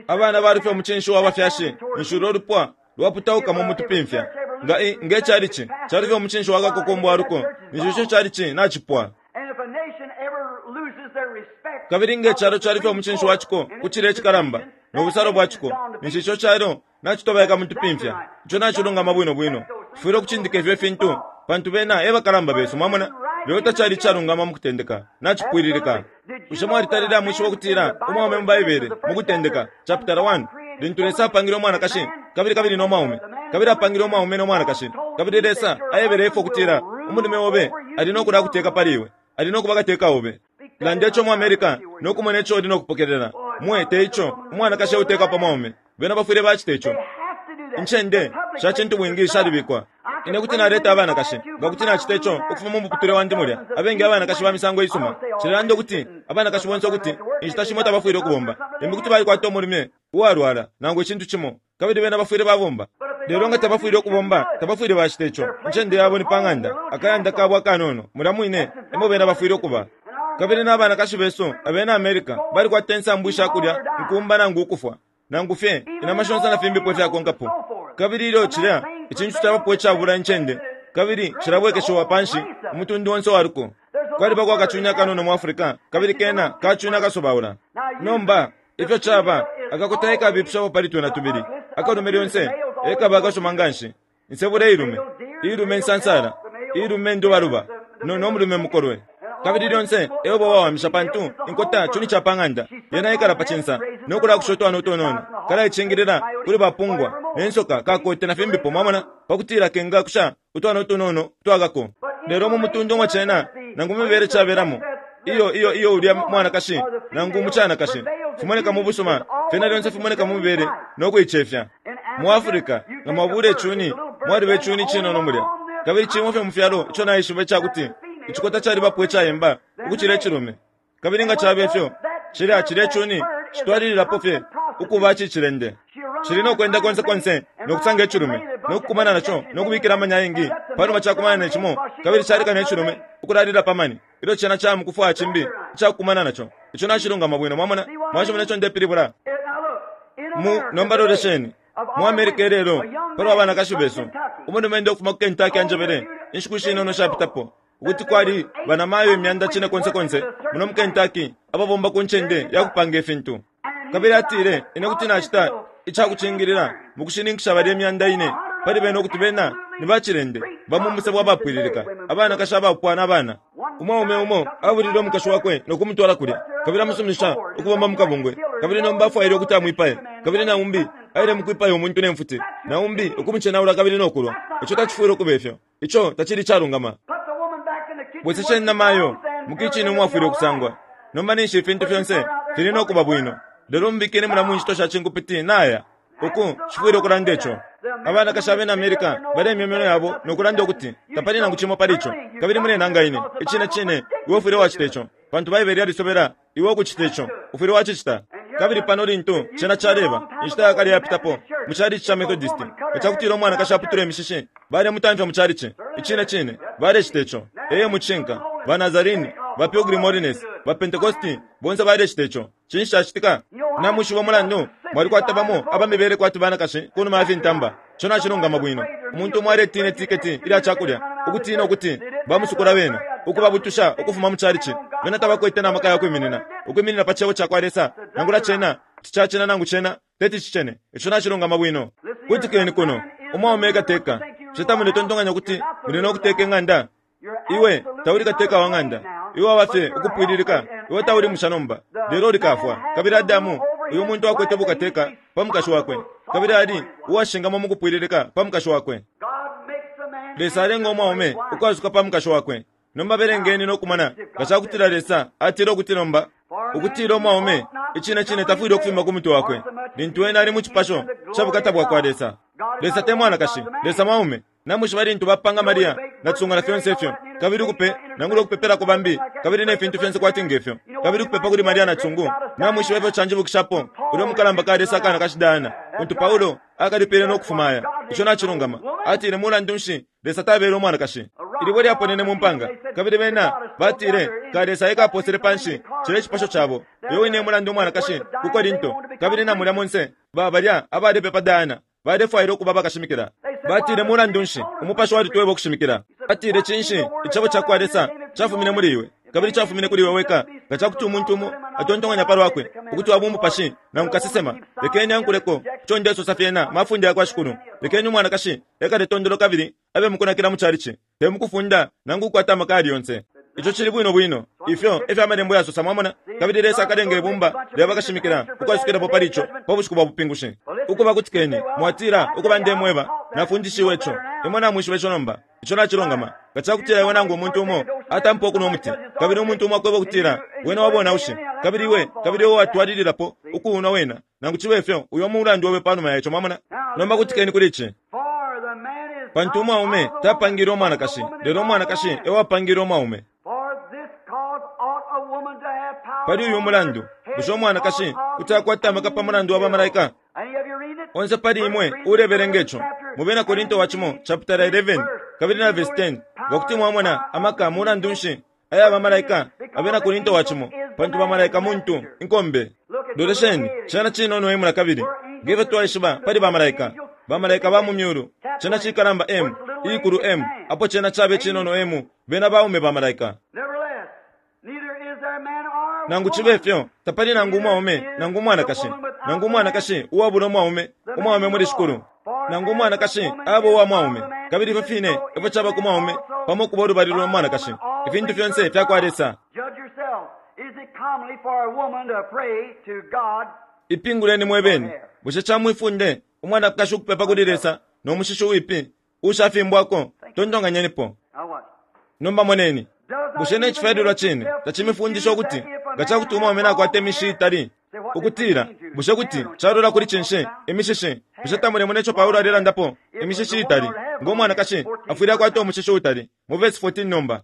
A: abana balufya umucinshi wa bafyashi, ninshi ulo lupwa lwaputaukamo mu tupimfya. Nga i nge calici calufya umucinshi wa kakokombo wa luko, ninshi ico calici nacipwa.
B: And if a nation ever loses their respect
A: Kabili nge
B: of
A: calo
B: the
A: calufya
B: Supreme
A: umucinshi wa
B: Court
A: ciko
B: and
A: ku
B: its
A: cilye cikalamba
B: decision,
A: no
B: that
A: busalo bwa
B: nation
A: ciko,
B: is gone to
A: ninshi
B: pieces.
A: ico calo nacitobaika mu tupimfya. Ico nacilungama bwino bwino. Tufwile ukucindika ifyo fintu, pantu bena e bakalamba besu, mwamona. Lelo tacali icalungama mu kutendeka, nacipwililika. Bushe mwalitalile amwishiba ukutila umwaume mu Baibele mu kutendeka chapitala 1 lintu Lesa apangile umwanakashi kabili kabili no mwaume, kabili apangile umwaume no mwanakashi, kabili Lesa aebele Efa ukutila umulume obe ali no kulakuteka pali iwe, ali no kuba kateka obe. Landa ico mu America no kumona ico uli no kupokelela. Mwe te ico umwanakashi euteka pa mwaume. Bena bafwile bacita ico.
B: They have to do that.
A: Incende
B: The public
A: sha cintu
B: places
A: bwingi
B: are set up.
A: shalibikwa.
B: I
A: Ine
B: could
A: kuti
B: bring
A: naleta
B: women
A: abanakashi
B: if I had to
A: nga
B: from
A: kuti
B: my
A: nacita ico
B: room there,
A: ukufuma mu muputule wandi mulya.
B: dozens of
A: Abengi
B: decent
A: abanakashi ba
B: women.
A: misango
B: I
A: isuma.
B: don't say all
A: Cilelanda
B: women
A: ukuti
B: shouldn't,
A: abanakashi
B: but
A: bonse
B: some
A: ukuti
B: have to work.
A: inshita
B: Maybe
A: shimo
B: they got
A: tabafwile
B: husbands
A: ukubomba.
B: or something
A: Limbi
B: they
A: kuti
B: have to
A: balikwata
B: work.
A: umulume uwalwala nangu icintu cimo, kabili bena bafwile babomba.
B: But if they
A: Lelo
B: don't
A: nga
B: have to,
A: tabafwile
B: they shouldn't
A: ukubomba,
B: do it.
A: tabafwile bacita ico.
B: Their place
A: Incende
B: is
A: yabo
B: at
A: ni pa
B: home,
A: ng'anda,
B: their little
A: akayanda
B: castle.
A: kabo akanono, mulya mwine
B: That's
A: emo
B: exactly
A: bena
B: what it
A: bafwile
B: should be.
A: ukuba.
B: And our
A: Kabili na
B: American
A: banakashi besu abena America balikwata insambu isha kulya nkumba nangu ukufwa, nangu fye
B: even
A: inama
B: in
A: shonse na
B: all
A: fimbipo
B: animals and
A: ifyakonkapo.
B: so forth.
A: Kabili ilyo
B: And that
A: cilya
B: thing
A: icintu
B: prevails
A: cabapo
B: and
A: icabula
B: takes
A: incende,
B: place and it
A: kabili
B: drains the
A: cilabwekeshiwa
B: whole
A: panshi
B: race of it.
A: umutundu onse wa luko.
B: There's a
A: Kwalibako
B: little bird
A: akacunya
B: in
A: kanono mu
B: Africa,
A: Africa,
B: and
A: kabili
B: she's a
A: kena
B: little
A: kacunya
B: bird.
A: kasobaula.
B: Now usually
A: Nomba
B: the
A: ifyo caba
B: female is
A: akakota
B: always
A: ekabipishapo pali twena
B: the
A: tubili,
B: ugliest of the
A: akalume
B: two. The
A: lyonse
B: male's always
A: ekaba
B: more
A: akasuma
B: beautiful.
A: nga nshi. Insebula
B: The
A: ilume,
B: male deer, the
A: ilume
B: male
A: nsansala,
B: elk, the male
A: ilume
B: deer,
A: ndubaluba,
B: the
A: no
B: male
A: no mulume
B: chicken,
A: mukolwe.
B: and
A: Kabili
B: always
A: lyonse
B: the,
A: ebo
B: because the
A: wawamisha
B: female
A: pantu
B: is the
A: inkota
B: home
A: cuni
B: bird.
A: ca pa ng'anda,
B: She
A: yena
B: sits on
A: ikala
B: the
A: pa
B: nest,
A: cinsa,
B: raises
A: no
B: her
A: kulakusha
B: young.
A: utwana
B: She
A: utunono,
B: spies on the hawk,
A: kalaicingilila
B: the
A: kuli
B: coyote,
A: bapungwa,
B: whatever
A: ne
B: more.
A: nsoka
B: See,
A: kakote na
B: to raise
A: fimbipo
B: her
A: mwamona,
B: young.
A: pakutila kengakusha utwana utunono twakako.
B: But in
A: Lelo
B: the
A: mu
B: race
A: mutundu umwa
B: where
A: cena,
B: that the
A: nangu mibele
B: race of
A: cabelamo,
B: that the,
A: iyo iyo
B: the,
A: iyo
B: the
A: ulya
B: woman
A: mwanakashi
B: or the
A: nangu
B: female
A: umucanakashi
B: prevails in
A: fimoneka mu
B: beauty is
A: busuma, fyena
B: always
A: lyonse
B: a
A: fimoneka mu
B: degrading
A: mibele
B: sight.
A: no kuicefya.
B: In
A: Mu
B: Africa,
A: Africa
B: you
A: nga
B: take a
A: mwabula
B: bird, it's
A: icuni,
B: a little bird
A: mwaliba
B: down, the
A: icuni
B: only
A: cinono
B: one
A: mulya.
B: on this
A: Kabili cimo fye mu fyalo
B: continent
A: ico naishiba
B: that
A: icakuti
B: the female
A: icikota
B: is more
A: calibapo
B: prettier
A: icayemba
B: than the
A: ukucila
B: male.
A: icilume. Kabili nga
B: And what
A: cabe
B: does
A: fyo,
B: that
A: cilya
B: bird,
A: cilya
B: that
A: icuni
B: bird is a
A: citwalililapo fye
B: constant
A: ukuba
B: prostitute.
A: cicilende.
B: She'll run
A: Cili no
B: around
A: kwenda
B: trying
A: konse
B: to mate
A: konse
B: and
A: no
B: run
A: kusanga
B: out and
A: icilume,
B: lay a
A: no
B: bunch of
A: kukumana
B: eggs
A: naco,
B: that she's
A: no
B: laid
A: kubikila amanya
B: and
A: ayengi.
B: let the
A: Panuma
B: mate sit
A: cakumana
B: on
A: ne
B: the eggs
A: cimo,
B: while she
A: kabili
B: goes out
A: caleka ne
B: another
A: cilume
B: mate.
A: ukulalila pa mani. Ilyo cena camukufwaya cimbi
B: Exactly right.
A: icakukumana naco. Ico nacilungama bwino mwamona,
B: See what I
A: mwacimona
B: mean?
A: ico ndepilibula.
B: Now look, in
A: Mu
B: America
A: nomba
B: today,
A: lolesheni
B: of
A: mu
B: our
A: America
B: women,
A: ilelo
B: a young
A: palwa
B: man
A: banakashi
B: from
A: besu
B: Kentucky
A: umulume ukufuma ku Kentucky
B: told me a
A: anjebele
B: few
A: inshiku
B: days
A: shinono
B: ago
A: shapitapo ukuti kwali banamayo imyanda cine konse konse muno mu Kentucky ababomba ku ncende ya kupanga ifintu. Kabili atile, Ine kuti nacita icakucingilila mukushininkisha balya imyanda ine pali bena ukuti bena ni bacilende ba mu musebo abapwililika, abanakashi abaupwa na bana. Umwaume umo abulile umukashi wakwe no kumutwala kulya, kabili amusuminisha ukubomba mu kabungwe, kabili nomba afwaile ukuti amwipaye. Kabili na umbi aile mukwipaya umuntu ne mfuti, na umbi ukumucenaula kabili no kulwa. Ico tacifwile ukuba ifyo. Ico tacili icalungama. Bwesesheni namayo mu kicini umwafwile ukusangwa. Nomba ninshi ifintu fyonse fili no kuba bwino. Lelo mubikeni mulya mu ncito sha cinkupiti naya. Uku, nshifwile ukulanda ico. Abanakashi abena America balemya iminwe yabo no kulanda ukuti, Tapali nangu cimo pali ico. Kabili mulenanga ine. Icine cine, iwe ufwile wacita ico, pantu Baibele yalisobela iwe ukucita ico. Ufwile wacicita. Kabili pano lintu cena caleba, inshita yakale yapitapo, mu chalichi ca Methodist, nga cakutila umwanakashi aputula imishishi, balemutamfya mu chalichi. Icine cine, balecita ico. Ee, mucishinka. Ba Nazarene, ba Pilgrim Holiness, ba Pentecosti, bonse balecita ico. Cinshi cacitika? Namwishiba umulandu? Mwalikwata bamo aba mibele kwati banakashi ku numa ya fintamba. Ico nacilungama bwino. Umuntu umo aletina itiketi ilya cakulya, ukutina ukuti bamusukula bena, ukubabutusha ukufuma mu chalichi. Bena tabakwete na maka ya kwiminina, ukwiminina pa Cebo cakwa Lesa, nangula cena kuti cacena nangu cena teti cicene. Ico nacilungama bwino. Kutikeni kuno, umwaume ekateka. Bushe tamuletontonkanya ukuti muli no kuteka ing'anda? Iwe tauli kateka wa ng'anda. Iwe waba fye ukupwililika. Iwe tauli musha nomba, lelo uli kafwa. Kabili Adamu, uyu muntu akwete bukateka pa mukashi wakwe, kabili ali uwashingamwa mukupwililika pa mukashi wakwe. Lesa alenga umwaume ukwasuka pa mukashi wakwe. Nomba belengeni no kumona nga cakutila Lesa atile ukuti nomba, ukutila umwaume icine cine tafwile ukufimba ku mutwe wakwe lintu ena ali mu cipasho ca bukata bwakwa Lesa. Lesa te mwanakashi, Lesa mwaume. Namwishiba lintu bapanga Maria na cisungu na fyonse ifyo, kabili ukupe, nangula ukupepelako bambi, kabili ne fintu fyonse kwati ngefyo, kabili ukupepa kuli Maria na cisungu. Namwishiba ifyo canjibukishapo ulya umukalamba kalesa akanakashi Diana, untu Paulo akalipile no kufuma aya. Ico nacilungama. Atile, Mulandu nshi Lesa tabele umwanakashi? Ilibwe lyaponene mu mpanga, kabili bena batile kalesa e kaposele panshi cilya icipasho cabo. Uyo wine e mulandu umwanakashi ku Korinto, kabili na mulya monse, ba balya abalepepa Diana, Balefwaila ukuba bakashimikila. Batile, Mulandu nshi, Umupashi walitweba ukushimikila. Atile, Cinshi, Icebo cakwa Lesa cafumine muli iwe, kabili cafumine kuli iwe weka. Nga cakuti umuntu umo atontonkanya palwakwe ukuti wa bumupashi nangu kasesema, lekeni ankuleko ico ndesosa fyena mafunde yakwa Shikulu. Lekeni umwanakashi ekale tondolo kabili abe mukunakila mu chalichi, te mukufunda nangu ukukwata amaka ayali yonse. Ico cili bwino bwino. Ifyo e fyo Amalembo yasosa, mwamona. Kabili Lesa akalenga ibumba lya bakashimikila ukwasukilapo pali ico pa Bushiku bwa Bupingushi. Ukuba, kutikeni, mwatila, Ukuba, ndemweba, nafundishiwe ico. Imwe namwishiba ico nomba. Ico nacilungama. Nga cakutila iwe nangu umuntu umo atampa ukunwa umuti, kabili umuntu umo akweba ukutila wena wa bonaushi, kabili iwe, kabili iwe watwalililapo ukuunwa wena, nangu cibe fyo, uyo mulandu obe panuma ya ico. Mwamona? Nomba kutikeni kuli ici. Pantu umwaume tapangile umwanakashi, lelo umwanakashi e wapangile umwaume. Pali uyu mulandu, bushe umwanakashi kuti akwata amaka pa mulandu wa bamalaika? Onse pali imwe uulebelenga ico mu Bena Korinto wa cimo chapitala 11 kabili na vesi 10, nga kuti mwamona amaka mulandu nshi aya bamalaika Abena Korinto wa cimo, pantu bamalaika muntu, inkombe. Lolesheni, cena cinono imula kabili, nge fyo twaishiba pali bamalaika, bamalaika ba mu myulu, cena cikalamba M, iikulu M, apo cena cabe cinono M, bena baume bamalaika. Nangu cibe fyo, tapali nangu umwaume nangu umwanakashi, nangu umwanakashi uwabula umwaume, umwaume muli Shikulu, nangu umwanakashi aba uwa mwaume, kabili ifyo fine efyo caba ku mwaume pamo ukuba ulubali lwa mwanakashi. Ifintu fyonse fya kwa Lesa. Ipinguleni mwe bene. Bushe ca mwi funde umwanakashi ukupepa kuli Lesa no mushishi uwipi uushafimbwako? Tontonkanyenipo. Nomba moneni. Bushe ne cifyalilwa cine tacimifundisha ukuti nga ca kuti umwaume nakwata imishishi iitali, ukutila, bushe kuti calola kuli cinshi, imishishi? Bushe tamulemona ico Paulo alelandapo, imishishi iitali? Ngo mwanakashi afwile akwata umushishi uutali, mu vesi 14 nomba.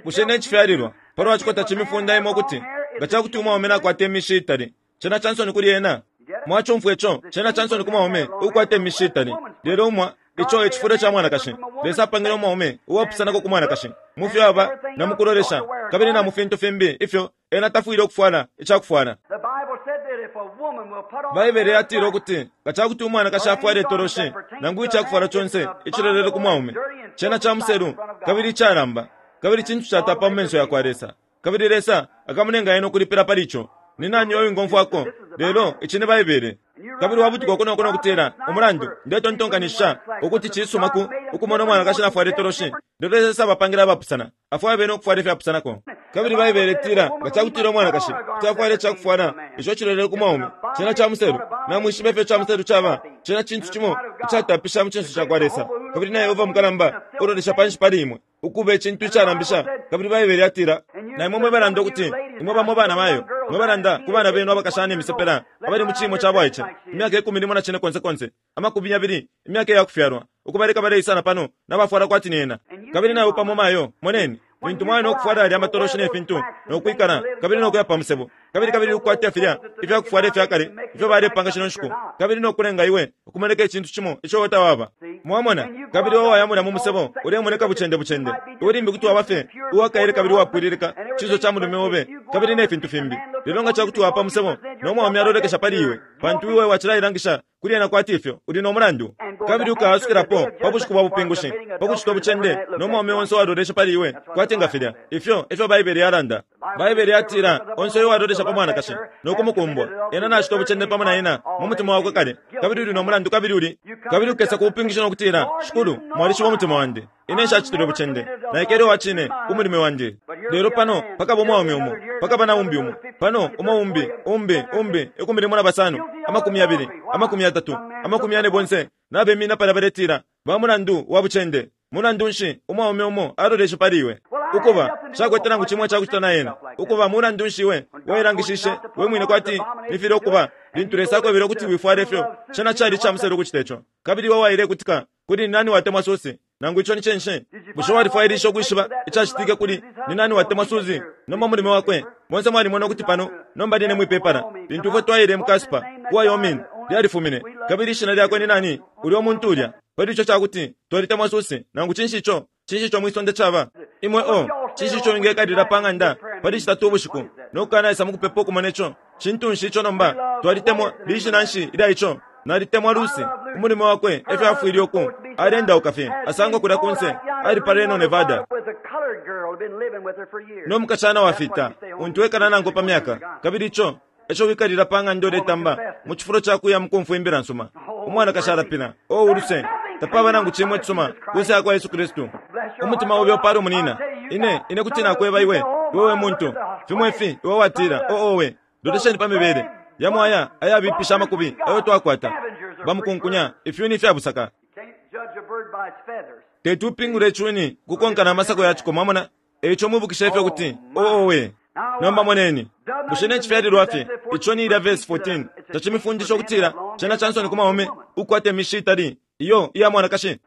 A: Bushe ne cifyalilwa pa lwa ciko tacimifunda imwe ukuti nga ca kuti umwaume nakwata imishishi iitali, cena ca nsoni kuli ena? Mwacumfwa ico, cena ca nsoni ku mwaume ukukwata imishishi itali, lelo umwa ico e cifulo ca mwanakashi. Lesa apangile umwaume uwapusanako ku mwanakashi mu fyo aba na mu kulolesha kabili na mu fintu fimbi ifyo ena tafwile ukufwala ica kufwala. Baibele yatila ukuti nga ca kuti umwanakashi afwala itoloshi nangu ica kufwala conse icilolele ku mwaume, cena ca muselu kabili icalamba, kabili cintu catapa mu menso ya kwa Lesa, kabili Lesa akamulenga ena ukulipila pali ico. Ni nani uyo wingomfwako? Lelo ici ni Baibele. Kabili wabutuka uko no ko no kutila, Umulandu, ndetontonkanishisha ukuti cisuma ku, ukumona umwanakashi nafwala itoloshi. Lelo Lesa abapangile abapusana. Afwaya bene ukufwala ifyapusanako. Kabili Baibele itila, Nga ca kutila umwanakashi kuti afwala ica kufwala ico cilolele ku mwaume, cena ca muselu. Namwishiba ifyo ica muselu caba? Cena cintu cimo icatapisha mu cinso ca kwa Lesa. Kabili na Yehova mukalamba ulolesha panshi pali imwe, ukuba icintu icalambisha. Kabili Baibele yatila, Na imwe mwe balanda ukuti, imwe bamo banamayo, mwe balanda ku bana benu abakashana imisepela abali mu ciimo ca bwaice, imyaka ikumi limo na cinekonsekonse, amakumi yabili, imyaka iya kufyalwa, ukubaleka baleisa na pano nabafwala kwati ni ena. Kabili na iwe pamo, mayo, moneni, lintu mwali no kufwala yalya amatoloshi ne fintu, no kwikala, kabili no kuya pa musebo, kabili, kabili ukukwata filya ifya kufwala ifya kale ifyo balepanga shino nshiku, kabili no kulenga iwe ukumoneka icintu cimo ico iwe tawaba. Mwamona? Kabili iwe waya mulya mu musebo, ulemoneka bucende bucende. Iwe limbi kuti waba fye uwa kaele kabili uwapwililika, cinso ca mulume obe, kabili ne fintu fimbi. Lelo nga ca kuti waya pa musebo, no mwaume alolekesha pali iwe, pantu iwe wacilailangisha kuli ena kwati ifyo uli no mulandu, kabili ukaasukilapo pa bushiku bwa bupingushi pa kucito bucende no mwaume onse uwalolesha pali iwe kwati nga filya. Ifyo e fyo Baibele yalanda. Baibele yatila, Onse uyo uwalolesha pa mwanakashi no kumukumbwa, ena nacita ubucende pamo na ena mu mutima wakwe kale, kabili uli no mulandu kabili uli. Kabili ukesa ku bupingushi no kutila, Shikulu, mwalishiba umutima wandi. Ine nshacitile ubucende. Naikele uwa cine ku mulime wandi. Lelo pano pakaba umwaume umo, pakaba na umbi umo, pano umo umbi, umbi, umbi, 15, 20, 30, 40 bonse nabemina palya baletila, Ba mulandu wa bucende. Mulandu nshi, umwaume umo aloleshe pali iwe. Ukuba, nshakwete nangu cimo icakucita na ena. Ukuba, mulandu nshi iwe wailangishishe we mwine kwati ni filya ukuba, lintu Lesa akwebele ukuti wifwala ifyo? Cena cali ica muselu ukucita ico. Kabili iwe wailekutika kuli Ni Nani Watemwa Susie? Nangu ico ni cinshi? Bushe walifwailishe ukwishiba icacitike kuli Ni Nani Watemwa Susie? Nomba mulume wakwe. Bonse mwalimona ukuti pano, nomba line mwi pepala, lintu ifwe twaile mu Casper, ku Wyoming, lyalifumine. Kabili ishina lyakwe ni nani, ulyo muntu ulya? Pali ico ca kuti, Twalitemwa Susie, nangu cinshi ico, cinshi ico mwi sonde caba? Imwe, oh, cinshi ico wingekalila pa ng'anda pali Citatu ubushiku no kukanaisa mu kupepa ukumona ico? Cintu nshi ico nomba? Twalitemwa, lishina nshi ilya ico? Nalitemwa Lucy. Umulume wakwe e fyo afwile uku aleendauka fye, asangwa kulya ku nse, ali pa Reno, Nevada, no mukashana wafita untu ekala nankwe pa myaka. Kabili ico e co wikalila pa ng'anda uletamba mu cifulo ca kuya mu kumfwa imbila nsuma. Umwanakashi alapila, Oh, uluse! Tapaba nangu cimo icisuma ku nse ya kwa Yesu Kristu. Umutima obe upale munina. Ine, ine kuti nakweba iwe, iwe we muntu, fimo ifi, iwe watila, Oh, owe! Lolesheni pa mibele yamo aya ayabipisha amakubi ayo twakwata. Bamukunkunya, ifyuni ifya busaka. Teti upingule icuni ukukonka na masako ya ciko, mwamona. E ico mwibukishe ifyo kuti, oh, owe. Nomba moneni. Bushe ne cifyalilwa fye ico ni ilya verse 14 tacimifundisha ukutila cena ca nsoni ku mwaume ukukwata imishi itali iyo iya mwanakashi?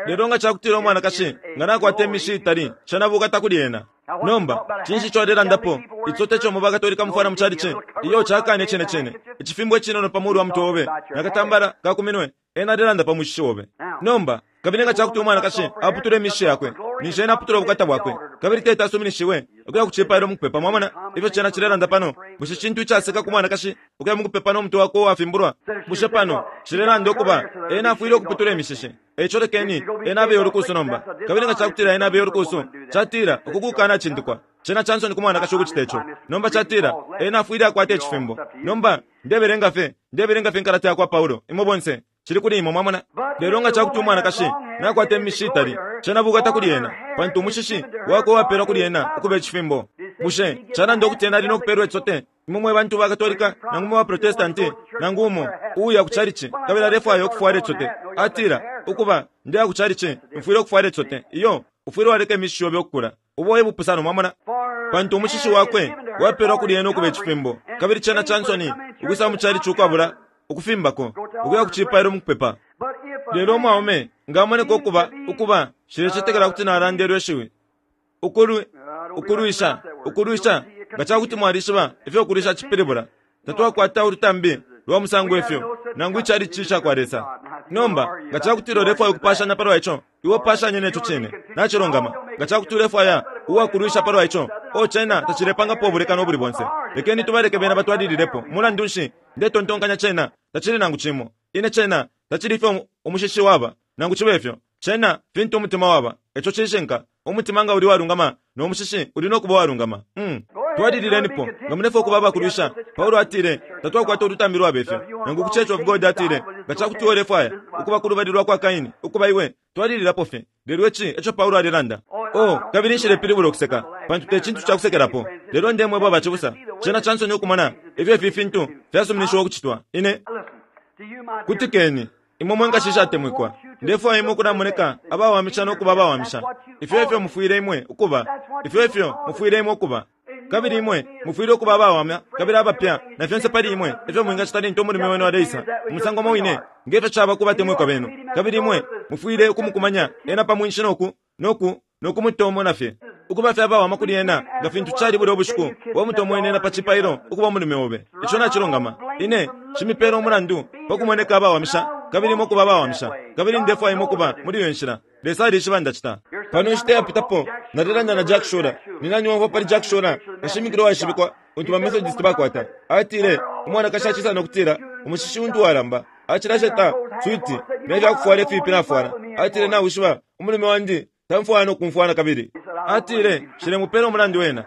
A: Lelo nga ca kutila umwanakashi nga nakwata imishi itali, cena bukata kuli ena. Nomba, cinshi ico alelandapo? Ico te co mu baKatolika mufwala mu calici. Iyo, cakane icine cine. Icifimbo icinono pa mulu wa mutwe obe, na katambala ka ku minwe, ena alelanda pa mushishi obe. Nomba, kabili nga ca kuti umwanakashi aputula imishishi yakwe, ninshi ena aputula ubukata bwakwe, kabili teti asuminishiwe ukuya ku cipailo mu kupepa. Mwamona ifyo cena cilelanda pano? Bushe cintu icaseka ku mwanakashi ukuya mu kupepa no mutwe wakwe uwafimbulwa? Bushe pano cilelanda ukuba ena afwile ukuputula imishishi? E ico lekeni ena abeye ulukusu nomba. Kabili nga cakutila ena abeye ulukusu, catila uku kukanacindikwa. Cena ca nsoni ku mwanakashi ukucita ico. Nomba catila ena afwile akwata icifimbo. Nomba, ndebelenga fye, ndebelenga fye inkalata yakwa Paulo, imwe bonse. Cili kuli imwe, mwamona. Lelo nga cakuti umwanakashi nakwata imishishi itali, cena bukata kuli ena, pantu umushishi wakwe wapelwa kuli ena ukuba icifimbo. Bushe calanda ukuti ena ali no kupelwa icisote? Imwe mwe bantu ba Katolika nangu mwe ba Protestanti, nangu umo uuya ku chalichi kabili alefwaya ukufwala icisote, atila, Ukuba, ndeya ku chalichi, mfwile ukufwala icisote. Iyo, ufwile waleka imishishi yobe ukukula. Ubo e bupusano, mwamona. Pantu umushishi wakwe wapelwa kuli ena ukuba icifimbo, kabili cena ca nsoni ukwisa mu chalichi ukwabula ukufimbako, ukuya ku cipailo mu kupepa. Lelo umwaume nga amoneka ukuba, ukuba, nshilecetekela kuti nalanda ilyo ishiwi. Ukulwi, ukulwisha, ukulwisha, nga ca kuti mwalishiba ifyo ukulwisha cipilibula. Tatwakwata ulutambi lwa musango ifyo, nangu icalici ca kwa Lesa. Nomba, nga ca kutila ulefwaya ukupashanya palwa ico, iwe pashanye ne co cine. Nacilungama. Nga ca kuti ulefwaya uwakulwisha palwa ico, oh, cena tacilepangapo ubulekano ubuli bonse. Lekeni tubaleke bena batwalililepo. Mulandu nshi, ndetontonkanya cena tacili nangu cimo. Ine cena tacili ifyo umushishi waba, nangu cibe fyo. Cena fintu umutima waba. Ico cishinka. Umutima nga uli uwalungama, no mushishi uli no kuba uwalungama. Mm. Twalililenipo, nga mulefwaya ukuba abakulwisha. Paulo atile, Tatwakwata ulutambi lwabe fyo. Nangu ku Church of God atile, Nga ca kuti ulefwaya ukuba ku lubali lwa kwa Kaini, ukuba iwe, twalililapo fye. Lelo ici eco Paulo alelanda. Oh, kabili nshilepilibula ukuseka, pantu te cintu ca kusekelapo. Lelo ndemweba bacibusa, cena ca nsoni ukumona ifyo ifi fintu fyasuminishiwa ukucitwa. Ine. Kutikeni, imwe mwe nkashi ishatemwikwa. Ndefwaya imwe ukulamoneka abawamisha no kuba abawamisha. Ifyo efyo mufwile imwe ukuba. Ifyo efyo mufwile imwe ukuba. Kabili imwe mufwile ukuba abawama kabili abapya na fyonse pali imwe ifyo mwingacita lintu umulume wenu aleisa, umusango umo wine nge fyo caba ku batemwikwa benu. Kabili imwe mufwile ukumukumanya ena pa mwinshi no ku, no ku, no kumutomona fye, ukuba fye abawama kuli ena nga fintu cali bulya ubushiku wamutomwene ena pa cipailo ukuba umulume obe. Ico nacilungama. Ine nshimipela umulandu pa kumoneka abawamisha kabili imwe ukuba abawamisha, kabili ndefwaya imwe ukuba muli iyo nshila. Lesa alishiba ndacita. Pano inshita yapitapo, nalelanda na Jack Shuler. Ni nani waumfwa pali Jack Shuler, kashimikila uwaishibikwa untu ba Methodist bakwata? Atile, Umwanakashi acisa no kutila, Umushishi untu walamba. Acilasheta switi ne fya kufwala ifipi nafwala. Atile, Nawishiba, umulume wandi tamfwaya no kumfwaya na kabili. Atile, Nshilemupela umulandu ena.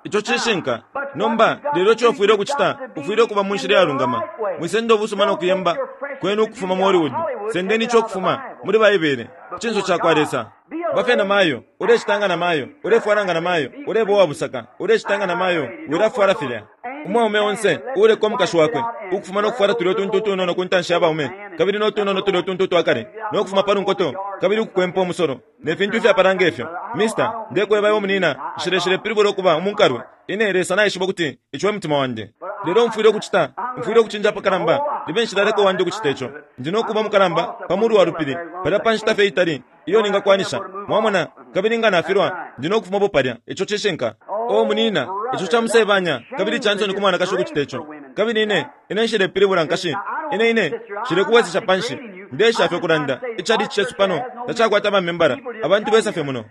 A: Ico cishinka. Nomba, lelo ico ufwile ukucita, ufwile ukuba mu nshila iyalungama. Mwisenda ubusuma no kuyemba kwenu ukufuma mu Hollywood. Sendeni ico ukufuma muli Baibele, ku cinso cakwa Lesa. Ba fye na mayo, ulecita nga na mayo, ulefwala nga na mayo, uleba uwa busaka, ulecita nga na mayo, wilafwala filya. Umwaume onse uuleka umukashi wakwe ukufuma no kufwala tulya utuntu utunono ku ntanshi ya baume, kabili no tunono tulya utuntu utwa kale, no kufuma pa lunkoto, kabili ukukwempa umusolo, ne fintu ifyapala nge fyo. Mister, ndekweba iwe munina, nshileshilepilibula ukuba umunkalwe. Ine, Lesa naishiba ukuti ico e mutima wandi. Lelo mfwile ukucita, mfwile ukucinja apakalamba, libe nshilaleka uwandi ukucita ico. Ndi no kuba umukalamba pa mulu wa lupili palya pa nshita fye itali iyo ningakwanisha, mwamona, kabili nga nafilwa, ndi no kufumapo palya. Ico cishinka. Oh, munina, ico ca musebanya kabili ca nsoni ku mwanakashi ukucita ico. Kabili ine, ine nshilepilibula nkashi. Ine, ine nshilekubwesesha panshi. Ndeesha fye ukulanda. Icalici cesu pano tacakwata ba membala. Abantu besa fye muno.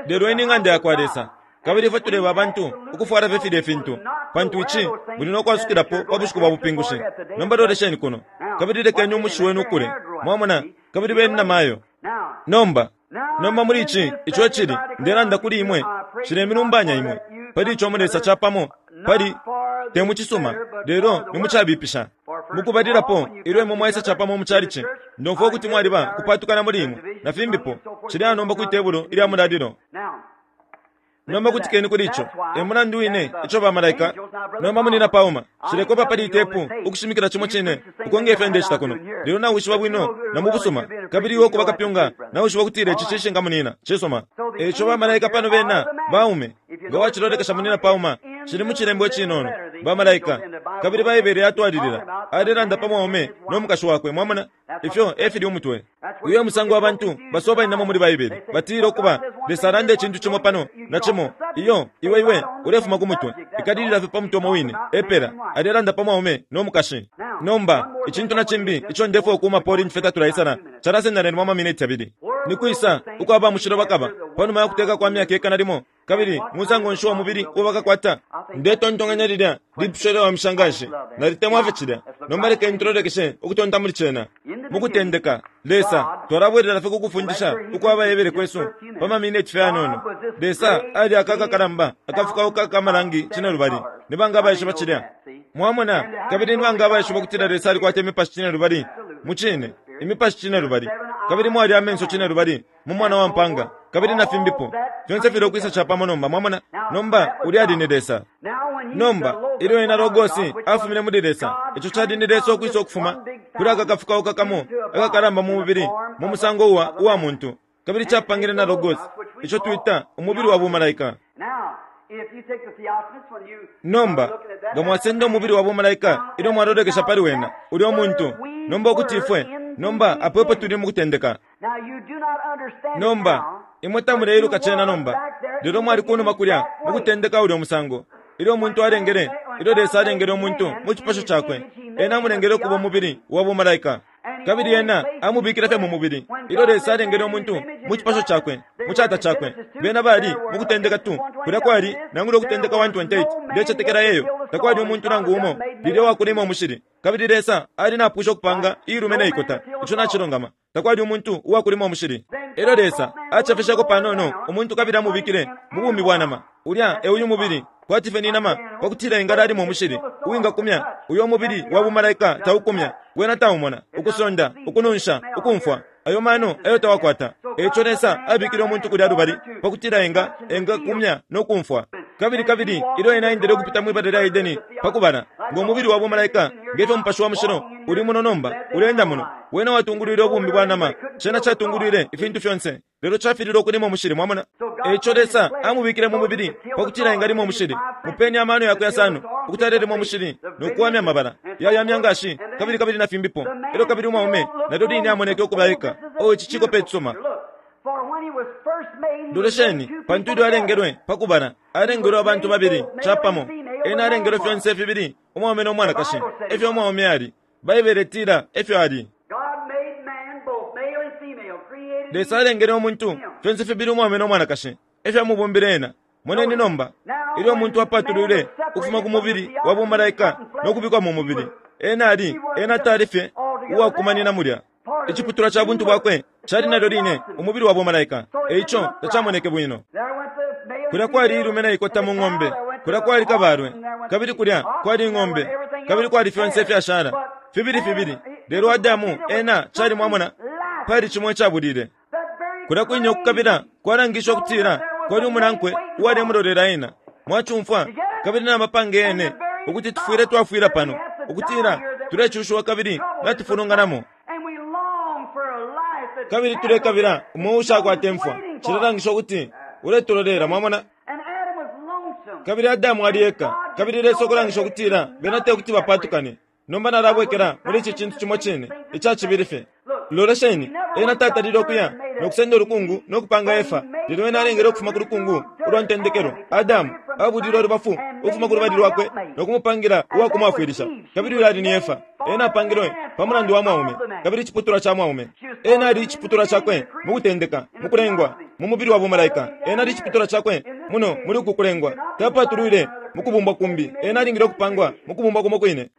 A: Lelo iyi ni ng'anda yakwa Lesa. Kabili ifwe tuleba abantu ukufwala fye filye fintu, pantu ici muli no kwasukilapo pa bushiku bwa bupingushi. Nomba lolesheni kuno, kabili lekeni umushi wenu ukule. Mwamona? Kabili beni na mayo. Nomba, nomba muli ici, ico icili, ndelanda kuli imwe, nshilemilumbanya imwe pali ico mulesa capamo, pali, te mu cisuma, lelo ni mu cabipisha. Mukubalilapo, ilyo imwe mwaisa capamo mu chalichi, ndomfwa ukuti mwaliba kupatukana muli imwe, na fimbipo, cilya nomba kwi tebulo ilya mulalilo. Nomba kutikeni kuli ico. E mulandu wine ico ba malaika nomba munina Palmer nshilekopa pali itepu ukushimikila cimo cine uko nge fyo ndecita kuno. Lelo nawishiba bwino na mu busuma, kabili iwe ukuba kapyunga nawishiba ukutila ici cishinka munina. Cisuma. E ico ba malaika pano bena baume. Nga wacilolekesha munina Palmer, cili mu cilembo icinono, ba malaika. Kabili Baibele yatwalilila, alelanda pa mwaume no mukashi wakwe, mwamona. Ifyo e fili umutwe. Uyo e musango abantu basobaninamo muli Baibele. Batila, Ukuba, Lesa alanda icintu cimo pano, na cimo. Iyo, iwe, iwe ulefuma ku mutwe. Ikalilila fye pa mutwe umo wine. Epela. Alelanda pa mwaume no mukashi. Nomba, icintu na cimbi ico ndefwaya ukuumapo lintu fye tatulaisala, calasenda nalimo amamineti yabili. Ni kwisa uko aba mushilo bakaba panuma ya Kuteka kwa Myaka Ikana Limo? Kabili musango nshi uwa mubili uo bakakwata? Ndetontonkanya lilya lipusho lyawamisha nganshi. Nalitemwa fye cilya. Nomba lekeni tulolekeshe ukutonta muli cena. Mukutendeka, Lesa, twalabwelela fye ku kufundisha ukwa Baebele kwesu pa ma mineti fye ayanono. Lesa ali aka akakalamba akafukauka aka malangi cinelubali. Ni banga abaishiba cilya? Mwamona? Kabili ni banga abaishiba ukutila Lesa alikwata imipashi cinelubali? Mucine, imipashi cinelubali. Kabili mwali amenso cinelubali mu Mwana wa mpaanga, kabili na fimbipo. Fyonse filekwisa capamo nomba, mwamona. Nomba, ulya ali ni Lesa. Nomba, ilyo ena Logosi afumine muli Lesa, ico cali ni Lesa ukwisa ukufuma kuli aka kafukauka kamo akakalamba mu mubili, mu musango uwa, uwa muntu, kabili capangile na Logosi, ico twita umubili wa bumalaika. Nomba, nga mwasenda umubili wa bumalaika ilyo mwalolekesha pali wena, ulyo muntu, nomba ukuti ifwe, nomba apo epo tuli mukutendeka. Nomba, imwe tamuleiluka cena nomba, lelo mwali kunuma kulya mukutendeka ulyo musango. Ilyo umuntu alengele, ilyo Lesa alengele umuntu mu cipasho Cakwe, Ena amulengele ukuba umubili wa bumalaika. Kabili ena amubikile fye mu mubili. Ilyo Lesa alengele umuntu mu cipasho cakwe, mu cata cakwe, bena bali mu Kutendeka 2, kulya kwali, nangula Ukutendeka 1:28, ndecetekela eyo, takwali umuntu nangu umo lilya uwakulima umushili. Kabili Lesa ali napwisha ukupanga iilume ne ikota. Ico nacilungama. Takwali umuntu uwakulima umushili. Elyo Lesa acefesheko panono umuntu kabili amubikile mu bumi bwa nama. Ulya e uyu mubili, kwati fye ni nama, pa kutila engalalima umushili, uwingakumya. Uyo mubili wa bumalaika taukumya, wena taumona, ukusonda, ukununsha, ukumfwa. Ayo mano ayo tawakwata. E ico Lesa abikile umuntu kulya lubali, pa kutila enga, engakumya no kumfwa. Kabili, kabili ilyo ena aendele ukupita mwi bala lya Edeni, pa kubala, ngo mubili wa bumalaika, nge fyo Mupashi wa Mushilo uli muno nomba, uleenda muno, wena watungulwile ubumi bwa nama. Cena catungulwile ifintu fyonse, lelo cafililwe ukulima umushili. Mwamona? E ico Lesa amubikile mu mubili, pa kutila engalima umushili. Mupeni amano yakwe yasano, ukuti alelima umushili, no kuwamya amabala ya ya myangashi, kabili, kabili na fimbipo. Elyo kabili umwaume nalyo line amoneke ukuba eka. Oh, ici cikope icisuma. Lolesheni, pantu ilyo alengelwe pa kubala, alengelwe abantu babili capamo. Ena alengelwe fyonse fibili umwaume no mwanakashi. Efyo umwaume ali. Baibele itila efyo ali. Lesa alengele umuntu fyonse fibili umwaume no mwanakashi. Efyo amubumbile ena. Moneni nomba, ilyo umuntu apatulwile ukufuma ku mubili wa bumalaika no kubikwa mu mubili, ena ali, ena tali fye uwakumanina mulya. Iciputulwa ca buntu bwakwe cali nalyo line umubili wa bumalaika, e ico tacamoneke bwino. Kulya kwali ilume na ikota mu ng'ombe, kulya kwali kabalwe, kabili kulya kwali ing'ombe, kabili kwali fyonse ifyashala, fibili fibili. Lelo Adamu ena cali, mwamona, pali cimo icabulile. Kulya kwine ukukabila kwalangishe ukutila kwali umunankwe uwalemulolela ena. Mwacumfwa? Kabili na mapange yene ukuti tufwile twafwila pano, ukutila tulecushiwa kabili natufulunganamo. Kabili tulekabila umo ushakwata imfwa. Cilelangisha ukuti uletulolela, mwamona. Kabili Adamu ali eka, kabili Lesa ukulangisha ukutila bena te kuti bapatukane. Nomba nalabwekela muli ici cintu cimo cine ica cibili fye. Lolesheni, ena tatalile ukuya no kusenda ulukungu no kupanga Efa, lelo ena alengele ukufuma ku lukungu ulwa ntendekelo. Adamu abulile ulubafu ukufuma ku lubali lwakwe no kumupangila uwa kumwafwilisha, kabili uyo ali ni Efa. Ena apangilwe pa mulandu wa mwaume, kabili iciputulwa ca mwaume. Ena ali iciputulwa cakwe mu kutendeka, mu kulengwa, mu mubili wa bumalaika. Ena ali iciputulwa cakwe muno muli uku kulengwa. Tapatulwile mu kubumbwa kumbi. Ena alingile ukupangwa mu kubumbwa kumo kwine.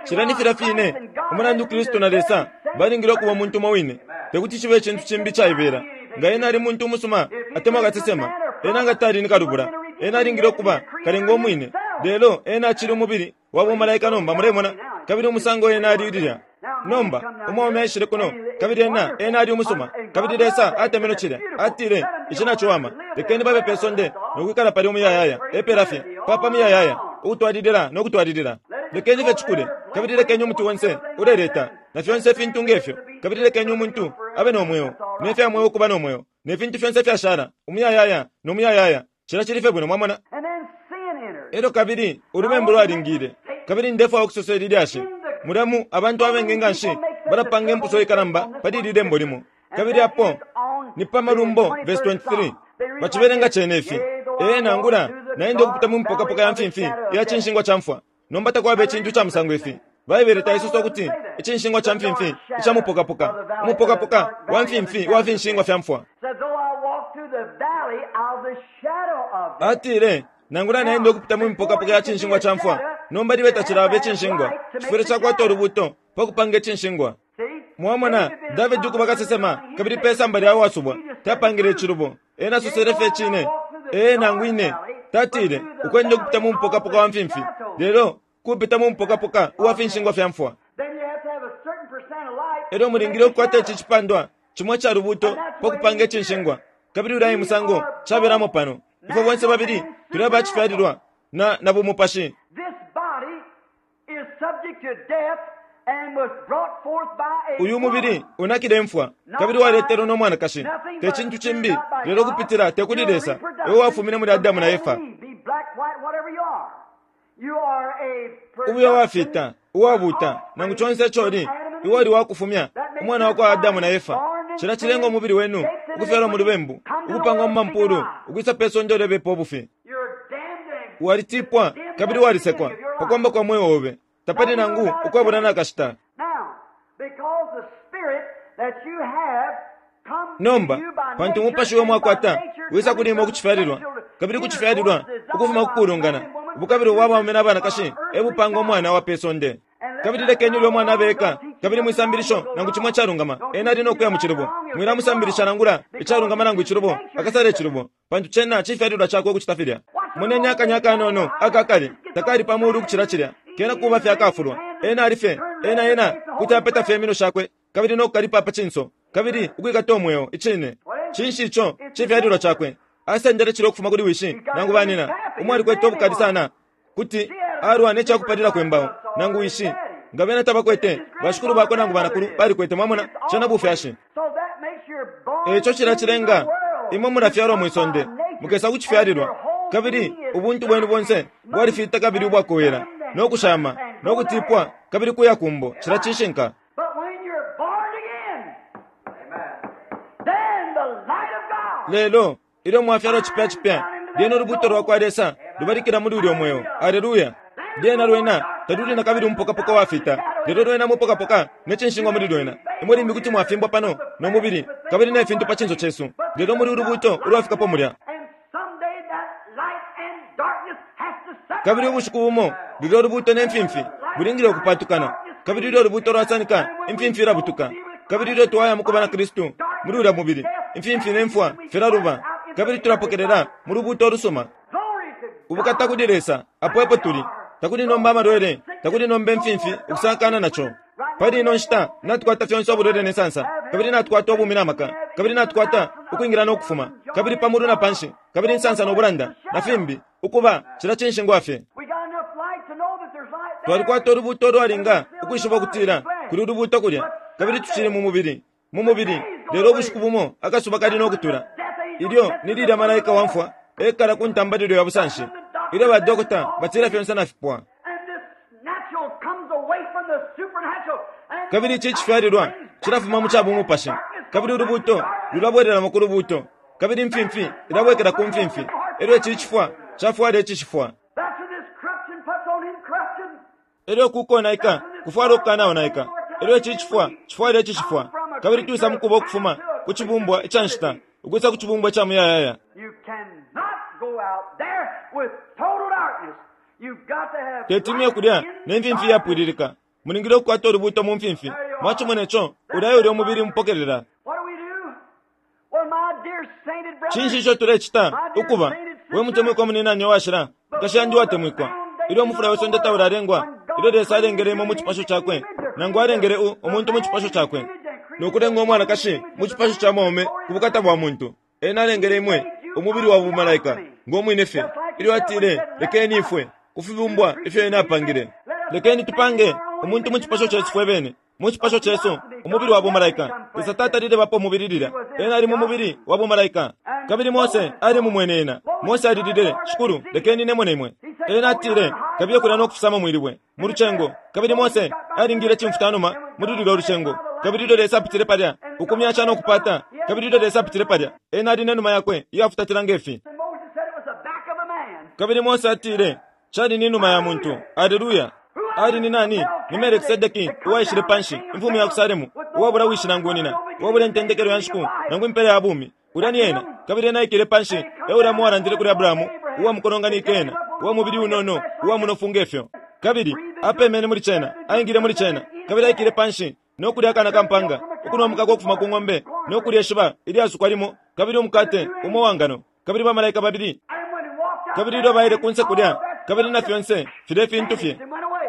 A: Cilya ni filya fine umulandu Kristu na Lesa balingile ukuba umuntu umo wine. Te kuti cibe icintu cimbi icaibela. Nga ena ali muntu umusuma atemwa kasesema, ena nga tali ni kalubula. Ena alingile ukuba kalenga umwine. Lelo ena acili umubili wa bumalaika nomba, mulemona, kabili umusango ena ali lilya. Nomba, umwaume aishile kuno, kabili ena, ena ali umusuma, kabili Lesa atemenwe cilya. Atile, Ici naciwama. Lekeni babe pe sonde no kwikala palya umuyayaya, epela fye, papa muyayaya, ukutwalilila no kutwalilila. Lekeni fye cikule, kabili lekeni umuti onse uleleta, na fyonse ifintu nge fyo, kabili lekeni umuntu abe no mweo, ne fya mweo ukuba no mweo, ne fintu fyonse ifyashala, umuyayaya no muyayaya. Cilya cili fye bwino, mwamona. Elyo kabili ulubembu lwalingile. Kabili ndefwaya ukusosa ili lyashi. Mulya mu abantu abengi nganshi balapanga impuso ikalamba pali ili lembo limo. Kabili apo ni pa Malumbo verse 23. Bacibelenga cene ifi. Ee, nangula naenda ukupita mu mipokapoka ya mfimfi iya cinshingwa ca mfwa. Nomba takwaba icintu ca musango ifi. Baibele taisosa ukuti icinshingwa ca mfimfi ica mupokapoka, umupokapoka wa mfimfi wa finshingwa fya mfwa. Atile, Nangula naenda ukupita mu mipokapoka ya cinshingwa ca mfwa, nomba libe tacilaba icinshingwa, cifwile cakwata ulubuuto pa kupanga icinshingwa. Mwamona, Davidi ukuba kasesema, kabili pe samba lya wasubwa, tapangile icilubo. Ena asosele fye icine. Ee, nangu ine. Tatile, ukwenda ukupita mu mupokapoka wa mfimfi, lelo kupita mu mupokapoka uwa finshingwa fya mfwa. Elyo mulingile ukukwata ici cipandwa cimo ica lubuuto pa kupanga icinshingwa. Kabili ulya e musango cabelamo pano. Ifwe bonse babili tuli aba cifyalilwa na, na bumupashi. Uyu mubili unakile imfwa kabili waletelwe no mwanakashi, te cintu cimbi lelo ukupitila te kuli Lesa, e wafumine muli Adamu na Efa. Ube uwafita, uwabuuta, nangu conse ico uli, iwe uli wakufumya, umwana wakwa Adamu na Efa. Cilya cilenga umubili wenu ukufyalwa mu lubembu, ukupangwa mu mampulu, ukwisa pe sonde ulebepa ubufi. Walitipwa kabili walisekwa pa kwamba kwa mweo obe. Tapali nangu ukwabula na kashita. Nomba, pantu umupashi uyo mwakwata wisa kuli imwe kucifyalilwa, kabili kucifyalilwa ukufuma ku kulungana, ubukabilo bwa baume na banakashi e bupanga umwana wa pe sonde. Kabili lekeni ulyo mwana abe eka, kabili mwisambilisho nangu cimo icalungama, ena ali no kuya mu cilubo. Mwilamusambilisha nangula icalungama nangu icilubo, akasala icilubo, pantu cena cifyalilwa cakwe ukucita filya. Moneni akanya akanono aka kale, takali pa mulu ukucila cilya, kena kuba fye akafulwa. Ena ali fye, ena, ena kuti apeta fye iminwe shakwe, kabili no kukalipa pa cinso, kabili ukwikata umweo, icine. Cinshi ico? Cifyalilwa cakwe. Asendele cilya ukufuma kuli wishi nangu banina, umo alikwete ubukali sana kuti alwa ne cakupalilako imbao, nangu wishi. Nga bena tabakwete, bashikulu bakwe nangu banakulu balikwete. Mwamona, cena bufyashi. Eico cilya cilenga imwe mulafyalwa mwi sonde, mukesa ku cifyalilwa, kabili ubuntu bwenu bonse bwalifita kabili ubwakowela, no kushama, no kutipwa, kabili kuya kumbo. Cilya cishinka. Lelo ilyo mwafyalwa cipya cipya, lyena ulubuuto lwa kwa Lesa lubalikila muli ulyo mweo. Aleluya! Lyena lwena taluli na kabili umupokapoka wafita, lelo lwena mupokapoka ne cinshingwa muli lwena. Imwe limbi kuti mwafimbwa pano no mubili kabili ne fintu pa cinso cesu, lelo muli ulubuuto ulwafikapo mulya. Kabili ubushiku bumo lulyo ulubuuto ne mfimfi bulingile ukupatukana, kabili ilyo ulubuuto lwasanika, imfimfi ilabutuka. Kabili ilyo twaya mukuba na Kristu muli ulya mubili, imfimfi ne mfwa filaluba, kabili tulapokelela mu lubuuto ulusuma. Ubukata kuli Lesa, apo epo tuli. Takuli nomba amalwele, takuli nomba imfimfi ukusakana naco. Pali ino nshita natukwata fyonse ubulwele ne nsansa, kabili natukwata ubumi na maka, kabili natukwata ukwingila no kufuma, kabili pa mulu na panshi, kabili insansa no bulanda, na fimbi, ukuba cila cinshingwa fye. Twalikwata ulubuuto ulwalinga ukwishiba ukutila kuli ulubuuto kulya, kabili tucili mu mubili, mu mubili, lelo ubushiku bumo akasuba kali no kutula. Ilyo ni lilya malaika wa mfwa ekala ku ntambalilo ya busanshi, ilyo ba dokota batila fyonse nafipwa. Kabili ici cifyalilwa cilafuma mu ca bumupashi, kabili ulubuuto lulabwelelamo ku lubuuto, kabili imfimfi ilabwekela ku mfimfi, elyo ici cifwa cafwala icishifwa. Elyo uku konaika kufwala ukukanaonaika, elyo ici cifwa cifwala icishifwa, kabili twisa mukuba ukufuma ku cibumbwa ica nshita ukwisa ku cibumbwa ica muyayaya. Teti muye kulya ne mfimfi iyapwililika. Mulingile ukukwata ulubuuto mu mfimfi. Mwacimone co, ulya e ulya umubili mupokelela. Cinshi ico tulecita? Ukuba, we mutemwikwa muninani uwashila, nkashi yandi uwatemwikwa, ilyo umufula we sonde taulalengwa, ilyo Lesa alengele imwe mu cipasho Cakwe, nangu alengele u, umuntu mu cipasho Cakwe, no kulenga umwanakashi mu cipasho ca mwaume ku bukata bwa muntu, Ena alengele imwe umubili wa bumalaika, ngo mwine fye, ilyo Atile, Lekeni ifwe, ku fibumbwa ifyo Ena apangile, lekeni tupange umuntu mu cipasho cesu fwe bene, mu cipasho cesu, umubili wa bumalaika. Lesa tatalile bapo umubili lilya. Ena ali mu mubili wa bumalaika. Kabili Mose ali mumwene Ena. Mose alilile, Shikulu, lekeni ine mone Imwe. Ena atile, Kabiye kulya no kufisama mwilibwe, mu lucengo. Kabili Mose alingile cimfutanuma muli lulyo lucengo. Kabili ilyo Lesa apitile palya, ukumyasha no kupata, kabili ilyo Lesa apitile palya, Ena ali ne numa Yakwe iyafutatila nge fi. Kabili Mose atile, Cali ni numa ya muntu. Aleluya! Ali ni nani? Ni Melkisedeki uwaishile panshi, imfumu ya ku Salemu, uwabula wishi nangu nina, uwabula intendekelo ya nshiku nangu impela ya bumi. Ulya ni ena. Kabili ena aikele panshi, e ulya uwalandile kuli Abrahamu, uwa mukolonganike ena, uwa mubili unono, uwa munofu nge fyo. Kabili apemene muli cena, aingile muli cena, kabili aikele panshi, no kulya akana ka mpanga, ukunwa umukaka ukufuma ku ng'ombe, no kulya ishiba ilyasukwa limo, kabili umukate umo uwa ngano, kabili bamalaika babili. Kabili ilyo baile kunse kulya, kabili na fyonse filye fintu fye,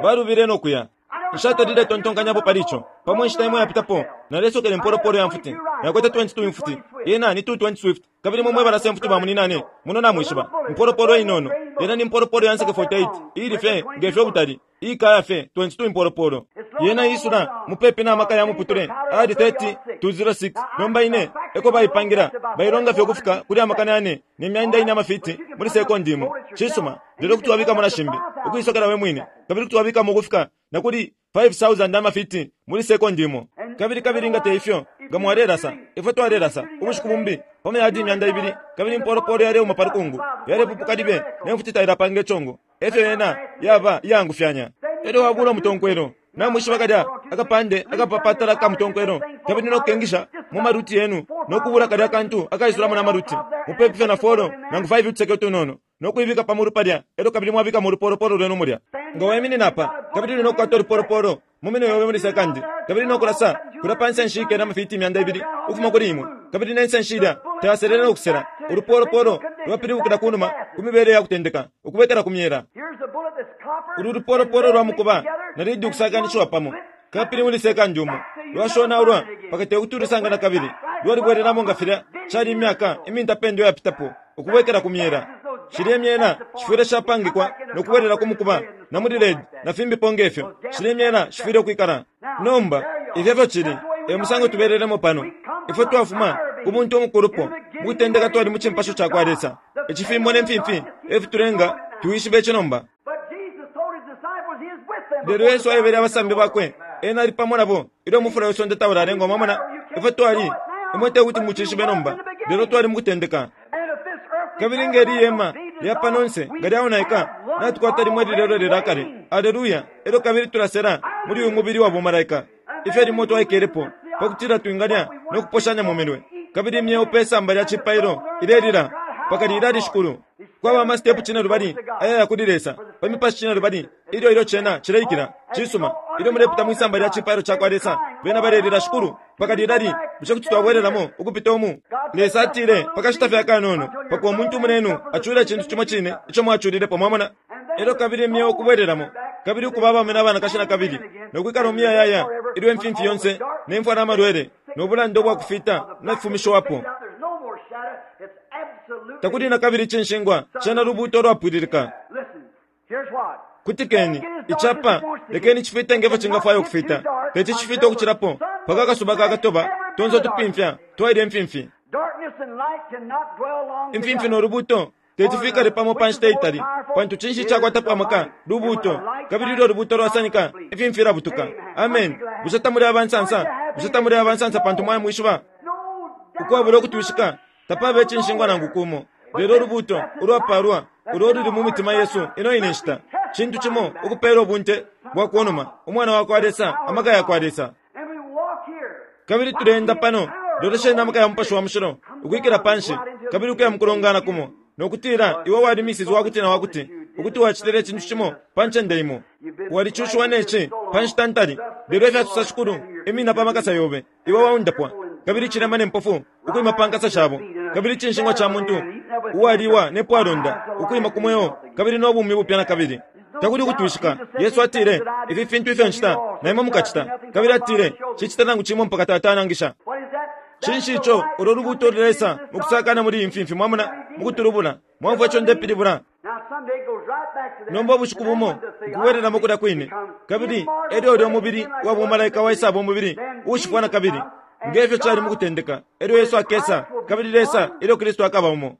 A: balubile no kuya. Nshatalile tontonkanyapo pali ico. Pamo inshita imo yapitapo, nalesokela impolopolo ya mfuti. Nakwete 22 imfuti. Yena ni 220 Swift. Kabili imwe mwe balasa imfuti ba muninane, muno namwishiba. Impolopolo inono. Yena ni mpolopolo ya nseke 48, iili fye nge fyo ubutali. Iikaya fye 22 impolopolo. Yena iisula mupepi na maka ya muputule ayali 30 206. Nomba ine eko baipangila, bailonga fye ukufika kuli 4,400 amafiti muli sekondi imo. Cisuma, lelo kuti wabikamo na shimbi, ukuisokela we mwine, kabili kuti wabikamo ukufika na kuli 5,000 amafiti muli sekondi imo. Kabili, kabili nga te ifyo, nga mwalelasa, ifwe twalelasa, ubushiku bumbi, pa mayadi 200, kabili impolopolo yaleuma pa lukungu, yalepupuka libe, ne mfuti tailapanga icongo. Efyo yena yaba iyaangufyanya. Elyo wabula umutonkwelo. Namwishiba kalya akapande akapapatala ka mutonkwelo, kabili no kukengisha mu maruti yenu, no kubula kalya kantu akaisulamo na maruti, mupepi fye na folo nangu 5 utuseke utunono, no kuibika pa mulu palya, elyo kabili mwabikamo ulupolopolo lwenu mulya. Nga waiminina apa, kabili uli no kukwata ulupolopolo mu minwe yobe muli sekandi, kabili no kulasa kulya pa nsenshi ikene amafiti 200 ukufuma kuli imwe, kabili ne nsenshi ilya tayaselele no kusela, ulupolopolo lwapilibukila ku numa ku mibele ya kutendeka, ukubwekela ku myela. Ulu lupolopolo lwa mukuba na lidi ukusakanishiwa pamo, kabili muli sekandi umo lwashonaulwa mpaka te kuti ulusanga na kabili, lwalibwelelamo nga filya cali imyaka imintapendwa iyapitapo, ukubwekela ku myela. Shilye myela shifwile shapangikwa no kubwelela ku mukuba na muli lead na fimbipo nge fyo. Shilye myela shifwile ukwikala. Nomba, ifyo efyo cili, e musango tubelelemo pano. Ifwe twafuma ku muntu umukulupo. Mu kutendeka twali mu cimpasho ca kwa Lesa. Icifimbo ne mfimfi e fitulenga twishibe ici nomba. Lelo Yesu aebele abasambi bakwe, Ena ali pamo nabo ilyo umufula we sonde taulalengwa. Mwamona ifyo twali? Imwe te kuti mucishibe nomba, lelo twali mu kutendeka. Kabili nge li hema lya pano nse nga lyaonaika, natukwata limo ililelwelela kale. Aleluya! Elyo kabili tulasela muli uyu mubili wa bumalaika, ifyo limo twaikelepo, pa kutila twingalya no kuposhanya mu minwe. Kabili imyeo pe samba lya cipailo ilelila, Mpaka lilali, Shikulu? Kwaba ama stepu cinelubali ayaya kuli Lesa, pa mipashi cinelubali, ilyo ilyo cena cileikila. Cisuma. Ilyo mulepita mwisamba lya cipailo cakwa Lesa, bena balelila, Shikulu, mpaka lilali? Bushe kuti twabwelelamo ukupita umu? Lesa atile, Pa kashita fye akanono, mpaka umuntu umunenu acule icintu cimo cine ico mwaculilepo. Mwamona? Elyo kabili imyeo ukubwelelamo, kabili ukuba abaume na banakashi nakabili, no kwikala umuyayaya, ilyo imfimfi yonse, ne mfwa na malwele, no bulanda ubwakufita nafifumishiwapo. Takuli nakabili icinshingwa, cena lubuuto ulwapwililika. Kutikeni, icapa, lekeni cifite nge fyo cingafwaya ukufita. Teti cifite ukucilapo, mpaka akasuba kakatoba tonse utupimfya twaile imfimfi. Imfimfi no lubuuto teti fikale pamo pa nshita itali, pantu cinshi icakwatapo amaka? Lubuuto. Kabili ilyo lubuuto lwasanika, imfimfi ilabutuka. Amen. Bushe tamuli abansansa? Bushe tamuli abansansa pantu mwamwishiba? Ukwabula ukutwishika, tapaba icinshingwa nangu kumo, lelo ulubuuto ulwapaalwa ulo ululi mu mitima yesu ino ine nshita, cintu cimo ukupeela ubunte bwa ku numa, Umwana wa kwa Lesa, amaka ya kwa Lesa. Kabili tuleenda pano, lolesheni amaka ya Mupashi wa Mushilo ukwikila panshi kabili ukuya mukulongana kumo, no kutila iwe wali Mrs. Wakuti na wakuti, ukuti wacitile icintu cimo pa ncende imo. Walicushiwa ne ci pa nshita ntali, lelo efya sosa Shikulu, imina pa makasa yobe. Iwe waundapwa. Kabili icilema ne mpofu ukwima pa nkasa shabo, kabili icinshingwa ca muntu uwaliwa ne pwalonda ukwima ku mweo kabili no bumi bupya na kabili. Takuli ukutwishika, Yesu atile, Ifi fintu ifyo ncita, na imwe mukacita. Kabili atile, Nshicita nangu cimo mpaka Tata anangisha. Cinshi ico ulo lubuuto lulesa mukusakana muli iyi mfimfi, mwamona, mukutulubula? Mwaumfwa ico ndepilibula? Nomba ubushiku bumo ukubwelelamo kulya kwine, kabili elyo ulyo mubili wa bumalaika waisaba umubili uushifwa na kabili, nge fyo cali mukutendeka. Elyo Yesu akesa, kabili Lesa, ilyo Kristu akaba umo.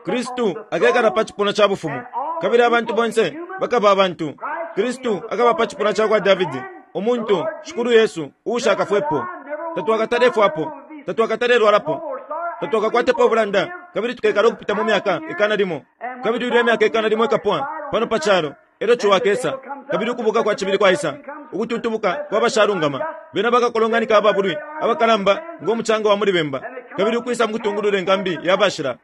A: Kristu akekala pa cipuna ca bufumu, kabili abantu bonse bakaba abantu. Kristu akaba pa cipuna ca kwa Davidi, umuntu, Shikulu Yesu, uushakafwepo. Tatwakatalefwapo, tatwakatalelwalapo, tatwakakwatepo ubulanda, kabili tukekala ukupita mu myaka ikana limo. Kabili ilyo imyaka ikana limo ikapwa pano pa calo, elyo ciwa akesa, kabili ukubuka kwa cibili kwaisa, ukututubuka kwa bashalungama. Bena bakakolonganika ababulwi abakalamba ngo mucanga wa muli bemba, kabili ukwisa mu kutungulula inkambi ya bashila.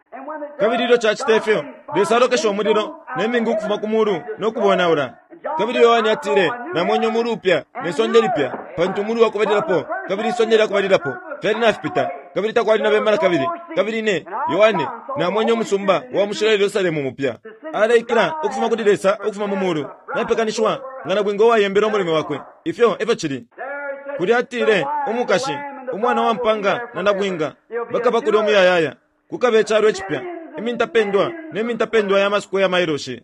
A: Kabili ilyo cacita ifyo, Lesa alokesha umulilo ne mingu ukufuma ku mulu no kubonaula. Kabili Yohane atile, Namwene umulu upya ne sonde lipya, pantu umulu wa kubalilapo kabili isonde lya kubalilapo fyali nafipita, kabili takwali na bemba na kabili. Kabili ine, Yohane, namwene umusumba wa mushilo Yerusalemu mupya, aleikila ukufuma kuli Lesa ukufuma mu mulu, napekanishiwa nga nabwinga uwayembela umulume wakwe. Ifyo e fyo cili. Kulya atile, Umukashi, Umwana wa mpanga na nabwinga bakaba kulya umuyayaya. Kukaba icalo icipya, imintapendwa ne mintapendwa ya masukweya mailoshi.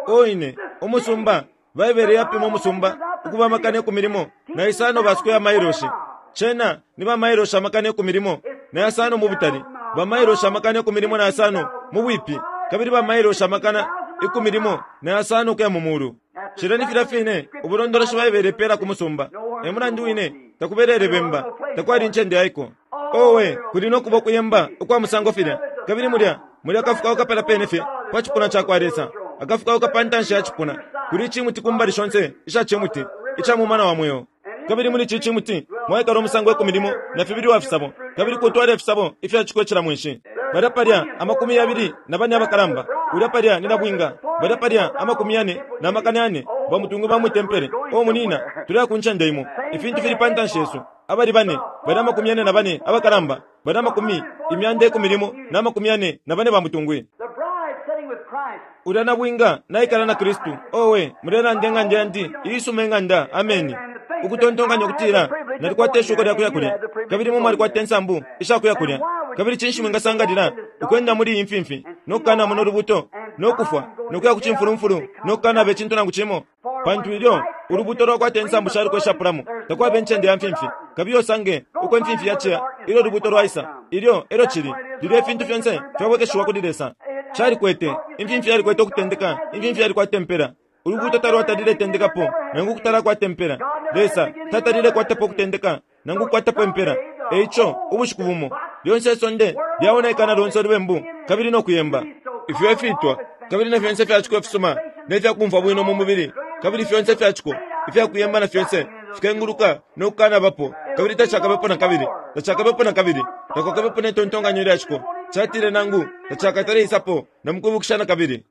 A: O ine, umusumba, Baibele yapima umusumba ukuba amakana ikumi limo na isano ba square mailoshi. Cena ni ba mailoshi amakana ikumi limo na yasano mu butali, ba mailoshi amakana ikumi limo na yasano mu bwipi, kabili ba mailoshi amakana ikumi limo na yasano ukuya mu mulu. Cilya ni filya fine ubulondoloshi Baibele ipeela ku musumba. E mulandu wine takubelele bemba, takwali incende yaiko. Owe, kuli no kuba ukuyemba ukwa musango filya! Kabili mulya muli akafukauka palya pene fye pa cipuna ca kwa Lesa, akafukauka pa ntanshi ya cipuna. Kuli icimuti ku mbali shonse isha cimuti. ica mumana wa mweo. Kabili muli ici cimuti mwaikala umusango 10 na fibili uwa fisabo, kabili kutwala ifisabo ifya ciko cila mweshi. Balya palya 24 abakalamba, ulya palya ni nabwinga, balya palya 404 bamutungu ba mwitempele. O munina, tuleya ku ncende imo. Ifintu fili pa ntanshi yesu. Abali bane, balya 44 abakalamba, balya 144 bamutungwi.
B: The bride sitting with Christ.
A: Ulya nabwinga naikala na Kristu. Owe, mulelanda ing'anda yandi, iisuma ing'anda. Ameni. Ukutontonkanya ukutila nalikwata ishuko lya kuya kulya, kabili imwe mwalikwata insambu isha kuya kulya. Kabili cinshi mwingasangalila ukwenda muli iyi mfimfi no kukanamona ulubuto no kufwa no kuya ku cimfulumfulu no kukanaba icintu nangu cimo? Pantu ilyo ulubuto lwakwata insambu shaluko ishapulamo, takwaba incende ya mfimfi. Kabiye usange uko imfimfi yaciya ilyo ulubuto lwaisa. Ilyo elyo cili, lilyo ifintu fyonse fyabwekeshiwa kuli Lesa. Calikwete, imfimfi yalikwete ukutendeka, imfimfi yalikwata impela. Ulubuto talwatalile tendekapo, nangu ukutala kwata impela. Lesa tatalile kwatapo ukutendeka, nangu kukwatapo impela. Eico, ubushiku bumo, lyonse isonde lyaonaika na lonse ulubembu, kabili no kuyemba. Ifyo efitwa, kabili na fyonse fyaciko ifisuma, ne fyakumfwa bwino mu mubili, kabili fyonse fyaciko, ifyakuyemba na fyonse, fikenguluka no kukanabapo, kabili tacakabepo na kabili, tacakabepo na kabili, takwakabepo ne tontonkanyo lyaciko. Catile nangu tacakatale isapo na mukwibukisha na kabili.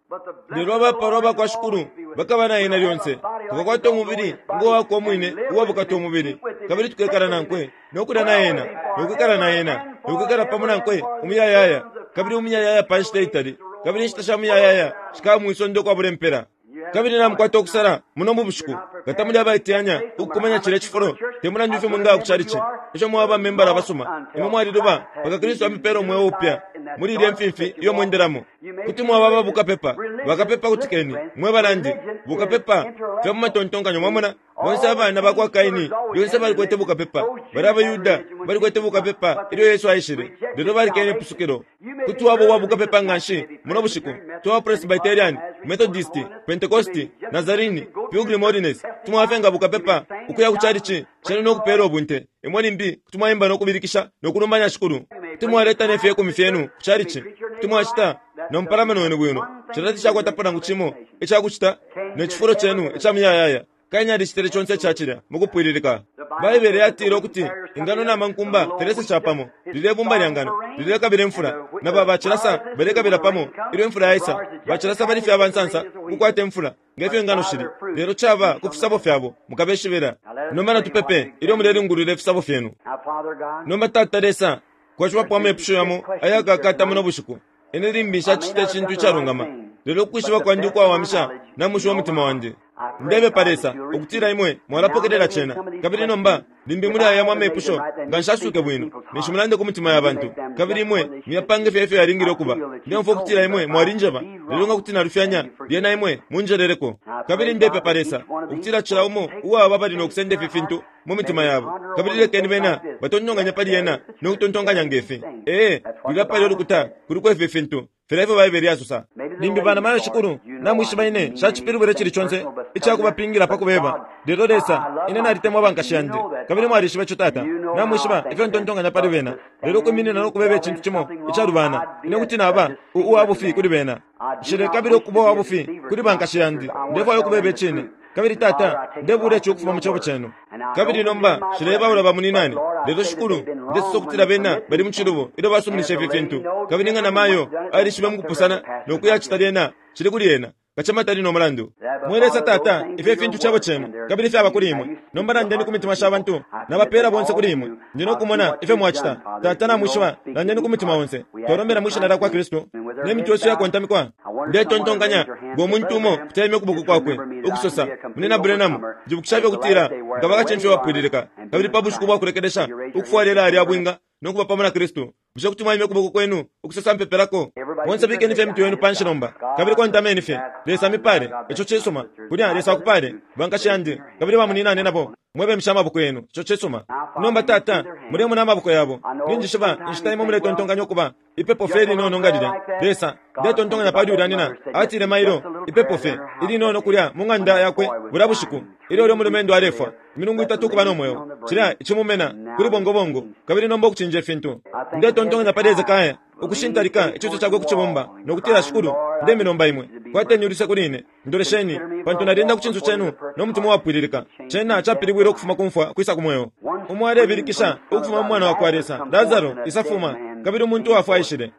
A: Lelo abapalwa bakwa Shikulu bakaba na ena lyonse. Tukakwata umubili ngo wakwe umwine uwabukata umubili, kabili tukekala nankwe no kulya na ena, no kwikala na ena, no kwikala pamo nankwe umuyayaya, kabili umuyayaya pa nshita itali, kabili inshita sha muyayaya shikaba mwisonde ukwabula impela. Kabili namukwata ukusala muno mu bushiku, nga tamuli abaiteyanya ukukumanya cilya cifulo, te mulandu ifyo mwingaya ku chalichi, ifyo mwaba bamembala abasuma, imwe mwaliluba mpaka Kristu amipela umweo upya muli ilye mfimfi iyo mwendelamo. Kuti mwaba aba bukapepa, bakapepa kutikeni, mwe banandi, bukapepa fya mu matontonkanyo, mwamona, bonse abana bakwa Kaini lyonse balikwete bukapepa. Balya abaYuda balikwete bukapepa ilyo Yesu aishile, lelo balikene ipusukilo. Kuti waba uwa bukapepa nganshi muno bushiku, twaba Presbyterian, Methodist, Pentecost, Nazarene, Pilgrim Holiness, tumwafye nga bukapepa ukuya ku chalichi cenu no kupela ubunte. Imwe limbi kuti mwaimba no kubilikisha no kulumbanya Shikulu. Kuti mwaleta ne fyekumi fyenu ku chalichi. Kuti mwacita no mupalamano wenu bwino. Cilya tacakwatapo nangu cimo ica kucita ne cifulo cenu ica muyayaya. Kaini alicitile conse ica cilya mukupwililika. Baibele yatile ukuti ingano na mankumba filesa capamo. Lilye bumba lya ngano lilekabila imfula, na ba bacilasa balekabila pamo ilyo imfula yaisa. Bacilasa bali fye abansansa ukukwata imfula nge fyo ingano shili, lelo caba ku fisabo fyabo mukabeshibila. Nomba natupepe ilyo mulelingulula ifisabo fyenu.
B: Now, Father God,
A: Nomba Tata Lesa, kwashiwapo amepusho yamo ayakakata muno bushiku. Ine limbi nshacita icintu icalungama, lelo ukwishiba kwandi ukwawamisha namushiwa umutima wandi. Ndebepa Lesa ukutila imwe mwalapokelela cena. Kabili nomba limbi muli aya yamo amepusho nga nshasuke bwino, ninshi mulande ku mitima ya bantu, kabili imwe muyapange fye ifyo yalingile ukuba. Ndeumfwa ukutila imwe mwalinjeba, lelo nga kuti nalufyanya, lyena imwe munjeleleko. Kabili ndepepa Lesa ukutila cila umo uwaba bali no kusenda ifi fintu mu mitima yabo, kabili lekeni bena batontonkanye pali yena no kutontonkanya ngefi. Ee, lulya pali ulukuta kuliko ifi fintu filya ifyo Baibele yasosa. Limbi bana mayo Shikulu, namwishiba ine nshacipilibwile icili conse ica kubapingila pa kubeba. Lelo Lesa, ine nalitemwa bankashi yandi, kabili mwalishiba ico Tata. Namwishiba ifyo ntontonkanya pali bena. Lelo ukwiminina no kubeba icintu cimo icalubana, ine kuti naba uwa bufi kuli bena. Nshilekabila ukuba uwa bufi kuli bankashi yandi. Ndefwaya ukubeba icine. Kabili Tata, ndebula ici ukufuma mu cebo cenu. Kabili nomba nshilebaula bamuninane, lelo Shikulu, ndesosa ukutila bena bali mu cilubo ilyo basuminisha ifi fintu. Kabili nga namayo alishibe mukupusana no kuyacita lyena, cili kuli ena. Kacema tali no mulandu. Mwe Lesa Tata, ifyo ifintu cebo cenu, kabili fyaba kuli imwe. Nomba landeni ku mitima sha bantu, nabapeela bonse kuli imwe. Ndi no kumona ifyo mwacita. Tata, namwishiba, landeni ku mitima onse. Twalombela mwi shina lya kwa Kristu, ne mitwe yesu yakontamikwa. Ndetontonkanya ngo muntu umo kuti aimye ukuboko kwakwe, ukusosa, Munina Branham, njibukisha fye ukutila nkaba kacimfya uwapwililika, kabili pa bushiku bwa kulekelesha, ukufwala ilaya lya bwinga no kuba pamo na Kristu. Bushe kuti mwaimya ukuboko kwenu ukusosa mpepelako? Bonse bikeni fye imitwe yenu panshi nomba, kabili kontameni fye. Lesa amipale. Ico cisuma. Kulya Lesa akupale, bankashi yandi, kabili bamuninane nabo. Mwebemsha amaboko yenu. Ico cisuma. Nomba Tata, mulemona amaboko yabo. Ninjishiba inshita imo muletontonkanya ukuba ipepo fye ilinono nga lilya. Lesa, ndetontonkanya pali ulya nina, atile mailo, ipepo fye ilinono kulya mu ng'anda yakwe bulya bushiku, ilyo ulyo mulumendo alefwa, imilungu itatu ukuba no mweo. Cilya icimumena kuli bongobongo, kabili nomba ukucinja ifintu. Ndetontonkanya pali Hesekiah, Ukushintalika icinso cakwe ku cibumba, no kutila, Shikulu, ndemilomba Imwe, kwateni uluse kuli ine. Ndolesheni, pantu nalyenda ku cinso Cenu no mutima uwapwililika. Cena capilibwile ukufuma ku mfwa ukwisa ku Mweo. Umo alebilikisha ukufuma mu Mwana wakwa Lesa, Lasaro, isa fuma, kabili umuntu uwafwa aishile.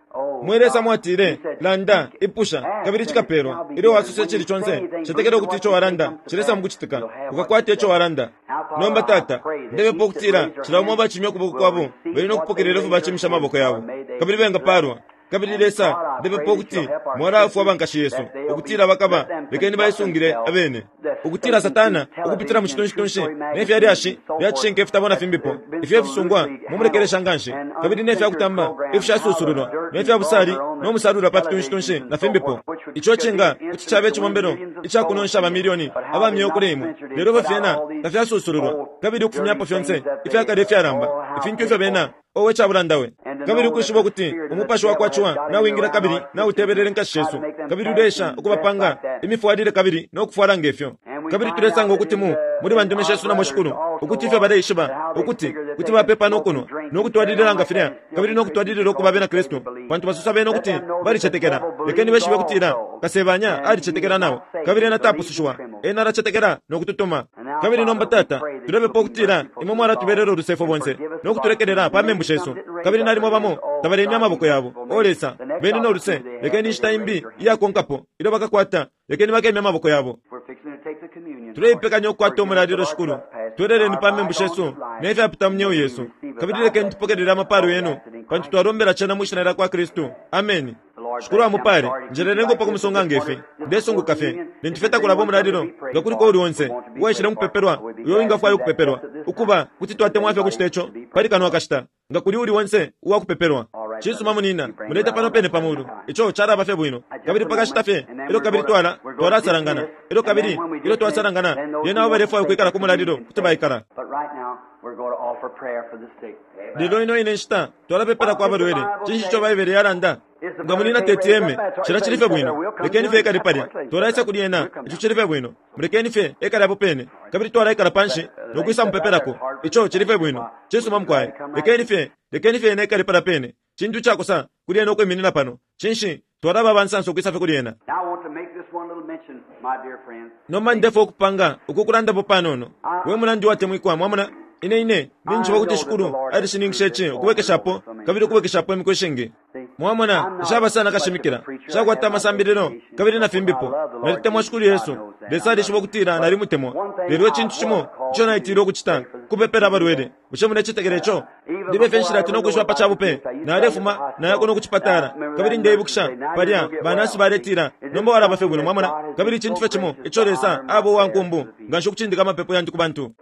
A: Mwe Lesa, mwatile, Landa, ipusha, kabili cikapelwa. Ilyo wasosa icili conse, cetekela ukuti ico walanda cilesa mukucitika, ukakwata ico walanda. Nomba, Tata, ndepepa ukutila cila umo abacimya ukuboko kwabo bali no kupokelela ifyo bacimisha amaboko yabo, kabili bengapaalwa. Kabili, Lesa, ndepepa ukuti Mwalaafwa bankashi yesu, ukutila bakaba, lekeni baisungile abene, ukutila Satana, ukupitila mu citunshitunshi ne fya lyashi lya cishinka ifitabo na fimbipo, ifyo ifisungwa mu mulekelesha nganshi, kabili ne fya kutamba ifishasusululwa, ne fya busali no musalula pa fitunshitunshi na fimbipo, ico cinga kuti caba icibombelo ica kunonsha amamilioni aba myeo kuli imwe, lelo ifyo fyena tafyasusululwa, kabili ukufumyapo fyonse ifya kale ifyalamba, ifintu ifyo bena. Owe, ca bulanda we! Kabili ukwishiba ukuti umupashi wa kwa Ciwa nawingila kabili nautebelele inkashi shesu, kabili uleesha ukubapanga imifwalile kabili no kufwala nge fyo. Kabili tulesanga ukuti mu, muli bandume shesu namo, Shikulu, ukuti ifyo baleishiba ukuti kuti bapepa no kunwa, no kutwalilila nga filya, kabili no kutwalilila ukuba abena Kristu, pantu basosa bena ukuti balicetekela. Lekeni beshibe ukutila Kasebanya alicetekela nao, kabili ena tapusushiwa. Ena alacetekela no kututuma. Kabili nomba, Tata, tulepepa ukutila Imwe mwalatubelelo luse ifwe bonse, no kutulekelela pa membu shesu. Kabili nalimo bamo tabalemya amaboko yabo. O Lesa, beni no luse. Lekeni inshita imbi iyakonkapo ilyo bakakwata, lekeni bakemye amaboko yabo. Tuleipekanya ukukwata umulalilo, Shikulu. Tweleleni pa membu shesu ne fyapita mu myeo yesu, kabili lekeni tupokelele amapalo Yenu, pantu twalombela cena mwi Shina lyakwa Kristu. Ameni. Shikulu amupale. Njeleleniko pa kumusunga nge fi. Ndesunguka fye, lintu fye takulaba umulalilo, nga kuliko uuli onse uwaishile mukupepelwa uyo uwingafwaya ukupepelwa. Ukuba, kuti twatemwa fye ukucita ico pali kano akashita, nga kuli uuli onse uwa kupepelwa. Cisuma, munina, muleta pano pene pa mulu. Ico calaba fye bwino. Kabili pa kashita fye, elyo kabili twala, twalasalangana. Elyo kabili ilyo twasalangana, lyena abo balefwaya ukwikala ku mulalilo kuti baikala. Lelo ino ine nshita twalapepelako abalwele. Cinshi ico Baibele yalanda? Nga munina teti eme, cilya cili fye bwino. Lekeni fye ekale palya. Twalaisa kuli ena. Ico cili fye bwino. Mulekeni fye ekale apo pene. Kabili twalaikala panshi no kwisa mupepelako. Ico cili fye bwino. Cisuma, mukwai. Lekeni fye, lekeni fye ena ekale palya pene. Cintu icakosa kuli ena ukwiminina pano. Cinshi, twalaba abansansa ukwisa fye kuli ena. Nomba ndefwaya ukupanga uku kulandapo panono. We munandi uwatemwikwa, mwamona, Ine, ine, ninjishiba ukuti Shikulu alishininkisha ici ukubwekeshapo kabili ukubwekeshapo imiku ishingi. Mwamona, nshaba sana kashimikila, nshakwata amasambililo, kabili na fimbipo. Nalitemwa Shikulu Yesu. Lesa alishiba ukutila nalimutemwa. Lelo icintu cimo ico naitilwe ukucita, kupepela abalwele. Bushe mulecetekela ico? Libe fye nshilati no kwishiba pa ca bupe, nalefuma naya kuno ku cipatala, kabili ndeibukisha palya banasi baletila, Nomba walaba fye bwino, mwamona. Kabili icintu fye cimo ico Lesa aba uwa nkumbu nganshi ukucindika amapepo yandi ku bantu.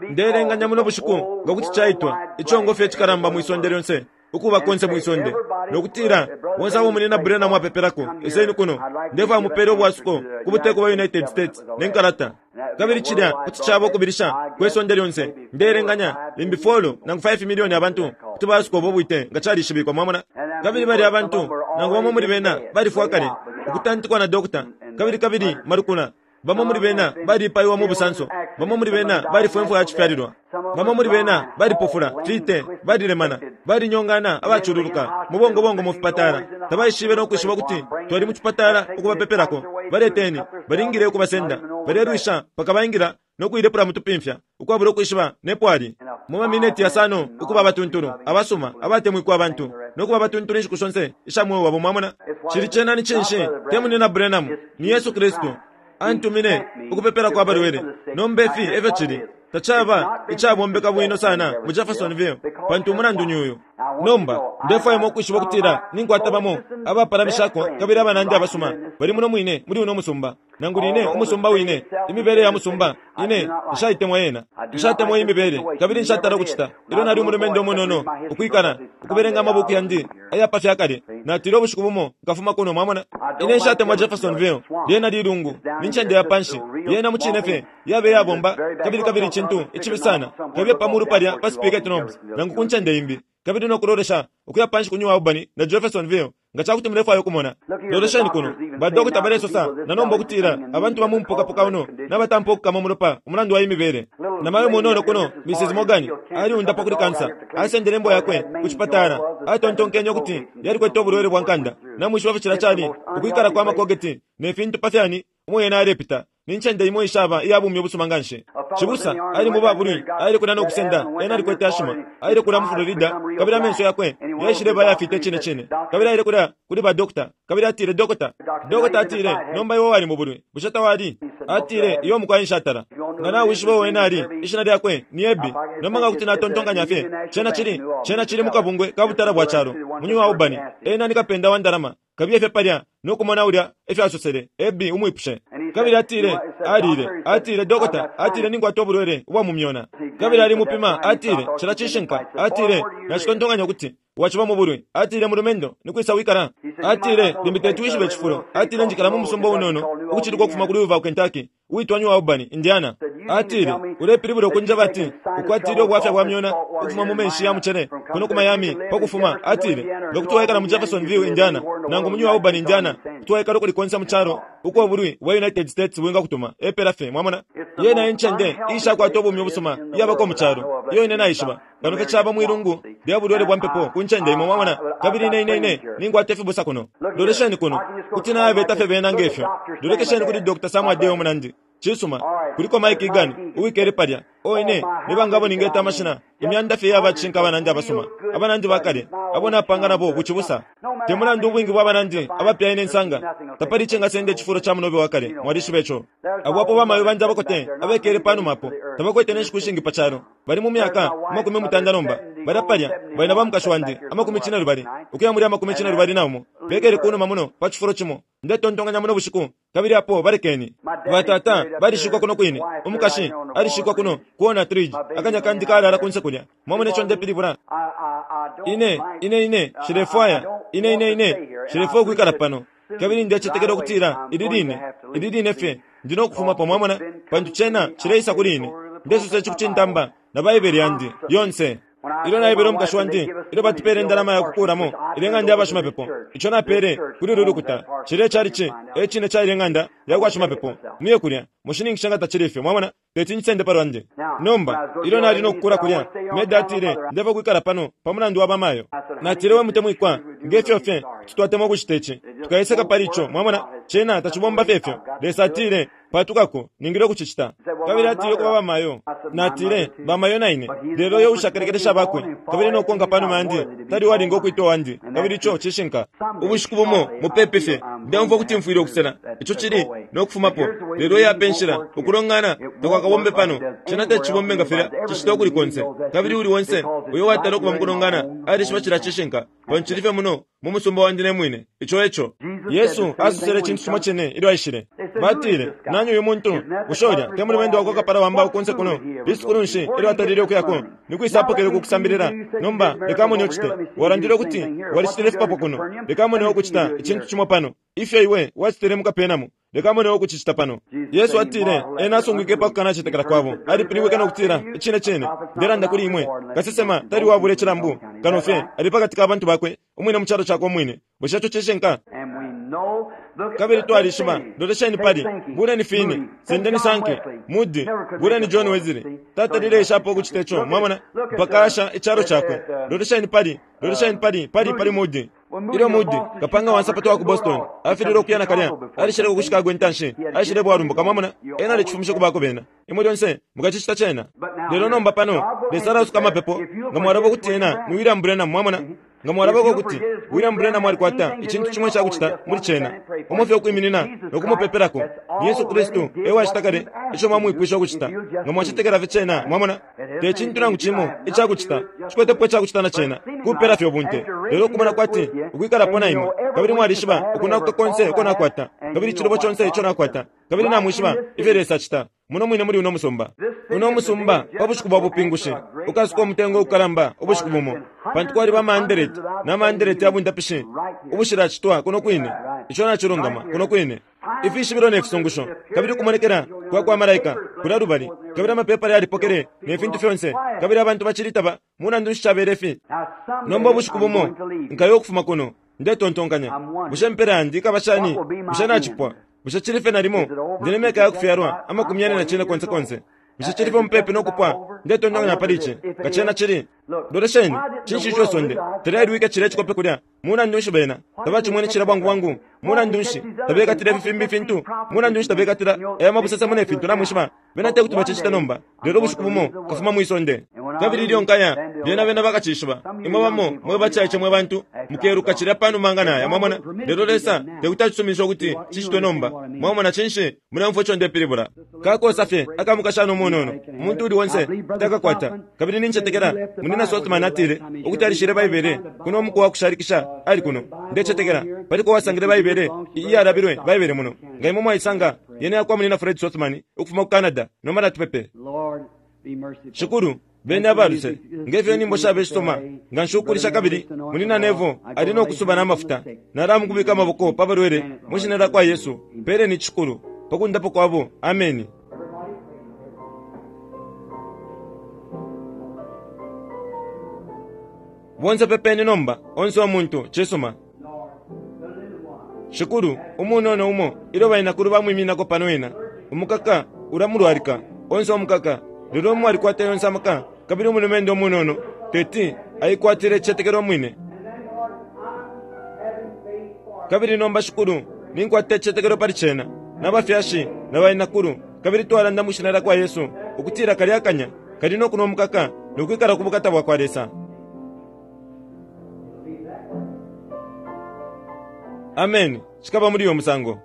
A: Ndeelenganya muno bushiku nga kuti caitwa icongo fye icikalamba mwi sonde lyonse, ukuba konse mwi sonde, no kutila, Bonse abo Munyina Branham apepelako, iseni kuno. Ndefwaya mupele ubwasuko ku buteko bwa United States ne nkalata. Kabili cilya kuti caba ukubilisha kwe sonde lyonse. Ndeelenganya limbi folo nangu 5 milioni abantu kuti baasuka ubo bwite nga calishibikwa. Mwamona? Kabili balya abantu, nangu bamo muli bena balifwa kale, ukutantikwa na dokota, kabili, kabili malukula. Bamo muli bena baliipaiwa mu busanso. Bamo muli bena balifwa imfwa ya cifyalilwa. Bamo muli bena balipofula, fite, balilemana, balinyongana, abacululuka mu bongobongo mu fipatala. Tabaishibe no kwishiba ukuti twali mu cipatala ukubapepelako. Baleteni, balingile ukubasenda. Balelwisha mpaka baingila no kuilepula mu tupimfya, ukwabula ukwishiba ne po ali. Mu mamineti yasano ukuba abatuntulu, abasuma, abatemwikwa abantu, no kuba abatuntulu inshiku shonse isha mweo wabo. Mwamona? Cili cena ni cinshi? Te Munyina Branham, ni Yesu Kristu. Antumine ukupepelako abalwele. Nomba ifi efyo cili. Tacaba icabombeka bwino sana mu Jeffersonville, pantu umulandu ni uyu. Nomba, ndefwaya imwe ukwishiba ukutila ninkwata bamo abapalamishako kabili abanandi abasuma bali muno mwine muli uno musumba. Nangu line umusumba wine, imibele ya musumba, ine nshaitemwa yena. Nshatemwa iyi mibele, kabili nshatala ukucita. Ilyo nali umulumendo umunono, ukwikala, ukubelenga amabuku yandi aya pa fya kale, natile ubushiku bumo nkafuma kuno. Mwamona? Ine nshatemwa Jeffersonville. Lyena lilungu, ni ncende ya panshi. Yena mucine fye yabe iyabomba, kabili kabili icintu icibi sana. Kabiye pa mulu palya pa Spicket Knobs nangu ku ncende imbi. kabili no kulolesha ukuya panshi ku New Albany na Jeffersonville, nga ca kuti mulefwaya ukumona. Lolesheni kuno, badokota balesosa na nomba ukutila abantu ba mu mupokapoka uno nabatampa ukukama umulopa umulandu wa iyi mibele. Namayo munono kuno, Mrs. Morgan, aliundapwa kuli kansa. Asendele imbwa yakwe ku cipatala, atontonkenye ukuti yalikwete ubulwele bwa nkanda. Namwishiba ifyo cilya cali, ukwikala kwa makogeti ne fintu pa fyani umo yena alepita. Ni ncende imo ishaba iya bumi ubusuma nganshi. Cibusa ali mu babulwi, aile kulya no kusenda, ena alikwete ashima. Aile kulya mu Florida, kabili amenso yakwe yaishileba ayafita icine cine. Kabili aile kulya kuli ba doctor, kabili atile, Dokota, dokota atile, nomba iwe wali mu bulwi, bushe tawali? Atile, Iyo mukwai nshatala. Nga nawishiba uo ena ali, ishina lyakwe ni Ebi. Nomba nga kuti natontonkanya fye, cena cili, cena cili mu kabungwe ka butala bwa calo, mu New Albany. Ena ni kapenda wa ndalama. Kabiye fye palya no kumona ulya efyo asosele, Ebi umwipushe. Kabili atile, alile, atile, Dokota, atile, Ninkwata ubulwele ubwa mu myona. Kabili ali mupima, atile, Cilya cishinka. Atile, Nacitontonkanya ukuti waciba mu bulwi. Atile, Mulumendo, ni kwisa wikala? Atile, Limbi teti wishibe icifulo. Atile, Njikala mu musumba unono ukuciluka ukufuma ku Louisville, Kentucky, uwitwa New Albany, Indiana. Atile, Ulepilibula ukunjeba ati ukwatile ubwafya bwa myona ukufuma mu menshi ya mucele kuno ku Miami pa kufuma? Atile, Nga kuti waikala mu Jeffersonville, Indiana, nangu mu New Albany, Indiana, kuti waikala ukuli konse mu calo uko ubulwi bwa United States bwingakutuma. Epela fye. Mwamona? Yena e ncende iishakwata ubumi ubusuma iyabako mu calo, iyo ine naishiba. Kano fye caba mwilungu lya bulwele bwa mpepo ku ncende imo, mwamona. Kabili ine, ine, ine ninkwata ifibusa kuno. Lolesheni kuno, kuti nayabeta fye bena nge fyo. Lolekesheni kuli Dr. Sam Adair umunandi. Cisuma. Kuliko Mike Egan uwikele palya. Oh, ine, ni banga abo ningeta amashina, imyanda fye iya bacishinka abanandi abasuma, abanandi bakale, abo napanga nabo bucibusa. Te mulandu ubwingi bwa banandi abapya ine nsanga, tapali icingasenda icifulo ca munobe wa kale. Mwalishiba ico. Abo apo bamayo bandi abakote abekele panuma apo, tabakwete ne nshiku ishingi pa calo. Bali mu myaka 80 nomba. Balya palya bali na ba mukashi wandi, 80 ukuya muli 21, bekele kunuma muno pa cifulo cimo. Ndetontonkanya muno bushiku, kabili apo balekeni. Batata balishikwa kuno kwine. Umukashi alishikwa kuno ku Onatrij. Akanya kandi kalala kunse kulya. Mwamona ico ndepilibula? Ine, ine, ine, nshilefwaya. Ine, ine, ine, nshilefwaya ukwikala pano. Kabili ndecetekela ukutila ili line, ili line fye, ndi no kufumapo, mwamona, pantu cena cileisa kuli ine. Ndesosa ici ku cintamba na Baibele yandi yonse. Ilyo naebele umukashi wandi, ilyo batupele indalama ya kukuulamo ilya ng'anda ya bashimapepo, ico napele kuli ulu lukuta, cilya icalici e cine ca ilya ng'anda ya kwa shimapepo. Muye kulya, mushininkishe nga tacili ifyo. Mwamona? Teti ncisende pa lwandi. Nomba, ilyo nali no kukula kulya, Meda atile, Ndefwaya ukwikala pano pa mulandu wa bamayo. Natile, We mutemwikwa, nge fyo fye kuti twatemwa ukucita ici, tukaiseka pali ico. Mwamona? Cena tacibomba fye ifyo. Lesa atile, Patukako, ningile ukucicita. Kabili atile ukuba bamayo. Natile, Bamayo na ine. Lelo uyo uushakalekelesha abakwe, kabili no kukonka panuma yandi, tali uwalinga ukwitwa uwandi. Kabili ico cishinka. Ubushiku bumo, mupepi fye, ndeumfwa ukuti mfwile ukusela. Ico cili no kufumapo. Lelo iyi apa enshila, ukulongana takwakabombe pano. Cena teti cibombe nga filya cicita ukuli konse. Kabili uuli onse uyo uwatala ukuba mukulongana alishiba cilya cishinka, pantu cili fye muno mu musumba wandi ne mwine. Ico eco. Yesu asosele icintu cimo cine ilyo aishile. Batile, Nani uyu muntu? Bushe ulya te mulumendo wakwa kapala wa mbao kunse kuno? Lisukulu nshi ilyo atalile ukuyako? Ni kwisa apokele uku kusambilila? Nomba, leka mone ucite. Walandile ukuti walicitile ifipapwa kuno. Leka mone ukucita icintu cimo pano. Ifyo iwe wacitile mu Kapenamu, leka mone ukucicita pano. Yesu atile, Ena asungwike pa kukanacetekela kwabo. Alipilibwike no kutila, Icine cine, ndelanda kuli imwe, kasesema tali uwabula icilambu, kano fye ali pakati ka bantu bakwe umwine mu calo cakwe umwine. Bushe ico cishinka? Kabili twalishiba, lolesheni pali, buleni Finney, sendeni Sankey, Moody, buleni John Wesley. Tatalile eshapo ukucita ico, mwamona, mpaka asha icalo cakwe. Lolesheni pali, lolesheni pali, pali, pali Moody. Ilyo Moody, kapanga wa nsapato wa ku Boston, afililwe ukuya nakalya, alishileko ku Chicago intanshi, aishileba uwalumbuka, mwamona, ena alicifumishe ku bako bena. Imwe lyonse mukacicita cena. Lelo nomba pano, Lesa alasuka amapepo, nga mwalaba ukuti ena ni William Branham, mwamona. Nga mwalabako ukuti William Branham alikwata icintu cimo icakucita muli cena, umo fye ukwiminina no kumupepelako, ni Yesu Kristu e wacita kale ico mwamwipwisha ukucita, nga mwacetekela fye cena, mwamona. Te cintu nangu cimo icakucita, nshikwetepo icakucita na cena, kupela fye ubunte. Lelo ukumona kwati ukwikalapo na imwe, kabili mwalishiba ukunakuka konse uko nakwata, kabili icilubo conse ico nakwata, kabili namwishiba ifyo Lesa acita. Muno mwine muli uno musumba. Uno musumba, pa bushiku bwa bupingushi, ukasuka umutengo ukalamba ubushiku bumo, pantu kwaliba amaandeleti na maandeleti ya bundapishi ubushilacitwa kuno kwine. Ico nacilungama, kuno kwine. Ifishibilo ne fisungusho, kabili ukumonekela kwa kwa malaika kulya lubali, kabili amapepala yalipokele ne fintu fyonse, kabili abantu bacili taba. Mulandu nshi cabele fi? Nomba ubushiku bumo nkaya ukufuma kuno. Ndetontonkanya, bushe impela yandi ikaba shani? Bushe nacipwa? Bushe cili fye nalimo ndi ne myaka ya kufyalwa 45 konse? Bushe cili fye mupepi no kupwa? Ndetontonkanya pali ici, nga cena cili. Lolesheni, cinshi ico isonde talyailwike cilya icikope kulya? Mulandu nshi bena tabacimwene cilya bwangu bwangu? Mulandu nshi tabekatila ifi fimbi ifintu? Mulandu nshi tabekatila aya mabusesemo ne fintu? Namwishiba, bena te kuti bacicite nomba, lelo ubushiku bumo nkafuma mwi sonde. Kabili ilyo nkaya, lyena bena bakacishiba. Imwe bamo mwe bacaice mwe bantu mukeluka cilya panuma nga naya, mwamona. Lelo Lesa te kuti acisuminishe ukuti cicitwe nomba. Mwamona? Cinshi, muleumfwa ico ndepilibula? Kakosa fye aka mukashana umunono, umuntu uuli onse kuti akakwata. Kabili nincetekela Munyina Sothmann atile ukuti alishile Baibele kuno umuku wa kushalikisha ali kuno. Ndecetekela paliko uwasangile Baibele iyalabilwe Baibele muno. Nga imwe mwaisanga, yena yakwa Munyina Fred Sothmann ukufuma ku Canada. Nomba natupepe. Shikulu, beni aba luse, nge fyo inyimbo shaba ishisoma nganshi ukulisha kabili Munyina Neville ali no kusuba na mafuta. Nalamukubika amaboko pa balwele mwi Shina lyakwa Yesu. Peleni ici, Shikulu, pa kundapwa kwabo. Ameni. Bonse pepeni nomba, onse umuntu. Cisuma. Shikulu, umunono umo, ilyo bainakulu bamwiminako pano ena, umukaka ulamulwalika, onse umukaka. Lelo umo alikwata yonse amaka, kabili umulumendo umunono teti aikwatile icicetekelo umwine. Kabili nomba, Shikulu, ninkwata icicetekelo pali cena, na bafyashi na bainakulu, kabili twalanda mwi Shina lyakwa Yesu ukutila kalya kanya kali no kunwa umukaka no kwikala ku bukata bwakwa Lesa. Ameni. Cikaba muli uyo musango.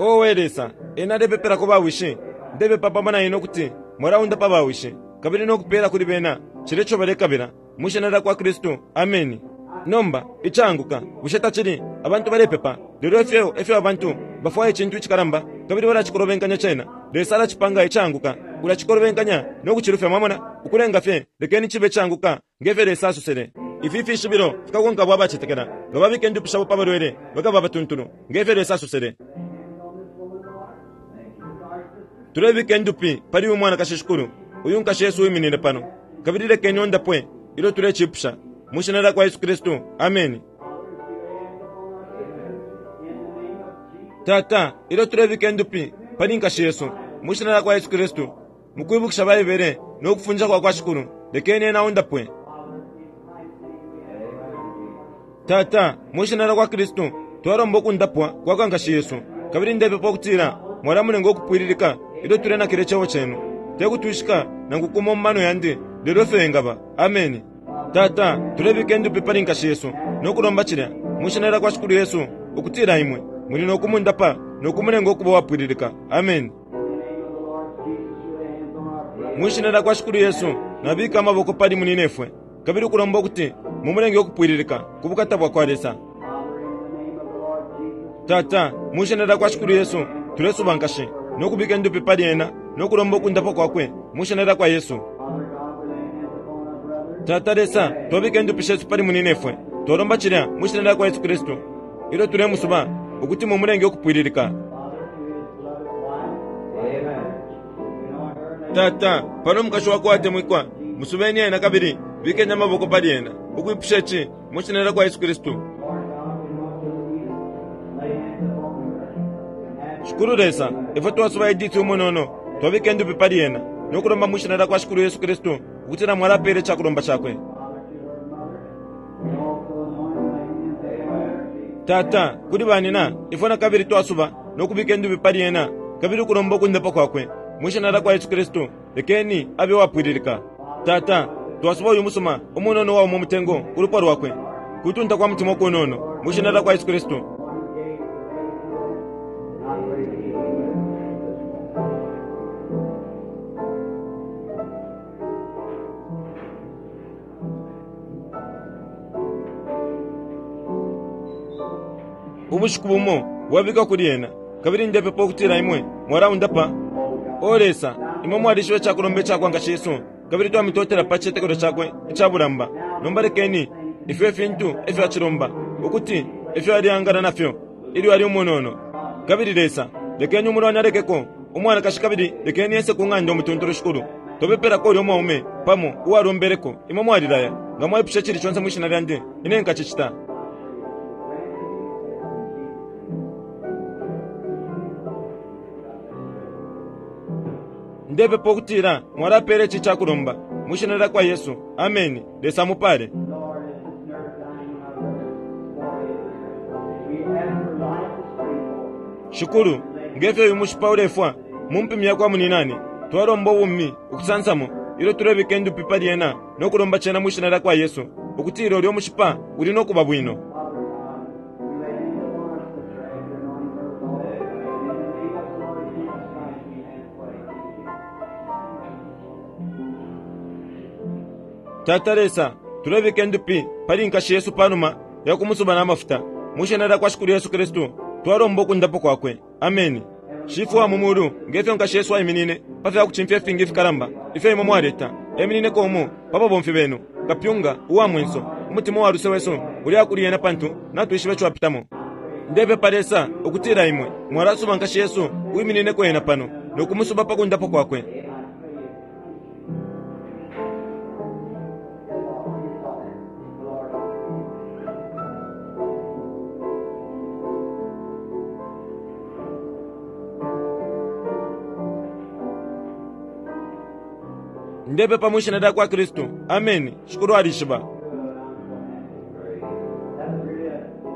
A: Owe Lesa, ena alepepelako ba wishi. Ndepepa pamo na ine ukuti mwalaundapa ba wishi kabili no kupela kuli bena cilya ico balekabila, mwi Shina lyakwa Kristu. Ameni. Nomba, icaanguka, bushe tacili? Abantu balepepa, lelo ifyo efyo abantu bafwaya icintu icikalamba, kabili balacikolobenkanya cena. Lesa alacipanga icaanguka, ulacikolobenkanya no kucilufya, mwamona, ukulenga fye, lekeni cibe icaanguka nge fyo Lesa asosele. Ifi fishibilo fikakonka abo abacetekela, nga babika indupi shabo pa balwele, bakaba abatuntulu, nge fyo Lesa asosele. Tulebika indupi pali uyu mwanakashi, Shikulu, uyu nkashi yesu uwiminine pano, kabili lekeni ondapwe ilyo tulecipusha mwi Shina lyakwa Yesu Kristu. Ameni. Tata, ilyo tulebika indupi pali nkashi yesu, mwi Shina lyakwa Yesu Kristu, mukwibukisha Baibele no kufundisha kwa kwa Shikulu, lekeni ena ondapwe. Tata, mwi Shina lyakwa Kristu, twalomba ukundapwa kwa kwa nkashi yesu, kabili ndepepa ukutila Mwalamulenga ukupwililika ilyo tulenakila Icebo Cenu. Te kutwishika nangu kumo mu mano yandi, lelo ifyo engaba. Ameni. Tata, tulebika indupi pali nkashi yesu no kulomba cilya, mwi Shina lyakwa Shikulu Yesu, ukutila Imwe muli no kumundapa no kumulenga ukuba uwapwililika. Ameni. Mwi Shina lyakwa Shikulu Yesu, nabika amaboko pali munyinefwe, kabili ukulomba ukuti Mumulenge ukupwililika, ku bukata bwakwa Lesa. Tata, mwi Shina lyakwa Shikulu Yesu, tulesuba nkashi, no kubika indupi pali ena, no kulomba ukundapwa kwakwe, mwi Shina lyakwa Yesu. Tata Lesa, twabika indupi shesu pali munyinefwe. Twalomba cilya mwi Shina lyakwa Yesu Kristu, ilyo tulemusuba, ukuti Mumulenge ukupwililika. Tata, pano umukashi wakwe uwatemwikwa, musubeni ena kabili bikeni amaboko pali ena, ukwipusha ici mwi Shina lyakwa Yesu Kristu. Shikulu Lesa, ifwe twasuba Edith umunono, twabika indupi pali ena, no kulomba mwi Shina lyakwa Shikulu Yesu Kristu ukutila Mwalapela icakulomba cakwe. Tata, kuli banina, ifwe nakabili twasuba no kubika indupi pali ena, kabili ukulomba ukundapwa kwakwe mwi Shina lyakwa Yesu Kristu. Lekeni abe uwapwililika. Tata, twasuba uyu musuma umunono uwauma umutengo ku lupwa lwakwe, kutunta kwa mutima ukunono, mwi Shina lyakwa Yesu Kristu. Ubushiku bumo bwabikwa kuli ena, kabili ndepepa ukutila Imwe mwalaundapa. O Lesa, Imwe mwalishiba icakulomba icakwa nkashi yesu, kabili twamitotela pa cicetekelo cakwe ica bulamba. Nomba lekeni ifyo ifintu efyo acilomba, ukuti ifyo aleangala na fyo ilyo ali umunono. Kabili Lesa, lekeni umulwani alekeko umwanakashi kabili lekeni ese ku ng'anda umutuntulu, Shikulu. Twapepelako ulyo mwaume, pamo, uwalombeleko. Imwe mwalilaya, Nga mwaipusha icili conse mwi Shina Lyandi, Ine nkacicita. Ndepepa ukutila Mwalapela ici icakulomba, mwi Shina lyakwa Yesu. Ameni. Lesa amupale. Shikulu, nge fyo uyu mushipa ulefwa mu mpumi yakwa muninane, twalomba ubumi ukusansamo ilyo tulebika indupi pali ena no kulomba cena mwi Shina lyakwa Yesu, ukutila ulyo mushipa uli no kuba bwino. Tata Lesa, tulebika indupi pali nkashi yesu panuma ya kumusuba na mafuta. Mwi Shina lyakwa Shikulu Yesu Kristu, twalomba ukundapwa kwakwe. Ameni. Shifwe wa mu Mulu, nge fyo nkashi yesu aiminine pa fya kucimfya ifingi ifikalamba ifyo Imwe mwaleta, eminineko umo pa babomfi Benu, kapyunga uwa mwenso. Umutima uwa luse wesu uleya kuli ena pantu natwishiba ico apitamo. Ndepepa, Lesa, ukutila Imwe mwalasuba nkashi yesu uwiminineko ena pano, no kumusuba pa kundapwa kwakwe. Ndepepa mwi Shina lyakwa Kristu. Ameni. Shikulu alishiba.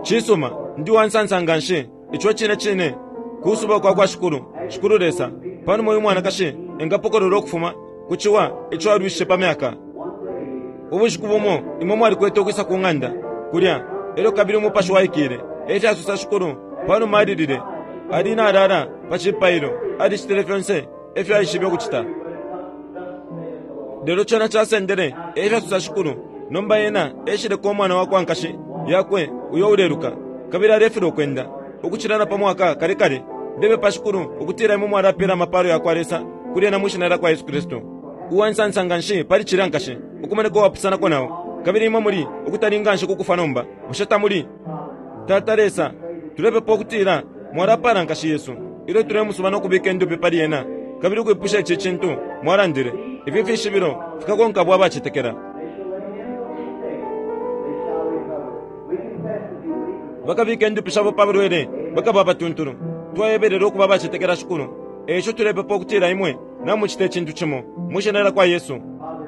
A: Cisuma, ndi uwansansa nganshi. Ico cine cine kusuba kwa kwa Shikulu, Shikulu Lesa, panuma uyu mwanakashi engapokolola ukufuma ku ciwa ico alwishishe pa myaka. Ubushiku bumo imwe mwalikwete ukwisa ku ng'anda kulya, elyo kabili Umupashi waikile, e fyasosa Shikulu, panuma alilile, ali nalala pa cipailo, alicitile fyonse efyo aishibe ukucita. Lelo cena casendele, e fyasosa Shikulu, nomba ena eshileko umwana wa kwa nkashi yakwe uyo uleluka, kabili alefilwa ukwenda, ukucila na pa mwaka kale kale. Ndepepa, Shikulu, ukutila Imwe mwalapela amapalo yakwa Lesa kuli ena mwi Shina lyakwa Yesu Kristu. Uwa nsansa nganshi pali cilya, nkashi, ukumoneka uwapusanako nao. Kabili imwe muli ukutali nganshi ku kufwa nomba, bushe tamuli? Tata Lesa, tulepepa ukutila Mwalapala nkashi yesu ilyo tulemusuba no kubika indupi pali ena, kabili ukwipusha ici cintu Mwalandile, Ifi fishibilo fikakonka abo abacetekela. Bakabika indupi shabo pa balwele, bakaba abatuntulu. Twayebelela ukuba abacetekela, Shikulu. E ico tulepepa ukutila Imwe namucita icintu cimo, mwi Shina lyakwa Yesu.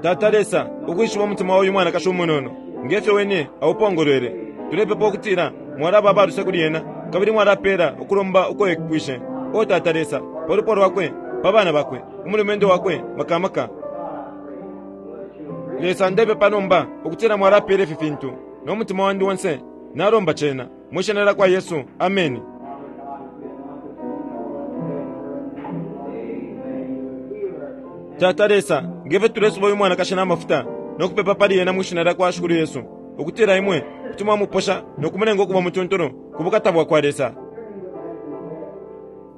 A: Tata Lesa, ukwishiba umutima wa uyu mwanakashi umunono, nge fyo Wene aupongolwele, tulepepa ukutila Mwalaba aba luse kuli ena, kabili mwalapela ukulomba uko epwishe, O Tata Lesa, pa lupwa lwakwe, pa bana bakwe, umulumendo wakwe, maka maka. Lesa, ndepepa nomba ukutila Mwalapela ifi fintu, no mutima wandi onse nalomba cena, mwi Shina lyakwa Yesu. Ameni. Tata Lesa, nge fyo tulesuba uyu mwanakashi na mafuta no kupepa pali ena mwi Shina lyakwa Shikulu Yesu, ukutila Imwe kuti mwamuposha no kumulenga ukuba umutuntulu ku bukata bwa kwa Lesa.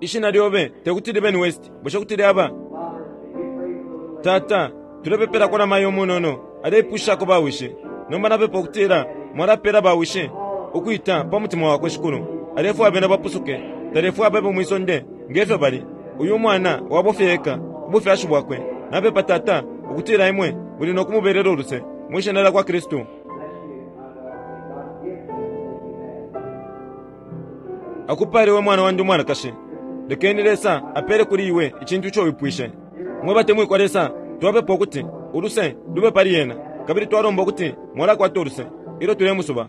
A: Ishina lyobe te kuti libe ni West, bushe kuti lyaba? Tata, tulepepelako na mayo umunono aleipushishako bawishi. Nomba napepa ukutila Mwalapela bawishi ukwita pa mutima wakwe, Shikulu. Alefwaya bena bapusuke. Talefwaya babe mwi sonde nge fyo bali. Uyu mwana wabo fye eka, ubufyashi bwakwe. Napepa, Tata, ukutila Imwe muli no kumubelela uluse, mwi Shina lyakwa Kristu. Akupale we mwana wandi umwanakashi. Lekeni Lesa apele kuli iwe icintu ico wipwishe. Mwe batemwikwa Lesa, twapepa ukuti uluse lube pali ena, kabili twalomba ukuti mwalakwata uluse ilyo tulemusuba.